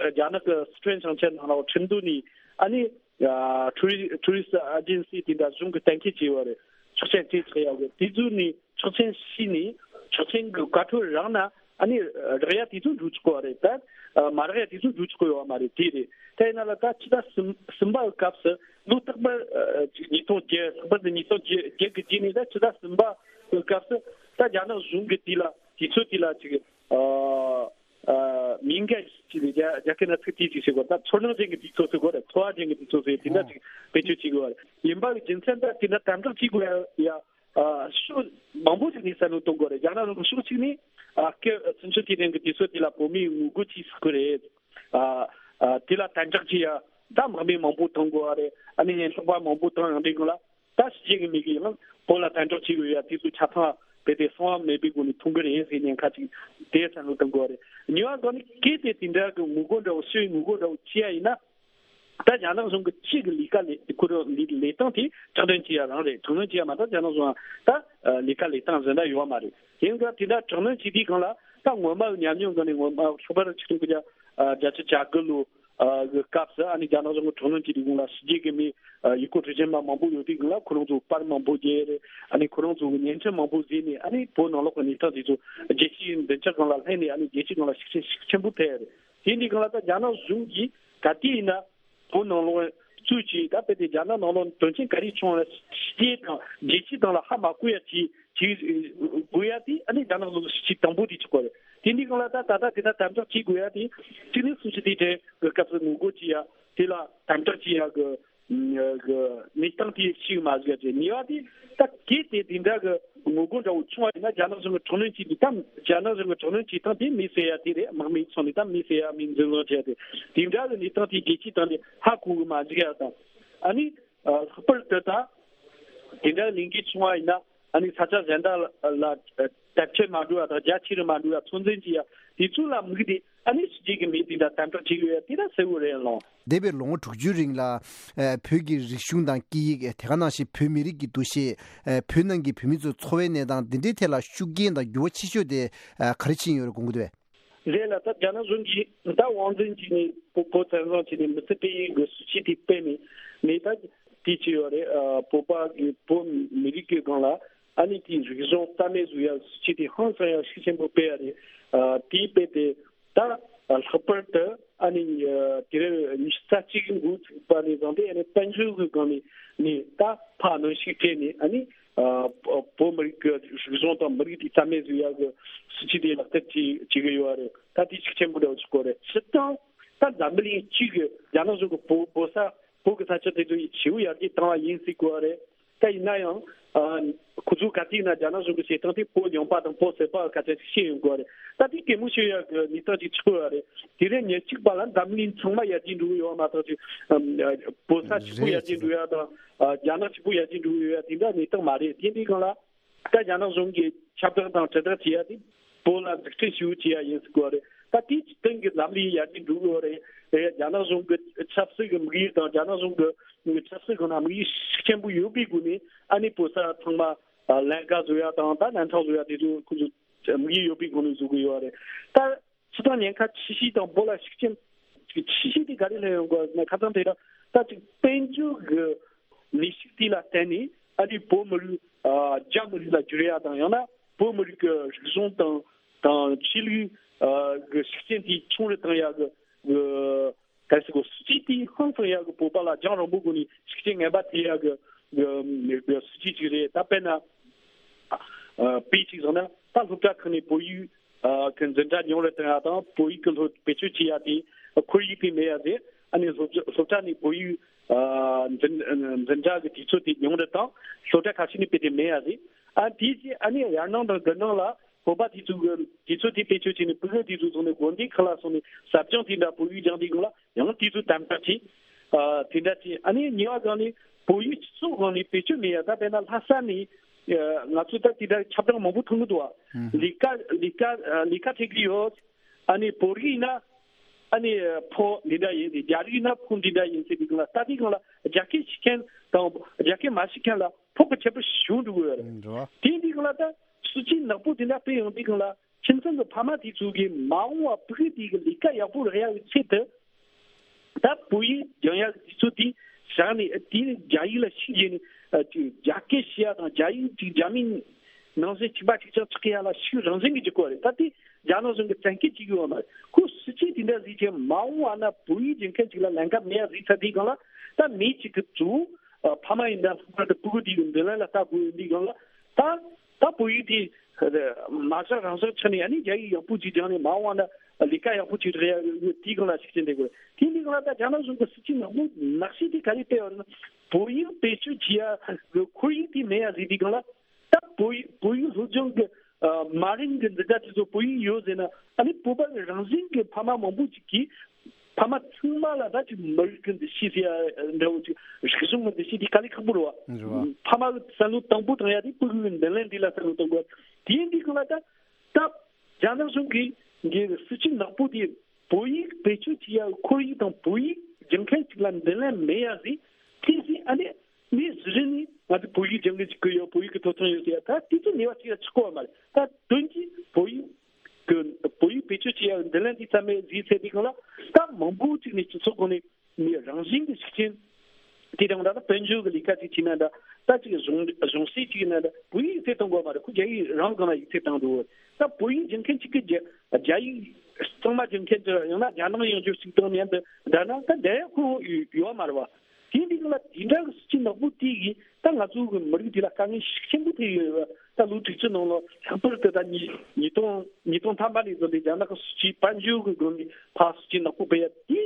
རྒྱ་ནག་གི་སི་ཁྲོན་ཞིང་ཆེན་ནང་ལ་ཁྲིན་ཏུའུ་ནས་ཨ་ནི་ཡ་ཊུ་རི་ཊུ་རི་སི་ཨེ་ཇེན་སི་དེ་འདྲ་གཞུང་གི་གཏན་འཁེལ་བྱས་པ་རེད། ཆོག་མཆན་སྤྲད་ཆོག་ཡ་གི་དེ་ཚོ་ནས་ཆོག་མཆན་ཕྱིས་ནས་ཆོག་མཆན་གྱི་བཀའ་འཁྲོལ་རག་ན་ཨ་ནི་རག་ཡ་དེ་ཚོ་འགྲོ་ཆོག་གི་རེད། ད་མ་རག་ཡ་དེ་ཚོ་འགྲོ་ཆོག་གི་ཡོད་མ་རེད། དེ་རེད། དེ་ཡིན་ན་ལ་ད་ཕྱི་ཟླ་གསུམ་གསུམ་པ་གི་སྐབས་སུ་ལོ་རྟག་པར་ཉིས་སྟོང་བརྒྱད་ལྷག་པར་དུ་ཉིས་སྟོང་བརྒྱད་གི་རྗེས་ནས་ད་ཕྱི་ཟླ་གསུམ་པ་གི་སྐབས་སུ་ད་རྒྱ་ནག་གཞུང་གི་དེ་ལ་དུས་ཚོད་དེ་ལ་ཅིག་ཨ། ཨ་མིང་ག་ཅིག་རྒྱ་རྒྱ་སྐད་ན་ཚིག་དེ་ཅིག་ཟེར་གོ། ད་ཚོར་སྣང་ཅན་གྱི་དུས་ཚོད་ཟེར་གོ་རེད། ཚོར་བ་ཅན་གྱི་དུས་ཚོད་ཟེར་དེ་འདྲ་ཅིག་བེད་སྤྱོད་བྱེད་དགོས་པ་རེད། ཡིན་པ་གི་རྒྱུ་མཚན་ད་དེ་འདྲ་དམ་དྲག་བྱེད་དགོས་ཡ་ཡ་ཨ་ཕྱོགས་མང་པོ་ཅིག་ནས་བསམ་བློ་གཏོང་དགོས་རེད། རྒྱ་ནག་རང་གི་ཕྱོགས་གཅིག་ནས་ཨ་སྐད་ཚུན་ཆད་དེ་རིང་གི་དུས་ཚོད་དེ་ལ་བོད་མིའི་ངོ་རྒོལ་བྱེད་ཟེར་གི་རེད། ཨ་ཨ་དེ་ལ་དམ་དྲག་བྱེད་ཡ་ད་དམག་མི་མང་པོ་བཏང་དགོས་པ་རེད། ཨ་ནི་ཉེན་རྟོག་པ་མང་པོ་བཏང་ཡང་འགྲིག་གི་ལ། ད་ཕྱི་རྒྱལ་གྱི་མི་གིས་ཡང་བོད་ལ་དམ་དྲག་བྱེད་དགོས་ཡ་དེ་ཚོ་ཆ་ཚང་རྦད་དེ་གསང་བ་མེད་པའི་སྒོ་ནས་མཐོང་གི་རེད་ཟེར་ཉེན་ཁ་ཅིག་དེ་བསམ་བློ་གཏོང་དགོས་རེད། ཉེ་བ་སྒང་ནས་གལ་ཏེ་དེ་འདྲ་གི་ངོ་རྒོལ་འདྲ་བོ་ཕྱི་ཡི་ངོ་རྒོལ་འདྲ་བོ་བྱེད་ཡ་ཡིན་ན། ད་རྒྱ་ནག་གཞུང་གི་ཕྱི་གི་ལས་ཀ་ལས་ཁོ་རང་ལས་ལས་སྟངས་དེ་དྲག་གནོན་བྱེད་ཡ་རང་རེད། དྲག་གནོན་བྱེད་ཡ་མ་གཏོགས་རྒྱ་ནག་གཞུང་ད་ལས་ཀ་ལས་སྟངས་གཞན་དག་ཡོད་མ་རེད། དེ་འདྲ་དེ་འདྲ་དྲག་གནོན་བྱེད་དུས་སྒང་ལ་ད་སྔོན་མ་གི་ཉམས་མྱོང་སྒང་ནས་སྔོན་མ་ལྷག་པར་ཆིག་སྟོང་དགུ་བརྒྱ་བརྒྱད་ཅུ་གྱ་དགུ་ལོ། ཨ་གི་སྐབས་སུ་ཨ་ནི་རྒྱ་ནག་གཞུང་གི་དྲག་གནོན་གྱི་རིགས་ལ་ཕྱི་རྒྱལ་གྱི་མི་ཨ་ཡུལ་སྐོར་སྤྲོ་འཆམ་པ་མང་པོ་ཡོད་དུས་སྒང་ལ་ཁོ་རང་ཚོ་པར་མང་པོ་རྒྱག་རེད། ཨ་ནི་ཁོ་རང་ཚོ་གི་བརྙན་འཕྲིན་མང་པོ་བཟོས་ནས་ཨ་ནི་བོད་ནང་ལོགས་ཀྱི་གནས་སྟངས་དེ་ཚོ་རྒྱལ་སྤྱིའི་མདུན་ཅག་སྒང་ལ་ལྷན་ནས་ཨ་ནི་རྒྱལ་སྤྱི་སྒང་ལ་ཤུགས་རྐྱེན་ཤུགས་ཆེན་པོ་ཐེབས་རེད། དེ་འདི་སྒང་ལ་ད་རྒྱ་ནག་གཞུང་གིས་ག་དུས་ཡིན་ན་བོད་ནང་ལོགས་གཙོས་ཀྱི་ད་དཔེ་དེ་རྒྱ་ནག་ནང་ལོགས་དོན་རྐྱེན་ག་རེ་བྱུང་བ་ཕྱི་རྒྱལ་དང་རྒྱལ་སྤྱི་སྟེང་ལ་ཧ་མ་གོ་ཡ་ཅིག་བྱེད་དགོས་ཡ་དེ་ཨ་ནི་རྒྱ་ནག་ལོགས་སུ་ཅིག་དང་པོ་དེ་ཆགས་དགོས་རེད། དེ་འདི་སྒང་ལ་ད་ད་ལྟ་དེ་ལྟར་དམ་དྲག་བྱེད་དགོས་ཡ་དེ་གཅིག་ནི་སུམ་ཅུ་དུས་དྲན་གྱི་སྐབས་སུ་ངོ་རྒོལ་བྱེད་ཡ་དེ་ལ་དམ་དྲག་བྱེད་ཡ་གི་ གི་གནས་སྟངས་དེ་ཞིག་མ་ཟིག་ཅེས། གཉིས་པ་དེ་ད་གལ་ཏེ་དེ་འདྲ་གི་ངོ་རྒོལ་འདྲ་བོ་བྱུང་བ་ཡིན་ན། རྒྱ་ནག་གཞུང་གི་དྲག་གནོན་བྱེད་དུས་ད་རྒྱ་ནག་གཞུང་གི་དྲག་གནོན་བྱེད་སྟངས་དེ་མེད་ཟེར་ཡ་དེ་རེད། དམག་མིའི་ཚོགས་ནས་ད་མེད་ཟེར་ཡ། མི་འཛིན་བཟུང་བྱས་ཏེ་དེ་འདྲ་གི་གནས་སྟངས་དེ་རྒྱལ་སྤྱིའི་སྟེང་ནས་ཧ་གོ་གི་མ་འཇུག་ཡ་དང་། ཨ་ནི་ལྷག་པར་དུ་ད་དེ་འདྲ་ལས་འགུལ་བྱུང་བ་ཡིན་ན། ཨ་ནི་ས་ཆ་གཞན་དག་ལ་དར་ཁྱབ་མ་འགྲོ་བ་དང་། རྒྱ་ཆེ་རུ་མ་འགྲོ་བ། ཚོད་འཛིན་བྱེད་ཡ་དེ་ཚོ་ལ་དམིགས་ཏེ། ཨ་ནི་ཕྱི་རྒྱལ་གྱི་མི་དེ་འདྲ་དམ་དྲག་བྱེད་ཀྱི་ཡོད་ཡ་དེ་འདྲ་གསལ་བོ་རེད་ལགས། འདས་པའི་ལོ་ངོ་དྲུག་ཅུའི་རིང་ལ་ཨ་བོད་ཀྱི་རིག་གཞུང་དང་སྐད་ཡིག། དེ་ག་ནང་བཞིན་བོད་མི་རིགས་ཀྱི་འདུ་ཤེས། ཨ་བོད་ནང་གི་བོད་མི་ཚོའི་འཚོ་བའི་གནས་སྟངས་འདི་འདྲའི་ཐད་ལ་ཤུགས་རྐྱེན་དང་འགྱུར་བ་ཆེ་ཤོས་དེ་ཨ་ག་རེ་ཕྱིན་ཡོད་རེད་དགོངས་ཀྱི་འདུག་པས། རེད་ལགས། ད་རྒྱ་ནག་གཞུང་གིས་ད་དབང་འཛིན་བྱས་ནས། བོད་བོད་བཙན་བཟུང་བྱས་ནས་མི་ཚེ་སྐྱེལ་ཡས་ཀྱི་སྲིད་བྱུས་དེ་སྤེལ་ནས་ནས་ད་དེ་བྱས་ཡོད་རེད། ཨ་བོད་པ་གི་བོད་མི་རིགས་ཀྱི་སྒང་ལ་ཨ་ནི་དེའི་རིག་གཞུང་རྩ་མེད་བཟོ་ཡ་སྲིད་བྱུས་དེ་ཧང་སང་ཡ་ཤུགས་ཆེན་པོ་སྤེལ་ཡ་རེད། ཨ་དེ་སྤེལ་ཏེ་ད་ལྷག་པར་དུ་ཨ་ནི་ཨ་དུས་རབས་ཉི་ཤུ་རྩ་གཅིག་གི་འགོ་ཚུགས་པ་ནས་བཟུང་སྟེ། ཨ་ནི་དཔལ་འབྱོར་གྱི་སྒང་ནས་ནས་ད་ཕར་གནོན་ཤུགས་སྤྲད་ནས། ཨ་ནི་ཨ་བོད་མི་རིགས་ཀྱི་རིག་གཞུང་དང་མི་རིགས་དེ་རྩ་མེད་བཟོ་ཡ་གི་སྲིད་བྱུས་དེ་ལག་བསྟར་བྱེད་བྱེད་ཀྱི་ཡོད་རེད། ད་དེ་ཤུགས་ཆེན་པོ་འདྲ་བོ་ཞིག་དགོས་རེད། སྤྱིར་བཏང་ད་འཛམ་བུ་གླིང་སྤྱི་གི་རྒྱ་ནག་གཞུང་གི་བོད་བོད་ས་བོད་ཀྱི་ས་ཆ་དེ་ཚོ་ཡི་ཇེ་པོ་ཡར་རྒྱས་བཏང་བ་ཡིན་ཟེར་དགོས་རེད། ད་ཡིན་ན་ཡང་ཨ་ཁོ་ཚོ་ག་དུས་ན་རྒྱ་ནག་གཞུང་གི་བྱེད་སྟངས་དེ་བོད་ལྗོངས་པ་དང་བོད་ཟེར་པ་སྐད་ཆ་ཞིག་བཤད་ཡོང་དགོས་རེད། ད་དེ་གད་མོ་ཤོར་ཡ་གི་གནས་སྟངས་ཅིག་ཆགས་ཡོད་རེད། དུས་རབས་ཉེར་གཅིག་པ་ལ་འཛམ་གླིང་ཚང་མ་ཡར་རྒྱས་འགྲོ་གི་ཡོད་མ་གཏོགས་ཅིག་ཨ་བོད་ས་གཅིག་པུ་ཡར་རྒྱས་འགྲོ་ཡ་དང་། ཨ་རྒྱ་ནག་གཅིག་པུ་ཡར་རྒྱས་འགྲོ་གི་ཡོད་ཡ་དེ་འདྲ་གནས་སྟངས་མ་རེད། དེ་འདྲའི་སྒང་ལ་ད་རྒྱ་ནག་གཞུང་གིས་ཁྱབ་བསྒྲགས་དང་དྲིལ་བསྒྲགས་བྱེད་ཡ་དེ་བོད་ལ་འཛུགས་སྐྲུན་ཞེ་པོ་བྱེད་ཡ་ཡིན་ཟེར་དགོས་རེད། ད་དེའི་སྟེང་གི་ལམ་ལུགས་ཡར་རྒྱས་འགྲོ་གི་ཡོད་རེད། རྒྱ་ནག་གཞུང་གི་ཆབ་སྲིད་ཀྱི་དམིགས་ཡུལ་དང་། རྒྱ་ནག་གཞུང་གི་ཆབ་སྲིད་སྒང་ན་དམིགས་ཡུལ་ཤུགས་ཆེན་པོ་ཡོད་པའི་སྒོ་ནས། ཨ་ནི་བོད་ས་ཚང་མ་ཨ་ལམ་ཁ་བཟོ་ཡ་དང་། ད་ལམ་ཁ་བཟོ་ཡ་དེ་ཚོ་ཁོ་ཚོ་དམིགས་ཡུལ་ཡོད་པའི་སྒོ་ནས་བཟོ་གི་ཡོད་རེད། ད་སྤྱིར་བཏང་ཉེན་ཁ་ཆེ་ཤོས་དང་བོད་ལ་ཤུགས་རྐྱེན་ཆེ་ཤོས་དེ་ག་རེ་སླེབས་ཡོང་གི་ཡོད་ཟེར་ན། ཁ་སང་དེ་རིང་ད་ཅིག་དཔལ་འབྱོར་གྱི་ནུས་ཤུགས་དེ་ལ་བརྟེན་ནས། ཨ་ནི་བོད་མི་རིགས་ཨ་རྒྱ་མི་རིགས་ལ་བསྒྱུར་ཡ་དང་། ཡང་ན་བོད་མི་རིགས་ཀྱི་རིག་གཞུང་དང་དང་ཆོས་ལུགས་ཨ་གི་ཤུགས་རྐྱེན་དེ་ཆུང་རུ་བཏང་ཡ་གི་གི་གལ་སྲིད་གོ་སྲིད་ཇུས་དེ་ཧང་སང་ཡག་གི་བོད་པ་ལ་རྒྱང་རིང་པོའི་སྒོ་ནས་ཤུགས་རྐྱེན་ངན་པ་ཐེབས་ཡག་གི་གི་གི་སྲིད་ཇུས་ཅིག་རེད། ད་དཔེར་ན་ཨ་དཔེ་ཅིག་བཟུང་ན། ད་སློབ་གྲྭ་ཁག་ནས་བོད་ཡིག་ཨ་གི་འཛིན་གྲྭ་ཉུང་རུ་བཏང་ཡག་དང་། བོད་ཡིག་གི་སློབ་བེད་སྤྱོད་བྱེད་ཡག་དེ་ཁོར་ཡུག་དེ་མེད་ཡག་རེད། ཨ་ནི་སློབ་སློབ་གྲྭ་ནས་བོད་ཡིག་ཨ་འཛིན་འཛིན་གྲྭ་གི་དུས་ཚོད་དེ་ཉུང་རུ་བཏང་། སློབ་གྲྭ་ཁ་ཤས་ནས་དཔེ་དེ་མེད་ཡག་རེད། ཨ་དེ་རྗེས་ཨ་ནི་ཡར་ནང་དང་དགུ་ནང་ལ་བོད་པ་དེ་ཚོ་གི་དུས་ཚོད་དེ་བེད་སྤྱོད་བྱས་ནས་ཕྲུ་གུ་དེ་ཚོ་ཚོགས་ནས་དགོན་སྡེ་ཁག་ལ་སོང་ནས་ཟབ་སྦྱོང་དེ་འདྲ་བོད་ཡིག་སྦྱང་དུས་སྒང་ལ་ཡང་དེ་ཚོ་དམ་དྲག་བྱས། ཨ་དེ་འདྲ་བྱས། ཨ་ནི་གཉིས་པ་སྒང་ནས་བོད་ཡིག་སྤྱི་ཚོགས་སྒང་ནས་བེད་སྤྱོད་མེད་ཡ། ད་དཔེར་ན་ལྷ་ས་ནས་ཨ་ང་ཚོ་ད་དེ་འདྲ་ཁྱབ་བསྒྲགས་མང་པོ་མཐོང་གི་འདུག་བ། ལས་ཀ་ལས་ཀ་ཨ་ལས་ཀ་འཕྲད་ཀྱི་ཡོད། ཨ་ནི་བོད་རིགས་ཡིན་ན་ཨ་ནི་ཕོ་འདི་འདྲ་ཡིན། རྒྱ་རིགས་ཡིན་ན་ཕོ་འདི་འདྲ་ཡིན་ཟེར་དུས་སྒང་ལ། ད་དེ་སྒང་ལ་རྒྱ་སྐད་ཤེས་མཁན་དང་རྒྱ་སྐད་མ་ཤེས་མཁན་ལ་ཕོགས་ཀྱི་ཁྱད་པར་ཞེ་པོ་འགྲོ་གི་ཡོད་རེད། འགྲོ་བ། དེ་འདི་སྒང་ལ་ད་སྲིད་ཇུས་ནག་པོ་དེ་འདྲ་སྤེལ་ཡོང་དུས་སྒང་ལ། ཁྱིམ་ཚང་གི་ཕ་མ་དེ་ཚོ་གིས་མ་འོངས་བར་བོད་དེ་གི་ལས་ཀ་ཡག་པོ་རག་ཡག་གི་ཆེད་དུ། ད་བོད་ཡིག་སྦྱང་ཡག་གི་དུས་ཚོད་དེ་བཞག་ནས། དེ་ནས་རྒྱ་ཡིག་ལ་ཤུགས་རྒྱབ་ནས། ཨ་ཅིག་རྒྱ་སྐད་བཤད་ཡག་དང་། རྒྱ་ཡིག་ཅིག་རྒྱ་མིའི་ནང་བཞིན་གཅིག་པ་གཅིག་རྐྱང་ཆགས་ཡག་ལ་ཤུགས་རང་བཞིན་གྱིས་རྒྱག་གི་ཡོད་རེད། ད་དེ་རྒྱ་ནག་གཞུང་གིས་བཙན་སྐུལ་བྱེད་ཀྱི་ཡོད་མ་རེད། ཁོ་སྲིད་ཇུས་དེ་འདྲ་བཟོས་བྱས་མ་འོངས་བ་ན་བོད་ཡིག་སྦྱང་མཁན་ཅིག་ལ་ལམ་ཁ་མེད་ཡག་བཟོས་ཚར་དུས་སྒང་ལ། ད་མི་གཅིག་གིས་གཙོ་བོ་ཨ་ཕ་མ་ཡིན་ན་ལྷག་པར་དུ་ཕྲུ་གུ་དེ་གི་མདུན་ལམ་ལ་ལྟ་དགོས་ཡོད་དུས་སྒང་ལ། ད་ད་བོད་ཡིག་དེ་མ་བཞག་རང་བཞག་ཆགས་ནས། ཨ་ནི་རྒྱ་ཡིག་ཡག་པོ་ཅིག་སྦྱངས་ནས་མ་འོངས་བ་ན་ལས་ཀ་ཡག་པོ་ཅིག་རག་ཡག་ཡོད་དུས་སྒང་ལ་ཤུགས་རྐྱེན་འདེགས་དགོས། དེ་དུས་སྒང་ལ་ད་རྒྱ་ནག་གཞུང་གི་སྲིད་ཇུས་ནག་པོ་ནག་ཤོས་དེ་ག་རེ་སྤེལ་བ་རེད་ན། བོད་ཡིག་བེད་སྤྱོད་བྱེད་ཡག་གི་ཁོར་ཡུག་དེ་མེད་ཡག་བཟོས་དུས་སྒང་ལ། ད་བོད་ཡིག་བོད་ཡིག་སློབ་སྦྱོང་གི་ཨ་མ་རིན་གི་འཛིན་གྲྭ་དེ་ཚོ་བོད་ཡིག་ཡོད་ཟེར་ན། ཨ་ནི་བོད་པ་གི་རང་བཞིན་གྱི་ཕ་མ་མང་པོ་ཅིག་གིས་ཕ་མ་ཚང་མ་ལ་ད་ཅིག་མི་རིགས་ཀྱི་འདུ་ཤེས་ཟེར་ཡ་འདྲ་བོ་ཅིག་རིག་གཞུང་གི་འདུ་ཤེས་དེ་དཀའ་ལས་ཁག་པོ་རེད་བ། རེད་བ། ཕ་མ་གི་བསམ་བློ་དང་པོ་བཏང་ཡ་དེ་ཕྲུ་གུའི་མདུན་ལམ་འདི་ལ་བསམ་བློ་གཏོང་དགོས། དེ་ཡིན་དུས་སྒང་ལ་ད་ད་རྒྱ་ནག་གཞུང་གིས་འདི་སྲིད་ཇུས་ནག་པོ་དེ་བོད་ཡིག་བེད་སྤྱོད་བྱེད་ཡ་ཁོར་ཡུག་དང་བོད་ཡིག་སྦྱང་མཁན་ཅིག་ལ་མདུན་ལམ་མེད་ཡ་ཟིག་ཐེངས་ཤིག་ཨ་ནི། མི་གཞི་རིམ་ནས་ང་ཚོ་བོད་ཡིག་སྦྱང་གི་འཇུག་གི་ཡོད། བོད་ཡིག་གི་ཐོབ་ཐང་ཡོད་ཟེར་ཡ། ད་དེ་ཚོ་ནུས་པ་ཅིག་ལ་ཆགས་ཀྱི་ཡོད་མ་རེད། ད་དོན་གྱིས་བོད་ཡིག་གི་བོད་ཡིག་བེད་སྤྱོད་བྱེད་ཡ་མདུན་ལམ་འདི་རྩ་མེད་བཟོས་ཚར་དུས་སྒང་ལ། ད་མང་པོ་ཅིག་ནས་སྤྱི་ཚོགས་ཁོངས་ནས་མི་རང་བཞིན་གྱི་ཤུགས་རྐྱེན་དེ་དང་འདྲ། ད་དཔལ་འབྱོར་གྱི་ལས་ཀ་ཅིག་བྱས་ན་འདྲ། ད་ཅིག་གཞུང་གཞུང་སྲིད་ཅིག་ཡིན་ན་འདྲ། བོད་ཡིག་ཡིག་ཚད་གཏོང་དགོས་མ་རེད། ཁོ་རྒྱ་ཡིག་རང་སྒང་ལ་ཡིག་ཚད་བཏང་འགྲོ་གི་རེད། ད་བོད་ཡིག་སྦྱང་མཁན་གཅིག་གིས་རྒྱ་རྒྱ་ཡིག་གཙང་མ་སྦྱང་མཁན་དེ་ཡང་ན་རྒྱ་ནང་ཡོང་རྒྱུ་ཞིག་དང་མཉམ་དུ་བསྡད་ན་ད་འགྲིག་ཡ་ཁོ་ཡོད་མ་རེད་བ། དེ་འདི་ལ་དེ་འདྲ་གི་སྲིད་ཇུས་ནག་པོ་དེ་གིས་ད་ང་ཚོ་གི་མི་རིགས་དེ་ལ་དཀའ་ངལ་ཤུགས་ཆེན་པོ་ཐེབས་ཡོད་རེད་བ། ད་ལོ་དྲུག་ཅུ་ནང་ལ་ལྷག་པར་དུ་ད་ཉིས་ཉིས་སྟོང་ཉིས་སྟོང་ཐམ་པ་ནས་བཟུང་སྟེ་རྒྱ་ནག་གི་སྲིད་ཇུས་དཔལ་འབྱོར་གི་སྒོ་ནས་ཕར་སྲིད་ཇུས་ནག་པོ་སྤེལ་ཡ་དེ།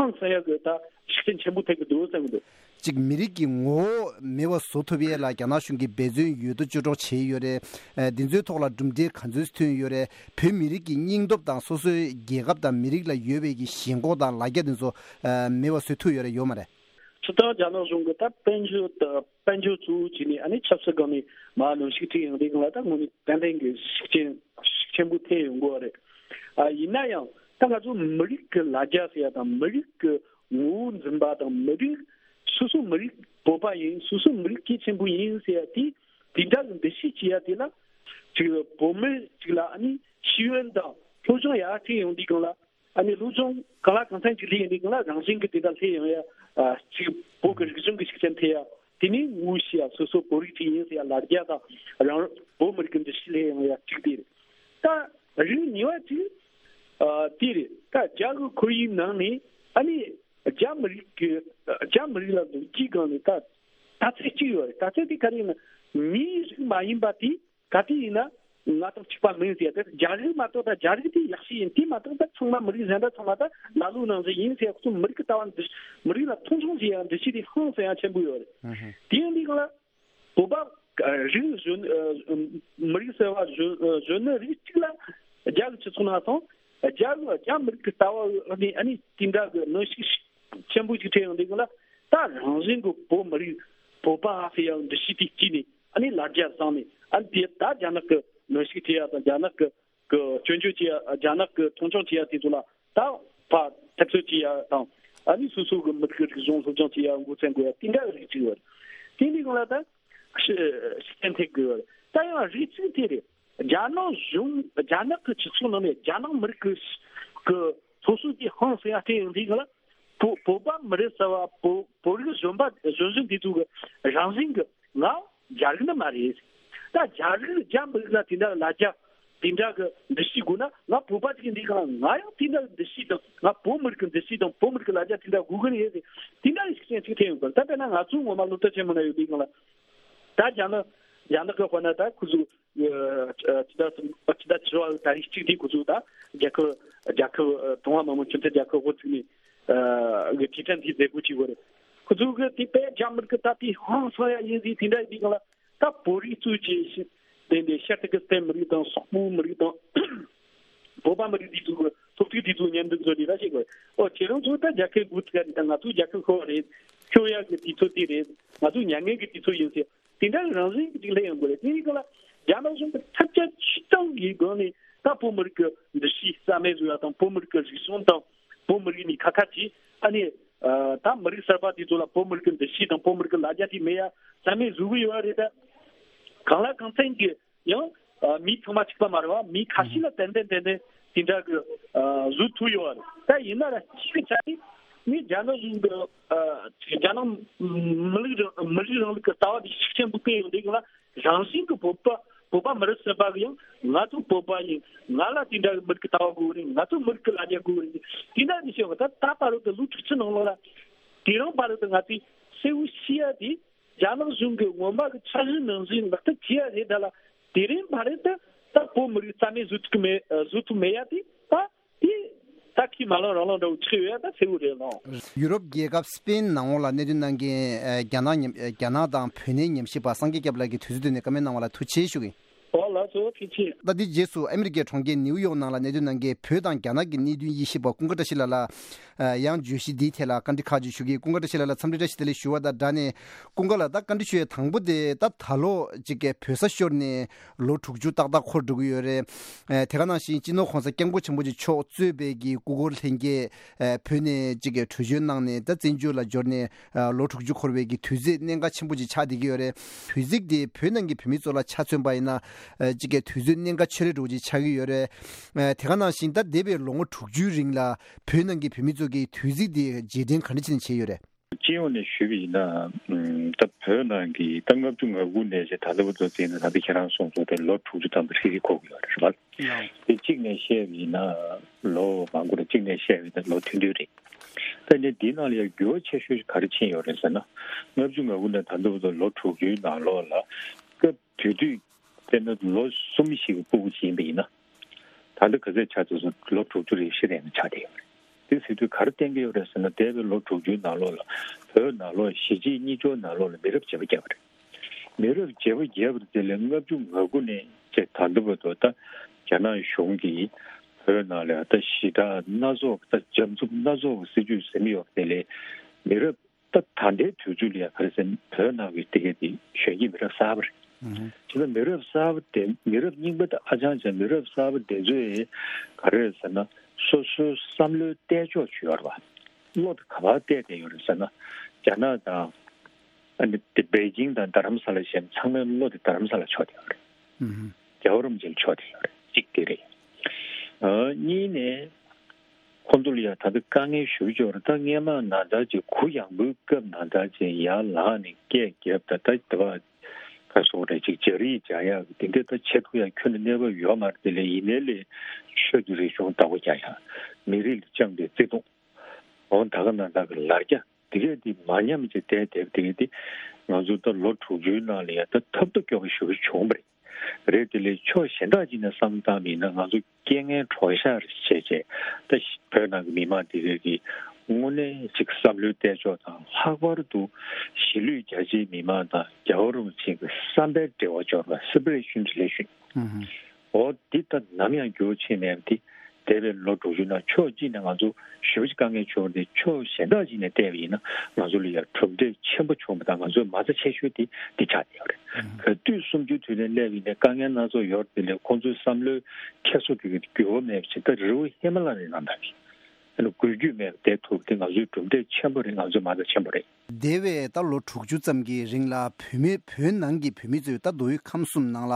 ཧང་སང་ཡག་གི་ད་ཤུགས་རྐྱེན་ཆེན་པོ་ཐེབས་ཀྱི་འདུག་བསམ་གྱི་འདུག། གཅིག་མི་རིགས་ཀྱི་ངོ་བོ་མེད་པ་བཟོ་ཐུབ་ཡས་ལ་རྒྱ་ནག་གཞུང་གིས་འབད་བརྩོན་ཡོད་དོ་ཅོག་ཅོག་བྱས་ཡོད་རེད། ཨ་འདི་ཚོའི་ཐོག་ལ་གྲུབ་འབྲས་ག་ཚོད་ཐོན་ཡོད་རེད། བོད་མི་རིགས་ཀྱི་སྙིང་སྟོབས་དང་སོ་སོའི་རྒྱལ་ཁབ་དང་མི་རིགས་ལ་ཡོད་པའི་གི་ཞེན་ཁོག་དང་ལ་རྒྱ་འདི་ཚོ་ཨ་མེད་པ་བཟོ་ཐུབ་ཡོད་རེད་ཡོད་མ་རེད། སྤྱིར་བཏང་རྒྱ་ནག་གཞུང་གི་ད་དཔལ་འབྱོར་དང་དཔལ་འབྱོར་གཙོ་བོ་བྱས་ནས་ཨ་ནི་ཆབ་སྲིད་སྒང་ནས་མར་གནོན་ཤུགས་སྤྲད་ཡོང་དུས་སྒང་ལ་ད་དངོས་གནས་ཏན་ཏན་གྱི་ཤུགས་རྐྱེན་ཤུགས་ཆེན་པོ་ཐེབས་ཡོང་གི་ཡོད་རེད། ཨ་ཡིན་ན་ཡང་ད་ང་ཚོ་མི་རིགས་ཀྱི་ལ་རྒྱ་ཟེར་ཡ་དང་མི་རིགས་ཀྱི་ངོ་བོ་འཛིན་པ་དང་མི་རིགས་སོ་སོ་མི་རིགས་བོད་པ་ཡིན། སོ་སོ་མི་རིགས་གལ་ཆེན་པོ་ཡིན་ཟེར་ཡ་དེ་དེ་འདྲ་གི་འདུ་ཤེས་བྱེད་ཡ་དེ་ལ་ཅིག་བོད་མི་ཅིག་ལ་ཨ་ནི་ཤེས་ཡོན་དང་སློབ་སྦྱོང་ཡར་ཐོན་ཡོང་དུས་སྒང་ལ། ཨ་ནི་སློབ་སྦྱོང་གང་ལ་གང་འཚམ་ཅིག་སླེབས་ཡོང་དུས་སྒང་ལ་རང་བཞིན་གྱི་དེ་འདྲ་སླེབས་ཡོང་ཡ། ཨ་ཅིག་བོད་ཀྱི་རིག་གཞུང་གི་ཤུགས་རྐྱེན་ཐེབས་ཡ། དེ་ནས་ངོ་ཤེས་ཡ་སོ་སོ་བོད་རིགས་ཅིག་ཡིན་ཟེར་ཡ་ལ་རྒྱ་དང་རང་བོད་མི་རིགས་ཀྱི་འདུ་ཤེས་སླེབས་ཡོང་ཡ་གཅིག་དེ་རེད། ད་རིགས་གཉིས་པ་གཅིག་ཨ་དེ་རེད། ད་རྒྱ་གི་ཁོར་ཡུག་ནང་ནས་ཨ་ནི་རྒྱ་མི་རིགས་ཀྱི་རྒྱ་མི་རིགས་ལ་ལོ་རྒྱུས་སྒང་ནས་ད་ལྟ་ཚུལ་གཅིག་ཡོད་རེད། ལྟ་ཚུལ་དེ་ག་རེ་ཡིན་ན་མིའི་རིགས་མ་ཡིན་པ་དེ། ག་དུས་ཡིན་ན་ང་དང་གཅིག་པ་མིན་ཟེར་ཡ་དེ་རྒྱ་རིགས་མ་གཏོགས་ད་རྒྱ་རིགས་དེ་ཡག་ཤོས་ཡིན། དེ་མ་གཏོགས་ད་ཚང་མ་མི་རིགས་གཞན་དག་ཚང་མ་ད་ལ་ལུག་ནང་བཞིན་ཡིན་ཟེར་ཡ་ཁོ་ཚོ་མི་རིགས་ཀྱི་ལྟ་བ་འདི་མི་རིགས་ལ་མཐོང་ཆུང་བྱེད་ཡ་འདི་ཤེས་དེ་ཧང་སང་ཡ་ཆེན་པོ་ཡོད་རེད། ཨུ་ཧུ། དེ་ཡིན་དུས་གང་ལ་བོད་པ་ཨ་རིགས་གཞོན་ཨ་མི་རིགས་ཟེར་བ་གཞོན་ཨ་གཞོན་ནུ་རིགས་གཅིག་ལ་རྒྱ་གི་སྤྱི་ཚོགས་ནང་སོང་རྒྱ་གི་རྒྱ་མི་རིགས་ཀྱི་ལྟ་བ་ཨ་ནི་ཨ་ནི་དེ་འདྲ་གི་གནོན་ཤུགས་ཆེན་པོ་ཞིག་འཕྲད་ཡོང་དུས་གང་ལ་ད་རང་བཞིན་གྱི་བོད་མི་རིགས་བོད་པ་ཟེར་ཡ་འདི་ཤེས་དེ་སྐྱིད་ནས། ཨ་ནི་ལ་རྒྱ་བཟང་ནས་ཨ་ནི་དེ་ད་རྒྱ་ནག་གི་གནོན་ཤུགས་ཐེབས་ཡ་དང་རྒྱ་ནག་གི་གི་སྐྱོན་བརྗོད་བྱེད་ཡ་རྒྱ་ནག་གི་མཐོང་ཆུང་བྱེད་ཡ་དེ་ཚོ་ལ་ད་ཕར་འཐབ་རྩོད་བྱེད་ཡ་དང་ཨ་ནི་སོ་སོ་གི་མི་རིགས་རིག་གཞུང་སློབ་སྦྱོང་བྱེད་ཡ་འགོ་བཙུགས་དགོས་ཡ་དེ་འདྲ་རིགས་ཅིག་ཡོད། དེ་འདི་གང་ལ་ད་ཤི་ཤི་གཏན་ཐེབས་དགོས་ཡོད། ད་ཡང་རིགས་ཅིག་དེ་རེད། རྒྱ་ནག་གཞུང་རྒྱ་ནག་གི་སྤྱི་ཚོགས་ནང་ནས་རྒྱ་ནག་མི་རིགས་ཀྱི་ཀྱི་སློབ་གསོ་དེ་ཧང་སང་ཡ་སྤྲད་ཡོང་དུས་གང་ལ། བོད་བོད་པ་མི་རིགས་ཟེར་བ་བོད་བོད་རིགས་གཞོན་པ་གཞོན་གཞོན་དེ་ཚོ་གི་རང་བཞིན་གི་ང་རྒྱ་རིགས་ནི་མ་རེད། ད་རྒྱ་རིགས་རྒྱ་མི་རིགས་ལ་དེ་འདྲ་ལ་རྒྱ་དེ་འདྲ་གི་འདུ་ཤེས་དགོས་ན་ང་བོད་པ་ཅིག་ཡིན་དུས་གང་ལ་ང་ཡང་དེ་འདྲ་གི་འདུ་ཤེས་དང་ང་བོད་མི་རིགས་ཀྱི་འདུ་ཤེས་དང་བོད་མི་རིགས་ཀྱི་ལ་རྒྱ་དེ་འདྲ་དགོས་ཀྱི་རེད་ཟེར་དེ་འདྲ་གི་ཤུགས་རྐྱེན་ཅིག་ཐེབས་ཡོང་གི་རེད། ད་དཔེར་ན་ང་ཚོའི་ངོ་མ་སློབ་གྲྭ་ཆེན་མོ་ན་ཡོད་དུས་གང་ལ་ད་རྒྱ་ནག་རྒྱ་ནག་གི་དཔེར་ན་ད་ཁོ་ཚོ། ཨ་ཅི་ད་ཅི་ད་ཅི་ར་ད་རིགས་གཅིག་དེ་ཁོ་ཚོ་ད་རྒྱལ་ཁབ་རྒྱལ་ཁབ་ཨ་ཀྲུང་ཧྭ་མི་དམངས་སྤྱི་མཐུན་རྒྱལ་ཁབ་འགོ་བཙུགས་ནས་ཨ་གི་ཁྲི་ཕྲན་དེ་མཛད་སྒོ་བྱས་པ་རེད། ཁོ་ཚོ་གི་དེ་དཔེ་རྒྱ་མི་རིགས་ད་དེ་ཧང་སང་ཡ་ཡིན་ཟིག་དེ་འདྲ་ཡིན་དུས་གང་ལ་ད་བོད་རིགས་གཙོས་བྱས་ཤིང་དེ་འདྲའི་ཤར་ཏུར་ཀི་སི་ཐན་མི་རིགས་དང་སོག་པོའི་མི་རིགས་དང་བོད་པ་མི་རིགས་དེ་ཚོ་གི་ཐོབ་ཐང་དེ་ཚོ་མཉམ་འདུ་འཛོམས་ནས་ར་བྱེད་དགོས། ཨོ་ཁྱེད་རང་ཚོ་ད་རྒྱལ་ཁབ་འགོ་ཚུགས་ཡ་རེད། ད་ང་ཚོ་རྒྱལ་ཁབ་ཤོར་བ་རེད། ཤོར་ཡ་གི་དུས་ཚོད་དེ་རེད། ང་ཚོ་མྱ་ངན་གི་དུས་ཚོད་ཡིན་ཟེར། དེ་འདྲ་རང་བཞིན་གྱི་ཅིག་སླེབས་ཡོང་གི་རེད། དེ་ཡིན་གང་ལ་རྒྱ་ནག་གཞུང་གི་ཐབས་ཇུས་ཆུ་ཚང་གི་སྒོ་ནས་ད་བོད་མི་རིགས་ཀྱི་འདུ་ཤེས་རྩ་མེད་བཟོ་ཡ་དང་བོད་མི་རིགས་ཀྱི་རིག་གཞུང་དང་བོད་མི་རིགས་ནས་ཁ་ཁ་ཅིག་ཨ་ནི་ད་མི་རིགས་གསར་པ་དེ་ཚོ་ལ་བོད་མི་རིགས་ཀྱི་འདུ་ཤེས་དང་བོད་མི་རིགས་ཀྱི་ལ་རྒྱ་དེ་མེད་ཡ་རྩ་མེད་བཟོ་གི་ཡོད་རེད། ད་གང་ལ་གང་འཚམ་གྱི་ཡང་མི་ཚང་མ་གཅིག་པ་མ་རེད་བ། མི་ཁ་ཤས་ལ་ཏན་ཏན་ཏན་ཏན་དེ་འདྲ་གི་བཟོ་ཐུབ་ཡོད་རེད། ད་ཡིན་ན་ར་གཅིག་གི་ཆ་ནས་ནི་རྒྱ་ནག་གཞུང་གི་རྒྱ་ནག་མི་རིགས་རང་མི་རིགས་རིང་ལུགས་ཀྱི་ལྟ་བ་དེ་ཤུགས་ཆེན་པོ་སྤེལ་ཡོང་དུས་ང་རང་བཞིན་གྱི་བོད་པ་བོད་པ་མི་རིགས་གསར་པ་གི་ཡང་ང་ཚོ་བོད་པ་ཡིན། ང་ལ་དེ་འདྲ་གི་མི་རིགས་ཀྱི་ལྟ་བ་དགོས་རེད། ང་ཚོ་མི་རིགས་ཀྱི་ལ་རྒྱ་དགོས་རེད། དེ་འདྲ་ནི་བཤད་བ་ད་ད་བར་དུ་ལོ་དྲུག་ཅུ་ནང་ལོགས་ལ་དེ་རིང་བར་དུ་ང་ཚོས་གསལ་བོ་ཤེས་ཡ་དེ། རྒྱ་ནག་གཞུང་གིས་སྔོན་མ་གི་འཆར་གཞི་ནང་བཞིན་ལག་བསྟར་བྱས་ཡ་རེད། ད་ལ་དེ་རིང་བར་དུ་ད་བོད་མི་རིགས་རྩ་མེད་བཟོ་ཐུབ་ཀྱི་མེད། བཟོ་ཐུབ་མེད་ཡ་དེ་ད་དེ་ད་ཁྱི་མ་ལང་རང་ལང་འདྲ་བོ་ཆགས་ཡོད་ཡ་ད་གསལ་བོ་རེད་ལགས། ཡུ་རོབ་རྒྱལ་ཁབ་སི་པེན་ནང་ལོགས་ལ་གནད་དོན་གནང་མཁན་ཨ་རྒྱ་ནག་ཉམས་རྒྱ་ནག་དང་བོད་གནས་ཉམས་ཞིབ་པ་སངས་རྒྱས་སྐྱབས་ལགས་ཀྱིས་དུས་ཚོད་བཏོན་ནས་བཀའ་མོལ་གནང་བ་ལ་ཐུགས་རྗེ་ཆེ་ཞུ་གི་ཡིན། ཨོ་ལགས་སོ་ཐུགས་རྗེ་ཆེ། ད་འདི་རྗེས་སུ་ཨ་མི་རི་ཀའི་གྲོང་ཁྱེར་ནིའུ་ཡོག་ནང་ལ་གནད་དོན་གནང་མཁན་བོད་དང་རྒྱ་ནག་གི་གནད་དོན་དབྱེ་ཞིབ་པ་ཀུན་དགའ་བཀྲ་ཤིས་ལགས་ལ་ཨ་ཡང་བརྗོད་གཞི་འདིའི་ཐད་ལ་བཀའ་འདྲི་ཁག་ཅིག་ཞུ་གི། ཀུན་དགའ་བཀྲ་ཤིས་ལགས་ལ་འཚམས་འདྲི་བཀྲ་ཤིས་བདེ་ལེགས་ཞུ་བ་དང་སྦྲགས་ནས་ཀུན་དགའ་ལགས། ད་བཀའ་འདྲི་ཞུ་ཡས་དང་པོ་དེ་ད་ད་ལོ་གཅིག་གི་བོད་ས་ཤོར་ནས་ལོ་དྲུག་ཅུ་ཏག་ཏག་འཁོར་འགྲོ་གི་ཡོད་རེད། ཨ་དེ་ག་ནང་བཞིན་སྤྱི་ནོར་༸གོང་ས་༸སྐྱབས་མགོན་ཆེན་པོ་མཆོག་གཙོས་པའི་གི་སྐུ་འཁོར་ལྷན་རྒྱས་ཨ་བོད་ནས་གཅིག་གི་བྲོས་བྱོལ་གནང་ནས་ད་བཙན་བྱོལ་ལ་འབྱོར་ནས་ཨ་ལོ་དྲུག་ཅུ་འཁོར་བའི་གི་དུས་ཚོད་གནད་འགག་ཆེན་པོ་ཅིག་ཆགས་བསྡད་ཀྱི་ཡོད་རེད། དུས་ཚིགས་དེ་བོད་ནང་གི་བོད་མི་ཚོ་ལ་ཆ་མཚོན་པ་ཡིན་ན་ཨ་གཅིག་གི་དུས་ཚོད་གནད་འགག་ཆེ་རུ་འགྲོ་ཅིག་ཆགས་ཀྱི་ཡོད་རེད། ཨ་དེ་ག་ནང་བཞིན་ད་འདས་པའི་ལོ་ངོ་དྲུག་ཅུའི་རིང་ལ་བོད་ནང་གི་བོད་མི་ཚོ་གི་དུས་ཚིགས་དེ་རྗེས་དྲན་ག་འདྲ་བྱས་ནས་བྱས་ཡོད་རེད། སྤྱི་ཡོངས་ནས་ཞུས་པ་ཡིན་ན་ད་བོད་ནང་གི་ད་ལྔ་བཅུ་ང་དགུ་ནས་བྱས་ད་ལྟ་བར་དུ་བརྩིས་ན་ད་ལྟ་ཁྱེད་རང་གསུངས་སོང་དེ་ལོ་དྲུག་ཅུ་ཐམ་པ་ཧྲིལ་ཧྲིལ་འཁོར་གྱི་ཡོད་རེད་བ། དེ་གཅིག་ནས་བཤད་པ་ཡིན་ན་ལོ་མང་པོ་རེད། གཅིག་ནས་བཤད་པ་ཡིན་ན་ལོ་ཐུང་ཐུང་རེད། ད་ནི་འདི་ནང་ལ་ཡང་འགྱུར་བ་ཆེ་ཤོས་ཤིག་ག་རེ་ཕྱིན་ཡོད་རེད་ཟེར་ན། ལྔ་བཅུ་ང་དགུ་ནས་ད་ལྟ་བར་དུ་ལོ་དྲུག་ཅུའི་ནང་ལོགས་ལ་སྐབས་དེ་དུས་དཔེར་ན་ལོ་གསུམ་ཞིག་གི་སྤུ་གུ་ཅིག་ཡིན་པ་ཡིན་ན། ད་ལྟ་ག་ཚོད་ཆགས་ཚར་སོང་། ལོ་དྲུག་ཅུ་རེ་བཞི་རེ་ནས་ཆགས་བསྡད་ཡོད་རེད། དེ་ཟེར་དུས་ག་རེ་བསྟན་གྱི་ཡོད་རེད་ཟེར་ན། འདས་པའི་ལོ་དྲུག་ཅུའི་ནང་ལོགས་ལ་བོད་ནང་ལོགས་གཞིས་བྱེས་གཉིས་ཆར་ནང་ལོགས་ལ་མི་རབས་བརྗེ་པོ་བརྒྱབ་པ་རེད། མི་རབས་བརྗེ་པོ་བརྒྱབ་པ་དེ་ལས་ལྔ་བཅུ་ང་དགུ་ནས་བྱས་ད་ལྟ་བར་དུ། ད་རྒྱ་ནག་གཞུང་གིས་བོད་ནང་ལ་ད་ཞི་དྲག་སྣ་ཚོགས། ད་འཇམ་རྩུབ་སྣ་ཚོགས་སྲིད་ཇུས་ཟིན་ཡོད་པ་དེ་ལས་མི་རབས། ད་ད་ལྟའི་དུས་ཚོད་ལ་ཡ་ག་རེ་ཟེར་ན། བོད་ནང་གི་དེ་གའི་དེ་གཞོན་སྐྱེས་མི་རབས་གསར་པ་རེད། ཨུ་ཧུ། དེ་ལ་མི་རབས་གསར་པ་དེ། མི་རབས་རྙིང་པ་དེ་ཨ་ཅང་ཅང་། མི་རབས་གསར་པ་དེ་ཚོས་ག་རེ་ཟེར་ན། སོ་སོའི་བསམ་བློའི་གཏད་ཕྱོགས་ཅིག་ཡོད་རེད་པ། བློ་དེ་ག་པར་གཏད་བསྡད་ཡོད་རེད་ཟེར་ན། རྒྱ་ནག་དང་། ཨ་ནི་དེ་པེ་ཅིང་དང་རྡ་རམ་ས་ལ་བྱས་ན་ཚང་མའི་བློ་དེ་རྡ་རམ་ས་ལ་ཕྱོགས་བསྡད་ཡོད་རེད། ཨུ་ཧུ། རྒྱལ་བ་རིན་པོ་ཆེ་ལ་ཕྱོགས་བསྡད་ཡོད་རེད། གཅིག་དེ་རེད། ཨ། གཉིས་ནས། ཁོང་ཚོ་ལ་ཡ་ད་ལྟ་དཀའ་ངལ་ཞེ་པོ་ཅིག་ཡོད་རེད། ད་སྔས་མ་ནང་ལྟར་ཅིག་གུ་ཡངས་པོའི་སྐབས་ནང་ལྟར་ཅིག་ཡར་ལངས་ནས་སྐད་རྒྱབ། ད་ད་ལྟ་བ་ག་སོང་རེད། ཅིག་སྦྱར་ཡིག་སྦྱར་ཡག་དེ་འདྲ་ད་བྱེད་ཐུབ་ཡག་ཁྱོན་ནས་གནས་བབ་ཡོད་མ་རེད། དེ་ལས་ཡིན་ནའི་ལས་ཆོས་ཀྱི་རིག་གཞུང་བདག་པོ་རྒྱག་ཡག། མི་རིགས་ལ་བཅངས་པའི་བརྩེ་དུང་། འོ་ད་ག་ནང་ལྟར་གྱི་ལར་རྒྱ་དེ་གས་དེ་མ་ཉམས་བྱས་བསྡད་བསྡད་པ་དེ་གས་དེ། ང་ཚོ་ད་ལོ་དྲུག་ཅུའི་ནང་ལ་ཡ་ད་ཐབས་ཏོག་སྐྱོ་པོ་ཞེ་པོ་བྱུང་བ་རེད། རེད། དེ་ལས་ཕྱོགས་གཞན་དག་ཅིག་ནས་བསམ་བློ་བཏང་བ་ཡིན་ན། ང་ཚོ་རྐྱེན་ངན་གྲོགས་ཤར་བྱས་བྱས། ད་བོད་ནང་གི་མི་མང་དེ་གས་ཀྱི་དངོས་གནས་ཅིག་བསམ་བློའི་གཏད་ཕྱོགས་དང་། ལྷག་པར་དུ་གཞིས་ལུས་རྒྱ་ཆེའི་མི་མང་དང་རྒྱལ་བ་རིན་པོ་ཆེ་གི་བསམ་པའི་འབྲེལ་བ་འབྱོར་བ། separation relation། ཨུ་ཧུ། འོ་འདི་ད་ནམ་ཡང་འགྱུར་བ་ཕྱིན་མེད་པ་དེ། འདས་པའི་ལོ་དྲུག་ཅུ་ནང་ཕྱོགས་གཅིག་ནས་ང་ཚོ་ཞེ་པོ་ཅིག་དཀའ་ངལ་བྱུང་བ་རེད། ཕྱོགས་གཞན་དག་ཅིག་ནས་བལྟས་པ་ཡིན་ན་ང་ཚོ་ལ་ཡང་གྲུབ་འབྲས་ཆེན་པོ་བྱུང་བ་དང་། ང་ཚོའི་མ་རྩ་ཆེ་ཤོས་དེ་འདི་ཆགས་བསྡད་ཡོད་རེད། ག་དུས་གསུམ་བཅུའི་དུས་དྲན་སླེབས་པ་ཡིན་ནའི་དཀའ་ངལ་སྣ་ཚོགས་ཡོད་རེད། དེ་ལས་ཁོང་ཚོའི་བསམ་བློའི་འཁྱེར་སོ་དེ་གི་འགྱུར་བ་མེད་པ་ཞིག། ད་རི་བོ་ཧི་མ་ལ་ཡའི་ནང་ལྟར་གྱི་ཨ་ནི་འགུལ་སྐྱོད་མེད་པ་བསྡད་ཐུབ་པ་དེ་ང་ཚོའི་གྲུབ་འབྲས་ཆེན་པོ་རེད། ང་ཚོའི་མ་རྩ་ཆེན་པོ་རེད། འདས་པའི་ད་ལོ་དྲུག་ཅུ་ཙམ་གྱི་རིང་ལ་བོད་མི། བོད་ནང་གི་བོད་མི་ཚོས་ད་མདོ་དབུས་ཁམས་གསུམ་ནང་ལ།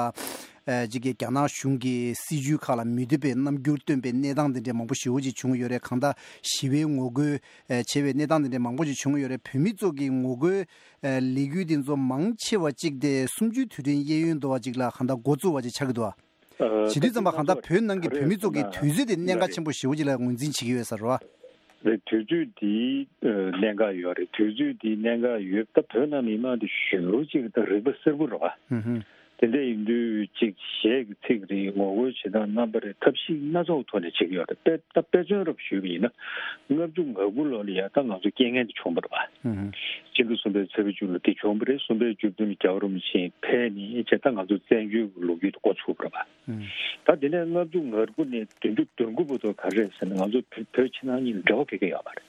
ཨ། ཅིག་གི་རྒྱ་ནག་གཞུང་གི་སྲིད་བྱུས་ཁག་ལ་མི་འདོད་པའི་རྣམ་འགྱུར་སྟོན་པའི་གནས་སྟངས་དེ་འདྲའི་མང་པོ་ཞེ་པོ་ཅིག་བྱུང་ཡོད་རེད། གང་ལྟར་ཞི་བའི་ངོ་རྒོལ། ཨ། བྱས་པའི་གནས་སྟངས་དེ་འདྲའི་མང་པོ་ཅིག་བྱུང་ཡོད་རེད། བོད་མི་ཚོ་གི་ངོ་རྒོལ། ཨ། ལས་འགུལ་དེ་ཚོ་མང་ཆེ་བ་གཅིག་དེ་གསུམ་བཅུའི་དུས་དྲན་གཡས་གཡོན་དུ་བ་ཅིག་ལ་གང་ལྟར་འགོ་བཙུགས་པ་ཅིག་ཆགས་ཀྱི་འདུག་བ། ཨ། བྱེད་དུས་ཙམ་པ་གང་ལྟར་བོད་ནང་གི་བོད་མི་ཚོ་གི་དུས་ཚོད་དེ་གནད་འགག་ཆེན་པོ་ཞེ་པོ་ཅིག་ལ་ངོས་འཛིན་བྱེད་ཀྱི་ཡོད་ས་རེད་བ། རེད། དུས་ཚོད་འདི་གནད་འགག་ཡོད་རེད། དུས་ཚོད་འདི་གནད་འགག་ཡོད། ད་བོད་ནང་མི་མང་འདི་ཞེ་པོ་ཅིག་ད་རིག་པ་གསལ་པོ་རེད་བ། ཧུམ་ཧུམ། དེ་འདྲ་ཡིན་དུས་ཅིག་གཞས་ཀྱི་ཚིག་རེད། ངོ་རྒོལ་བྱེད་སྟངས་རྣམ་པ་རེད། ཐབས་ཤེས་སྣ་ཚོགས་ཐོག་ནས་བྱེད་ཀྱི་ཡོད་རེད། དཔེ་ད་དཔེ་མཚོན་རབ་ཞུས་པ་ཡིན་ན། ལྔ་བཅུ་ང་དགུ་ལོ་ལ་ཡ་ད་ང་ཚོ་རྐྱེན་ངན་འདི་བྱུང་བ་རེད་བ། ཧུམ་ཧུམ། སྤྱི་ཟླ་གསུམ་པའི་ཚེས་པ་བཅུ་ལ་འདི་བྱུང་བ་རེད། གསུམ་པའི་བཅུ་བདུན་ལ་རྒྱལ་བ་རིན་པོ་ཆེ་ཕེབས་ནས་བྱས། ད་ང་ཚོ་བཙན་བྱོལ་གྱི་ལོ་རྒྱུས་འདི་འགོ་ཚུགས་པ་རེད་བ། ད་དེ་ནས་ལྔ་བཅུ་ང་དགུ་ནས་བདུན་ཅུ་དོན་དགུ་བར་དུ་ག་རེ་རེད་ཟེར་ན། ང་ཚོ་བོད་བོད་ཕྱི་ནང་གཉིས་ལ་འབྲེལ་བ་ག་གེ་ཡོད་མ་རེད།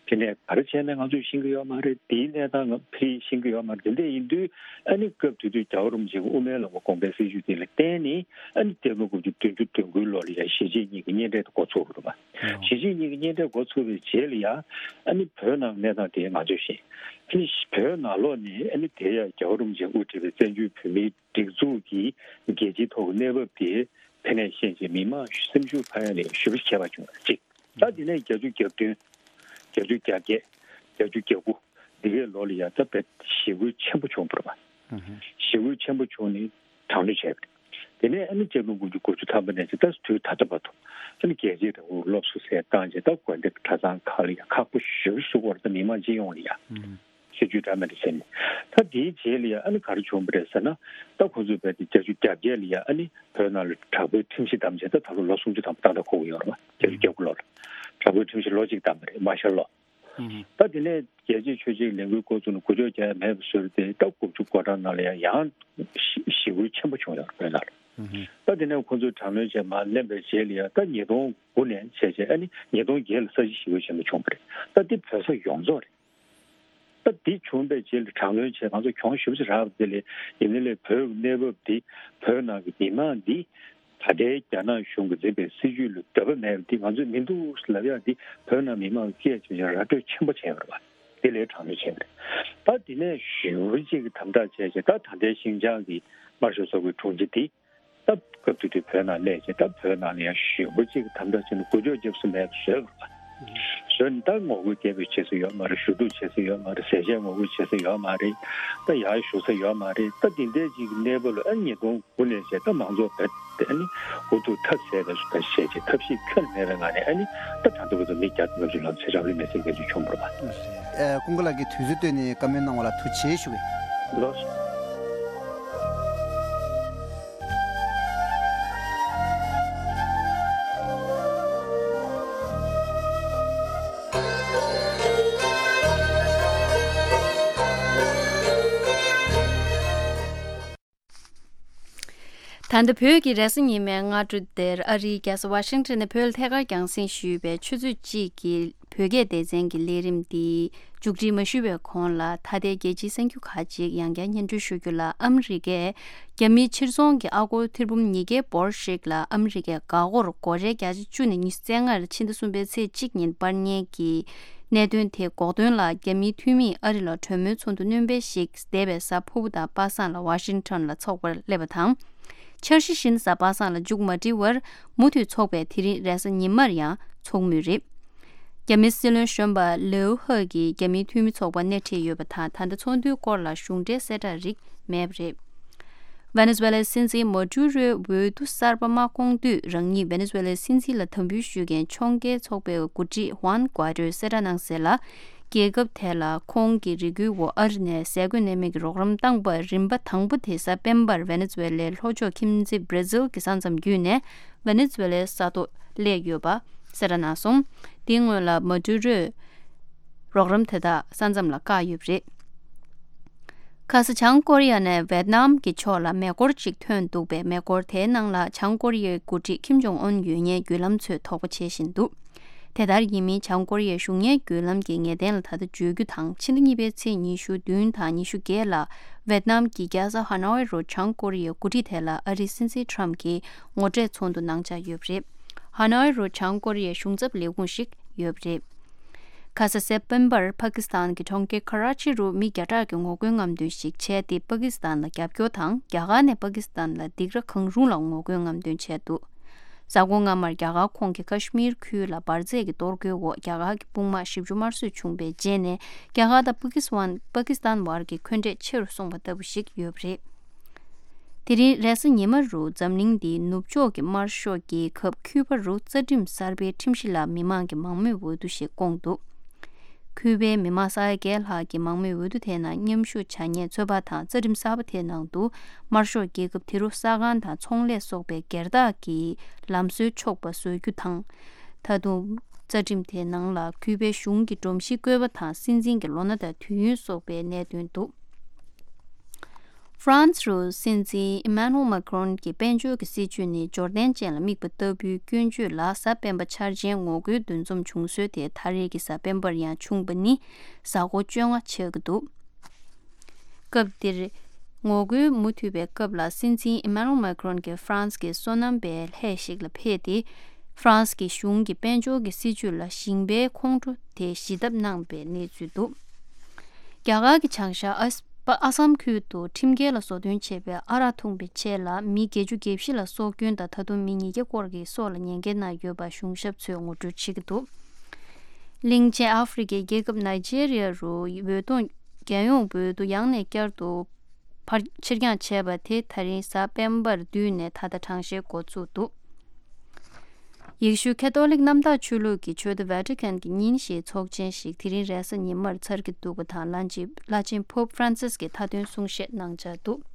དེ་ནས་ག་རེ་བྱས་ནས་ང་ཚོས་ཤེས་ཀྱི་ཡོད་མ་རེད། དེའི་གནས་སྟངས་ང་ཕ་གིར་ཤེས་ཀྱི་ཡོད་མ་རེད། དེ་འདྲ་ཡིན་དུས་ཨ་ནི་སྐབས་དེ་དུས་རྒྱལ་བ་རིན་པོ་ཆེ་གི་དབུ་མའི་ལམ་གྱི་དགོངས་པའི་སྲིད་བྱུས་དེ་ལ་བརྟེན་ནས། ཨ་ནི་སྤྱི་ལོ་དགུ་བཅུ་བདུན་ཅུ་དོན་དགུའི་ལོ་ལ་ཡང་གཞིས་བྱེས་གཉིས་ཀྱི་གཉེན་འཕྲད་དེ་འགོ་ཚུགས་པ་རེད་བ། གཞིས་བྱེས་གཉིས་ཀྱི་གཉེན་འཕྲད་འགོ་ཚུགས་པའི་རྗེས་ལ་ཡང་ཨ་ནི་བོད་ནང་གནས་སྟངས་དེ་ང་ཚོས་ཤེས། ཨ་ནི་བོད་ནང་ལོགས་ནས་ཨ་ནི་དེ་ཡང་རྒྱལ་བ་རིན་པོ་ཆེས་དབུ་ཁྲིད་པའི་བཙན་བྱོལ་བོད་མིའི་སྒྲིག་འཛུགས་ཀྱི་རྒྱལ་སྤྱིའི་ཐོག་གི་གནས་བབ་དེ་ཕ་ནས་ཤེས་བྱས། མི་མང་སེམས་ཤུགས་འཕར་ཡ་ལ་ཞེ་པོ་ཁྱད་པར་བྱུང་བ་གཅིག། ད་དེ་ནས་བརྒྱད་ཅུ་གྱ་བདུན། བརྒྱད་ཅུ་གྱ་བརྒྱད། བརྒྱད་ཅུ་གྱ་དགུ། འདི་གའི་ལོ་ལ་ཡ་ད་དཔེ་ཞི་རྒོལ་ཆེན་པོ་བྱུང་བ་རེད་བ། ཞི་རྒོལ་ཆེན་པོ་བྱུང་ནས་དྲག་གནོན་བྱས་པ་རེད། དེ་ནས་ཨ་ནི་སྤྱི་ལོ་དགུ་བཅུ་གོ་བཅུ་ཐམ་པ་ནས་བྱས་ད་དུས་ད་ལྟ་བར་དུ་ཨ་ནི་རྒྱལ་གཅེས་རིང་ལུགས་སློབ་གསོ་ཟེར་བཏང་བྱས། ད་དགོན་སྡེ་གྲྭ་ཚང་ཁག་ལ་ཡ་ཁག་པོ་ཞེ་པོ་བཟོ་དགོས་རེད། ད་མི་མང་སྤྱི་ཡོངས་ལ་ཡ། སྲིད་ཇུས་འདྲ་མི་འདྲ་བྱས་ནས། ད་དེའི་རྗེས་ལ་ཡ་ཨ་ནི་ག་རེ་བྱུང་བ་རེད་ཟེར་ན། ད་ཁོ་ཚོས་བས་དེ་བརྒྱད་ཅུ་གྱ་བརྒྱད་ལ་ཡ་ཨ་ནི་བོད་ནང་ལ་དྲག་པོའི་ཁྲིམས་གཞི་བསྡམས་བྱས། ད་ད་ལོ་ལོ་སུམ་ཅུ་ཐམ་པ་ཏག་ཏག་འཁོར་གྱི་ཡོད་རེད་བ། བརྒྱད་ཅུ་གྱ་དགུ་ལོ་ལ་དྲག་པོའི་ཁྲིམས་གཞི་ལོ་གཅིག་བསྡམས་པ་རེད། མར་ཤལ་ལོ། ད་དེ་ནས་རྒྱལ་གཅེས་ཆོས་གཅེས་ལས་འགུལ་འགོ་བཙུགས་ནས་འགུལ་སྐྱོད་རྒྱག་ཡ་མེད་པ་བཟོས་ཏེ། ད་དགུ་བཅུ་གོ་གྲངས་ནང་ལ་ཡ་ཡང་ཞི་ཞི་རྒོལ་ཆེན་པོ་བྱུང་ཡོད་རེད་བོད་ནང་ལ། ད་དེ་ནས་ཁོ་ཚོས་དྲག་གནོན་བྱས་མར་ལེན་པའི་རྗེས་ལ་ཡ་ད་ཉིས་སྟོང་དགུ་ནས་བྱས་བྱས་ཨ་ནི་ཉིས་སྟོང་བརྒྱད་ལ་ས་ཞིང་ཞི་རྒོལ་ཆེན་པོ་བྱུང་བ་རེད། ད་འདི་བོད་ས་ཡོངས་རྫོགས་རེད། ད་འདི་བྱུང་བའི་རྗེས་ལ་དྲག་གནོན་བྱས། ང་ཚོ་གྱོང་ཞེ་པོ་ཅིག་རག་པ་དེ་ལས། ཡིན་ནའི་ལས་བོད་ཀྱི་གནས་བབ་འདི། བོད་ནང་གི་མི་མང་འདི་ད་ལྟའི་རྒྱ་ནག་གཞུང་གིས་འཛིན་པའི་སྲིད་བྱུས་ལ་འདོད་པ་མེད་པ་འདི་ང་ཚོས་མི་འདུག་ལབ་ཡག་འདི་བོད་ནང་མི་མང་གིས་སྐད་ཆ་ར་སྤྲོད་ཆེན་པོ་བྱས་ཡོད་རེད་བ། དེ་ལས་དྲག་གནོན་བྱས་པ་རེད། ད་དེ་ནས་ཞེ་པོ་ཅིག་གི་དམ་དྲག་བྱས་བྱས། ད་ད་ལྟའི་ཤིན་ཅང་གི་དམར་ཤོག་ཚོགས་པའི་དྲུང་ཆེ་འདི། ད་སྐབས་དེ་དུས་བོད་ནང་སླེབས་བྱས། ད་བོད་ནང་ལ་ཡང་ཞེ་པོ་ཅིག་དམ་དྲག་བྱས་ནས་འགུལ་སྐྱོད་རྒྱབ་ས་མེད་པ་བཟོས་པ་རེད། བཟོས་ནས་ད་ངོ་རྒོལ་སྐད་འབོད་བྱེད་ས་ཡོད་མ་རེད། ཞུ་གཏུག་བྱེད་ས་ཡོད་མ་རེད། ཟས་བཅད་ངོ་རྒོལ་བྱེད་ས་ཡོད་མ་རེད། ད་ཡར་ཞུ་ས་ཡོད་མ་རེད། ད་དེ་འདྲའི་ཅིག་གི་གནས་བབ་ལ་ཨ་ཉིས་སྟོང་དགུ་ནས་བྱས་ད་མང་ཚོགས་བོད་དེ་ཨ་ནི་ཧུར་ཐུག་ཐབས་ཟད་པའི་བཟོ་ལྟ་བྱས་བྱས། ཐབས་ཤེས་ཁྱོན་མེད་པའི་ངང་ནས་ཨ་ནི་ད་ད་ལྟ་བར་དུ་མི་བརྒྱ་དང་ལྔ་བཅུ་ལྷག་ཚེ་རབས་ལ་མེ་སྲེག་བྱེད་རྒྱུ་བྱུང་བ་རེད་པ། ཨེ། ཀུན་དགའ་ལགས་ཀྱིས་དུས་ཚོད་བཏོན་ནས་བཀའ་མོལ་གནང་བ་ལ་ཐུགས་རྗེ་ཆེ་ཞུ་གི། ལགས་སོ། ད་ལྟ་བོད་ཀྱི་རེས་གཟའ་ཉི་མའི་སྔ་དྲོ་འདིར། ཨ་རིའི་རྒྱལ་ས་ཝ་ཤིང་ཊོན་ནས་བོད་ལ་ཐད་ཀར་རྒྱང་སྲིང་ཞུས་པའི་ཆུ་ཚོད་གཅིག་གི་བོད་སྐད་སྡེ་ཚན་གྱི་ལས་རིམ་འདི་མཇུག་སྒྲིལ་མ་ཞུས་པའི་གོང་ལ། ད་ལྟའི་རྒྱལ་སྤྱིའི་གསར་འགྱུར་ཁག་ཅིག་ཡང་བསྐྱར་སྙན་སྒྲོན་ཞུ་རྒྱུ་ལ། ཨ་མི་རི་ཀས་རྒྱ་མིའི་ཕྱིར་ཚོང་གི་ཨ་སྒོར་ཐེར་འབུམ་ཉིས་བརྒྱའི་འབོར་ཞིག་ལ་ཨ་མི་རི་ཀའི་འགག་སྒོར་སྒོར་རའི་བརྒྱ་ཆ་བཅུ་ནས་ཉི་ཤུ་རྩ་ལྔར་ཕྱི་ཟླ་གསུམ་པའི་ཚེས་གཅིག་ཉིན་སྤར་ཉེན་གྱི་གནད་དོན་དེ་འགོག་དོན་ལ། རྒྱ་མིའི་འཐུས་མིས་ཨ་རི་ལ་གྲོས་མོལ་ཚོགས་འདུ་སྣོན་སྤེལ་ཞིག་འདས་པའི་གཟའ་ཕུར་བུ་དང་པ་སངས་ལ་ཝ་ཤིང་ཊོན་ལ་ཚོགས་པར་སླེབས་པ་དང་། འཆར་གཞི་བཞིན་གཟའ་པ་སངས་ལ་མཇུག་མ་སྒྲིལ་བར། མུ་མཐུད་ཚོགས་པས་དེ་རིང་རེས་གཟའ་ཉི་མར་ཡང་ཚོགས་མུས་རེད། རྒྱ་མིའི་སྲིད་བློན་གཞོན་པ་ལེའུ་ཧེ་གིས་རྒྱ་མིའི་འཐུས་མི་ཚོགས་པར་སྣེ་ཁྲིད་ཡོད་པ་དང་། ད་ལྟ་ཚོགས་འདུའི་སྐོར་ལ་གཞུང་འབྲེལ་གསལ་བསྒྲགས་རིགས་མེད་པ་རེད། ཝེ་ནེ་ཛུ་ཝེ་ལའི་སྲིད་འཛིན་མ་ཌུ་རོའི་འོས་བསྡུ་གསར་པ་མ་བསྐོངས་དུས། རང་ཉིད་ཝེ་ནེ་ཛུ་ཝེ་ལའི་སྲིད་འཛིན་ལ་དམ་འབུལ་ཞུ་མཁན་ཕྱོགས་འགལ་ཚོགས་པའི་འགོ་ཁྲིད་ཧུའན་གུའེ་ཏོས་གསལ་བསྒྲགས་གནང་གསལ་ལ། རྒྱལ་ཁབ་དེ་ལ་ཁོང་གི་རེ་སྐུལ་འོག་ཨ་རི་ནས་ཟས་གོས་གནས་མལ་གྱི་རོགས་རམ་བཏང་པར་རིམ་པ་དང་པོ་དེ་གཟའ་སྤེན་པར་ཝེ་ནེ་ཛུ་ཝེ་ལའི་ལྷོ་ཕྱོགས་ཁྱིམ་མཚེས་བྷར་ཛིལ་གྱི་ས་མཚམས་བརྒྱུད་ནས་ཝེ་ནེ་ཛུ་ཝེ་ལའི་ས་ཐོག་སླེབས་ཡོད་པ་གསལ་བསྒྲགས་གནང་སོང་། དེའི་སྔོན་ལ་མ་ཌུ་རོས་རོགས་རམ་དེ་དག་ས་མཚམས་ལ་བཀག་ཡོད་པ་རེད། ཁ་ས་བྱང་ཀོ་རི་ཡ་ནས་ཝེད་ནམ་གྱི་ཕྱོགས་ལ་མེ་འཁོར་གཅིག་ཐོན་འདུག་པས། མེ་འཁོར་དེའི་ནང་ལ་བྱང་ཀོ་རི་ཡའི་འགོ་ཁྲིད་ཁིམ་ཇོང་ཨུན་ཡོད་ཉེན་བརྒྱུད་ལམ་ཚོས་དོགས་པ་བྱེད་བཞིན་འདུག་དེ་ལྟར་ཡིན་མིན་བྱང་ཀོ་རི་ཡའི་གཞུང་གཉེར་བརྒྱུད་ལམ་གྱིས་ངེས་གཏན་ལ་ད་ལྟ་བརྗོད་རྒྱུ་དང་། ཕྱི་ཟླ་གཉིས་པའི་ཚེས་ཉི་ཤུ་བདུན་དང་ཉི་ཤུ་བརྒྱད་ལ་ཝེད་ནམ་གྱི་རྒྱལ་ས་ཧ་ནོའི་རུ་བྱང་ཀོ་རི་ཡའི་འགོ་ཁྲིད་དེ་ལ་ཨ་རིའི་སྲིད་འཛིན་ཊམ་གྱིས་ངོ་འཕྲད་ཚོགས་འདུ་གནང་འཆར་ཡོད་པ་རེད། ཧ་ནོའི་རུ་བྱང་ཀོ་རི་ཡའི་གཞུང་ཚབ་ལས་ཁུངས་ཤིག་ཡོད་པ་རེད། ཁ་ས་སེབ་ཏེམ་པར་པ་ཀི་སི་ཐན་གྱི་གྲོང་ཁྱེར་ཁ་ར་ཆི་རུ་མི་བརྒྱ་ཕྲག་གིས་ངོ་རྒོལ་རྔམ་སྟོན་ཞིག་བྱས་ཏེ། པ་ཀི་སི་ཐན་ལ་རྒྱབ་སྐྱོར་དང་། རྒྱ་གར་ནས་པ་ཀི་སི་ཐན་ལ་སྡིགས་ར་གང་རུང་ལ་ངོ་རྒོལ་རྔམ་སྟོན་བྱས་འདུག་གཟའ་འཁོར་སྔ་མར་རྒྱ་གར་ཁོངས་ཀྱི་ཁ་ཤི་མིར་ཁུལ་ལ་འབར་རྫས་ཀྱི་གཏོར་རྒོལ་འོག་རྒྱ་གར་གྱི་དཔུང་དམག་བཞི་བཅུ་དམར་གསོད་བྱུང་བའི་རྗེས་ནས། རྒྱ་གར་དང་པ་ཀི་སི་ཐན་པ་ཀི་སི་ཐན་བར་གྱི་འཁོན་འགྲས་ཆེ་རུ་སོང་བ་ལྟ་བུ་ཞིག་ཡོད་པ་རེད། དེ་རིང་རེས་གཟའ་ཉི་མ་རུ་འཛམ་གླིང་འདིའི་ནུབ་ཕྱོགས་ཀྱི་དམར་ཤོག་རྒྱལ་ཁབ་ཁིའུ་བ་རུ་རྩ་ཁྲིམས་གསར་པའི་ཁྲིམས་གཞི་ལ་མི་མང་གི་མང་མོས་འོས་བསྡུ་ཞིག་བསྐོངས་འདུག་ཁིའུ་བའི་མི་མང་ས་ཡ་བརྒྱད་ལྷག་གིས་མང་མོས་འོས་བསྡུ་དེའི་ནང་མཉམ་ཞུགས་བྱ་ཉེས་ཚོད་དཔག་དང་། རྩ་ཁྲིམས་གསར་པ་དེའི་ནང་དུ་དམར་ཤོག་རྒྱལ་ཁབ་དེ་རུ་ས་ཁང་དང་ཚོང་ལས་སོགས་པའི་སྒེར་བདག་གི་ལམ་སྲོལ་ཆོག་པ་བཟོ་རྒྱུ་དང་། ད་དུང་རྩ་ཁྲིམས་དེའི་ནང་ལ་ཁིའུ་བའི་གཞུང་གི་སྒྲོམ་གཞིའི་བཀོད་པ་དང་། སྲིད་འཛིན་གྱི་ལོ་ན་དང་དུས་ཡུན་སོགས་པའི་གནད་དོན་འདུག་ཧྥ་རན་སི་རུ་སྲིད་འཛིན་ཨི་མན་ནུ་ཨེལ་མཱ་ཀྲོན་གྱི་དཔལ་འབྱོར་གྱི་སྲིད་བྱུས་ནི་འབྱོར་ལྡན་ཅན་ལ་དམིགས་པ་ལྟ་བུའི་སྐྱོན་བརྗོད་ལ། གཟའ་སྤེན་པ་འཆར་ཅན་ངོ་རྒོལ་འདུ་འཛོམས་བྱུང་སྲོལ་དེ་ད་རེས་ཀྱི་གཟའ་སྤེན་པར་ཡང་བྱུང་བ་ནི་གཟའ་འཁོར་བཅོ་ལྔ་ཆགས་ཀྱི་འདུག་སྐབས་འདིར་ངོ་རྒོལ་མུ་མཐུད་པའི་སྐབས་ལ། སྲིད་འཛིན་ཨི་མན་ནུ་ཨེལ་མཱ་ཀྲོན་གྱིས་ཧྥ་རན་སི་གི་སོ་ནམ་པའི་ལྷས་ཤིག་ལ་ཕེབས་ཏེ། ཧྥ་རན་སི་གི་གཞུང་གི་དཔལ་འབྱོར་གྱི་སྲིད་བྱུས་ལ་ཞིང་པའི་ཁོང་ཁྲོ་དེ་ཞི་ཐབས་གནང་བའི་གནས་ཚུལ་འདུག་རྒྱ་གར་གྱི་བྱང་ཤར་ཨ་ཨ་སམ་ཁུལ་དུ་ཁྲིམས་འགལ་ལ་བཟོ་སྐྲུན་བྱས་པའི་ཨ་རག་འཐུང་བའི་ཆེད་ལ་མི་བརྒྱད་ཅུ་གྱ་བཞི་ལ་སྲོག་སྐྱོན་དང་། ད་དུང་མི་ཉིས་བརྒྱ་སྐོར་གྱིས་སྲོག་ལ་ཉེན་ཁའི་ནང་ཡོད་པ་གཞུང་ཞབས་ཚོས་ངོ་སྤྲོད་བྱེད་ཀྱི་འདུག་གླིང་ཆེན་ཨ་ཧྥེ་རི་ཁའི་རྒྱལ་ཁབ་ནཱི་ཇེ་རི་ཡ་རུ་འོས་སྟོང་རྒྱལ་ཡོངས་འོས་བསྡུ་ཡང་ནས་བསྐྱར་དུ་ཕར་ཕྱིར་འགྱངས་བྱས་པ་དེ་ད་རིང་གཟའ་སྤེན་པར་བསྡུས་ནས་ད་ལྟ་གྲངས་བཤེར་འགོ་བཙུགས་འདུག་ཡེ་ཤུ་ཁ་ཐོ་ལིག་གནམ་བདག་ཆོས་ལུགས་ཀྱི་ཆོས་སྡེ་ཝེ་ཏི་ཀན་གྱི་ཉིན་བཞིའི་ཚོགས་ཆེན་ཞིག་དེ་རིང་རེས་གཟའ་ཉི་མར་ཚར་གྱི་འདུག་པ་དང་། བླ་ཆེན་བླ་ཆེན་པོབ་ཧྥ་རན་སིས་ཀྱིས་མཐའ་དོན་གསུང་བཤད་གནང་འཆར་འདུག་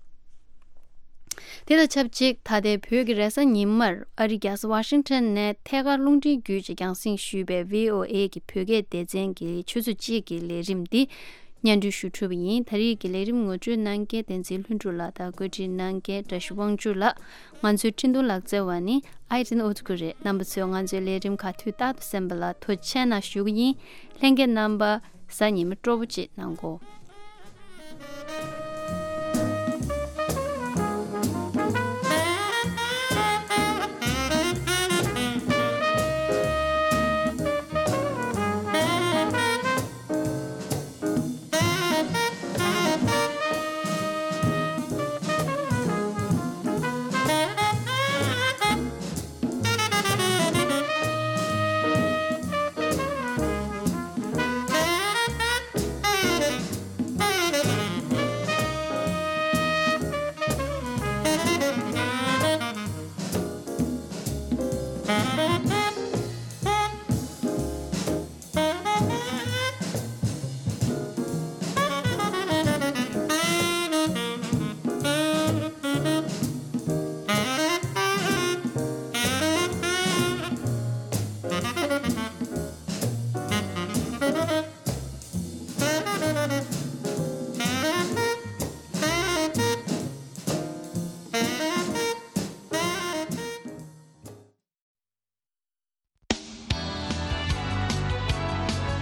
དེ་དང་ཆབས་ཅིག་ད་ལྟའི་བོད་ཀྱི་རེས་གཟའ་ཉི་མར་ཨ་རིའི་རྒྱལ་ས་ཝ་ཤིང་ཊོན་ནས་ཐད་ཀར་རླུང་འཕྲིན་བརྒྱུད་ཅིག་རྒྱང་སྲིང་ཞུས་པའི་ཝི་ཨོ་ཨེ་གི་བོད་སྐད་སྡེ་ཚན་གྱི་ཆུ་ཚོད་གཅིག་གི་ལས་རིམ་འདི་སྙན་སྒྲོན་ཞུ་གྲུབ་པ་ཡིན། ད་རེས་ཀྱི་ལས་རིམ་ངོ་སྤྲོད་གནང་མཁན་བསྟན་འཛིན་ལྷུན་གྲུབ་ལགས་དང་བཀོད་སྒྲིག་གནང་མཁན་བཀྲ་ཤིས་དབང་ཕྱུག་ལགས། ང་ཚོའི་འཕྲིན་གཏོང་ལག་རྩལ་བ་ནི་ཨའི་ཏིན་ཨོ་ཐུ་ཀུ་རེད། རྣམ་པ་ཚོས་ང་ཚོའི་ལས་རིམ་ཁག་དུས་རྟག་ཏུ་གསན་པ་ལ་ཐུགས་རྗེ་ཆེ་གནང་ཞུ་གི་ཡིན། ལྷན་རྒྱས་རྣམ་པ་གཟའ་ཉི་མ་སྤྲོ་པོ་ཅིག་གནང་གོ།